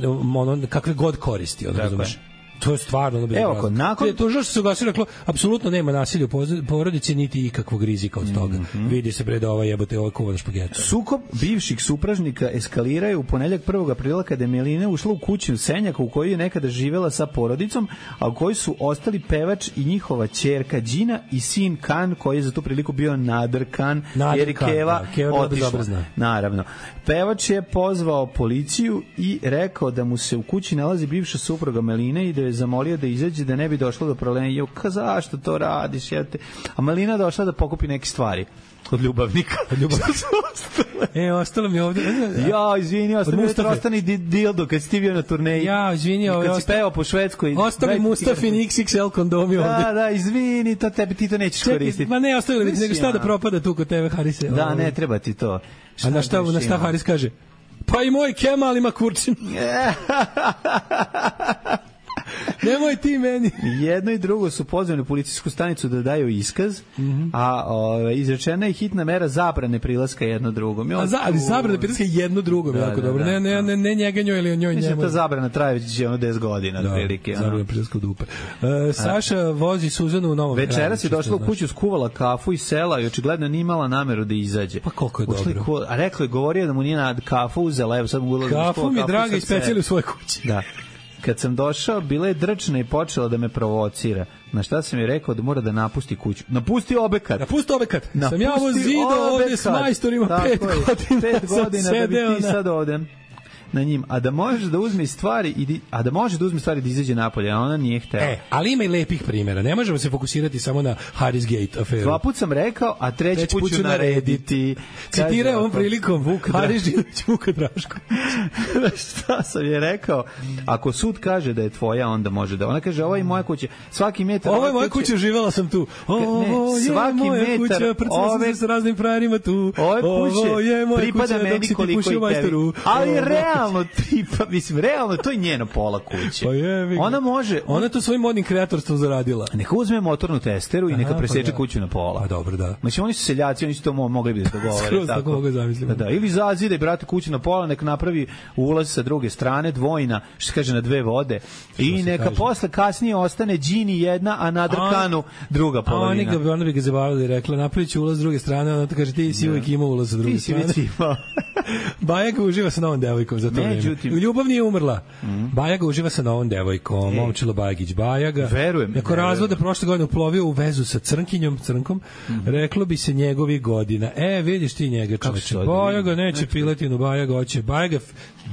kakve god koristi, ono, razumeš. To je stvarno nakon to što se ugasilo, reklo apsolutno nema nasilja u porodici niti ikakvog rizika od toga. Vidi se bre da ova jebote ovaj kuvan špagetu. Sukob bivših supražnika eskaliraju u ponedeljak 1. aprila kada je Melina ušla u kuću Senjaka u kojoj je nekada živela sa porodicom, a u kojoj su ostali pevač i njihova ćerka Đina i sin Kan, koji je za tu priliku bio Nader Kan, jer je Keva otišla. Naravno. Pevač je pozvao policiju i rekao da mu se u kući nalazi bivša supruga Meline i da je zamolio da izađe, da ne bi došlo do problema. Zašto to radiš? A Melina došla da pokupi neke stvari od ljubavnika. Ostalo mi ovdje. Izvini, ostani dildo kad si ti bio na turneji. Kad si pevao po Švedskoj. Ostavi Mustafin XXL kondomi ovdje. Da, izvini, ti to nećeš koristiti. Ma ne, ostavili bi, nego šta da propada tu kod tebe, Harise. Da, ne, treba ti to. A na šta Haris kaže? Pa i moj Kemal ima kurčin. Nemoj ti meni. Jedno i drugo su pozvani u policijsku stanicu da daju iskaz, a izrečena je hitna mera zabrane prilaska jedno drugom. Ali zabrane prilaska jedno drugom, jako dobro. Ne njega njoj ili njoj njemu. Mislim, ta zabrana traje već 10 godina. Zabrana prilaska u dupe. Saša vozi Suzanu u Novom Kraju. Večeras je došla u kuću, skuvala kafu i sela i očigledno nije imala nameru da izađe. Pa koliko je dobro. A rekao je, govorio da mu nije na kafu uzela. Evo sad mu ulazim. Kafu mi draga i specijali u svojoj kući. Da. Kad sam došao, bila je drčna i počela da me provocira. Na šta sam je rekao da mora da napusti kuću. Napusti obekat. Sam ja ovo zidao ovdje s majstorima 5 godina. 5 godina da bi ti sad ovdje na njim, a da može da uzme stvari da izađe napolje, a ona nije htela. Ali ima i lepih primjera. Ne možemo se fokusirati samo na Harris Gate aferu. 2 put sam rekao, a 3 put ću narediti. Citirao ovom prilikom Haris Žinović Vuka Draško. Šta sam je rekao? Ako sud kaže da je tvoja, onda može da. Ona kaže, ovo je moja kuća. Svaki metar. Ovo je moja kuća, živela sam tu. Ovo je moja kuća, prcala sam se s raznim frajerima tu. Ovo je moja kuća, dok si ti pušio majstoru. Ali realno to je njeno pola kuće. Ona može, ona to svojim modnim kreatorstvom zaradila. Neka uzme motornu testeru i neka preseče kuću na pola. Pa dobro, da. Znači oni su seljaci, oni su to mogli bi da dogovore tako. Mogu zamisliti. Da, ili zazide brate kuću na pola, neka napravi ulaz sa druge strane, dvojna, što se kaže na 2 vode. I neka posle kasnije ostane Đini jedna, a na Drkanu druga polovina. Ona bi ga zabavili, rekla napraviću ulaz s druge strane, ona kaže ti si uvijek imao ulaz sa druge strane. Ti si imao. Bajaga uživa sa novom devojkom za to vreme. U ljubav nije umrla. Bajaga uživa sa novom devojkom, Momčilo Bajagić Bajaga. Verujem. Nakon razvoda prošle godine uplovio u vezu sa Crnkom, reklo bi se njegovih godina. Vidiš ti njega, čoveče. Bajaga neće piletinu, Bajaga hoće.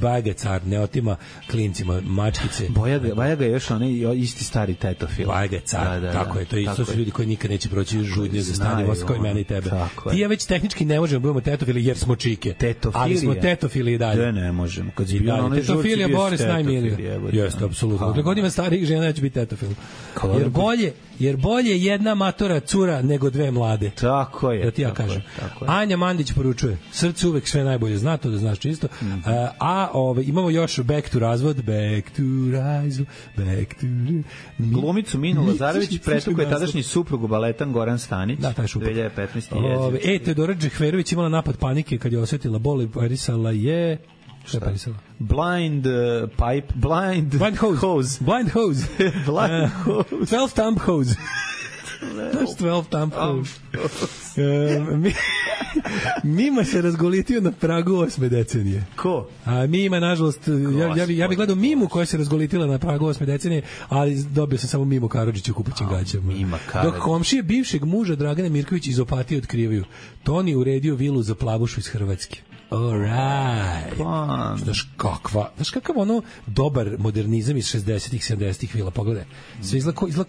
Bajaga car, ne otima klincima mačkice. Bajaga je još onaj isti stari tetofil. Bajaga je car, tako je. To je isto su ljudi koji nikad neće proći žudnje za stanje voz kao i mene i tebe. Ti ja već tehnički ne možemo budemo tetofili jer smo čike. Ali smo tetofili i dalje. Ne možemo. Tetofilija Boris najmilija. Jeste, apsolutno. Dokle god ima starijih žena, ja ću biti tetofil. Jer bolje jedna matora cura nego 2 mlade. Tako je. Da ti ja kažem. Anja Mandić poručuje, srce uvek sve najbolje, zna to da znaš čisto. Imamo još Back to razvod, Back to razvod, Back to... Glumicu Minu Lazarević pretukao je tadašnji suprug baletan Goran Stanić. Da, taj šupak. 2015. Teodora Džehverović imala napad panike kad je osjetila bol i parisala je... Šta je parisala? Blind hose. Blind hose. 12 thumb hose. Znaš 12 thumb hose. Mima se razgolitio na pragu 8. decenije. Ko? A Mima, nažalost, ja bih gledao Mimu koja se razgolitila na pragu 8. decenije, ali dobio sam samo Mimu Karadžića u kupaćim gaćama. Dok komšije bivšeg muža Dragane Mirković iz Opatije otkrivaju, Toni uredio vilu za plavušu iz Hrvatske. Alright. Znaš kakav ono dobar modernizam iz 60-ih, 70-ih vila, pogledaj. Sve izgleda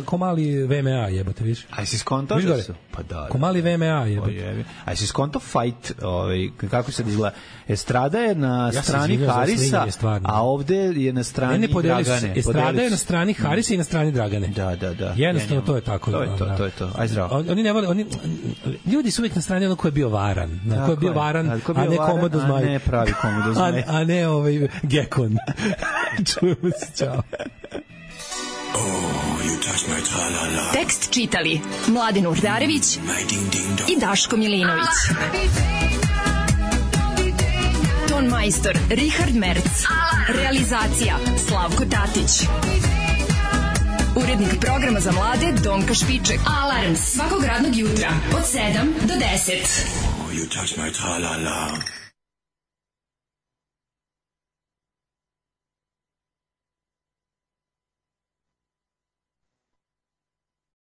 ko mali VMA, jebate, viš? A si skontao da su? Pa da. Ko mali VMA, jebate. A si skontao fight, kako se izgleda? Estrada je na strani Harisa, a ovde je na strani Dragane. Estrada je na strani Harisa i na strani Dragane. Da. Jednostavno to je tako. To je to. Aj zdravo. Oni ne vole, ljudi su uvijek na strani ono ko je bio varan. Ko je bio varan, a ne Komodo Zmaj. A ne pravi Komodo Zmaj. A ne Gekon. Čujemo se, čao. Tekst čitali Mladin Urdarević i Daško Milinović. Ton majstor Richard Merc. Realizacija Slavko Tatić. Urednik programa za mlade Donka Špiček. Alarms svakog radnog jutra od 7 do 10. You touch my tra-la-la.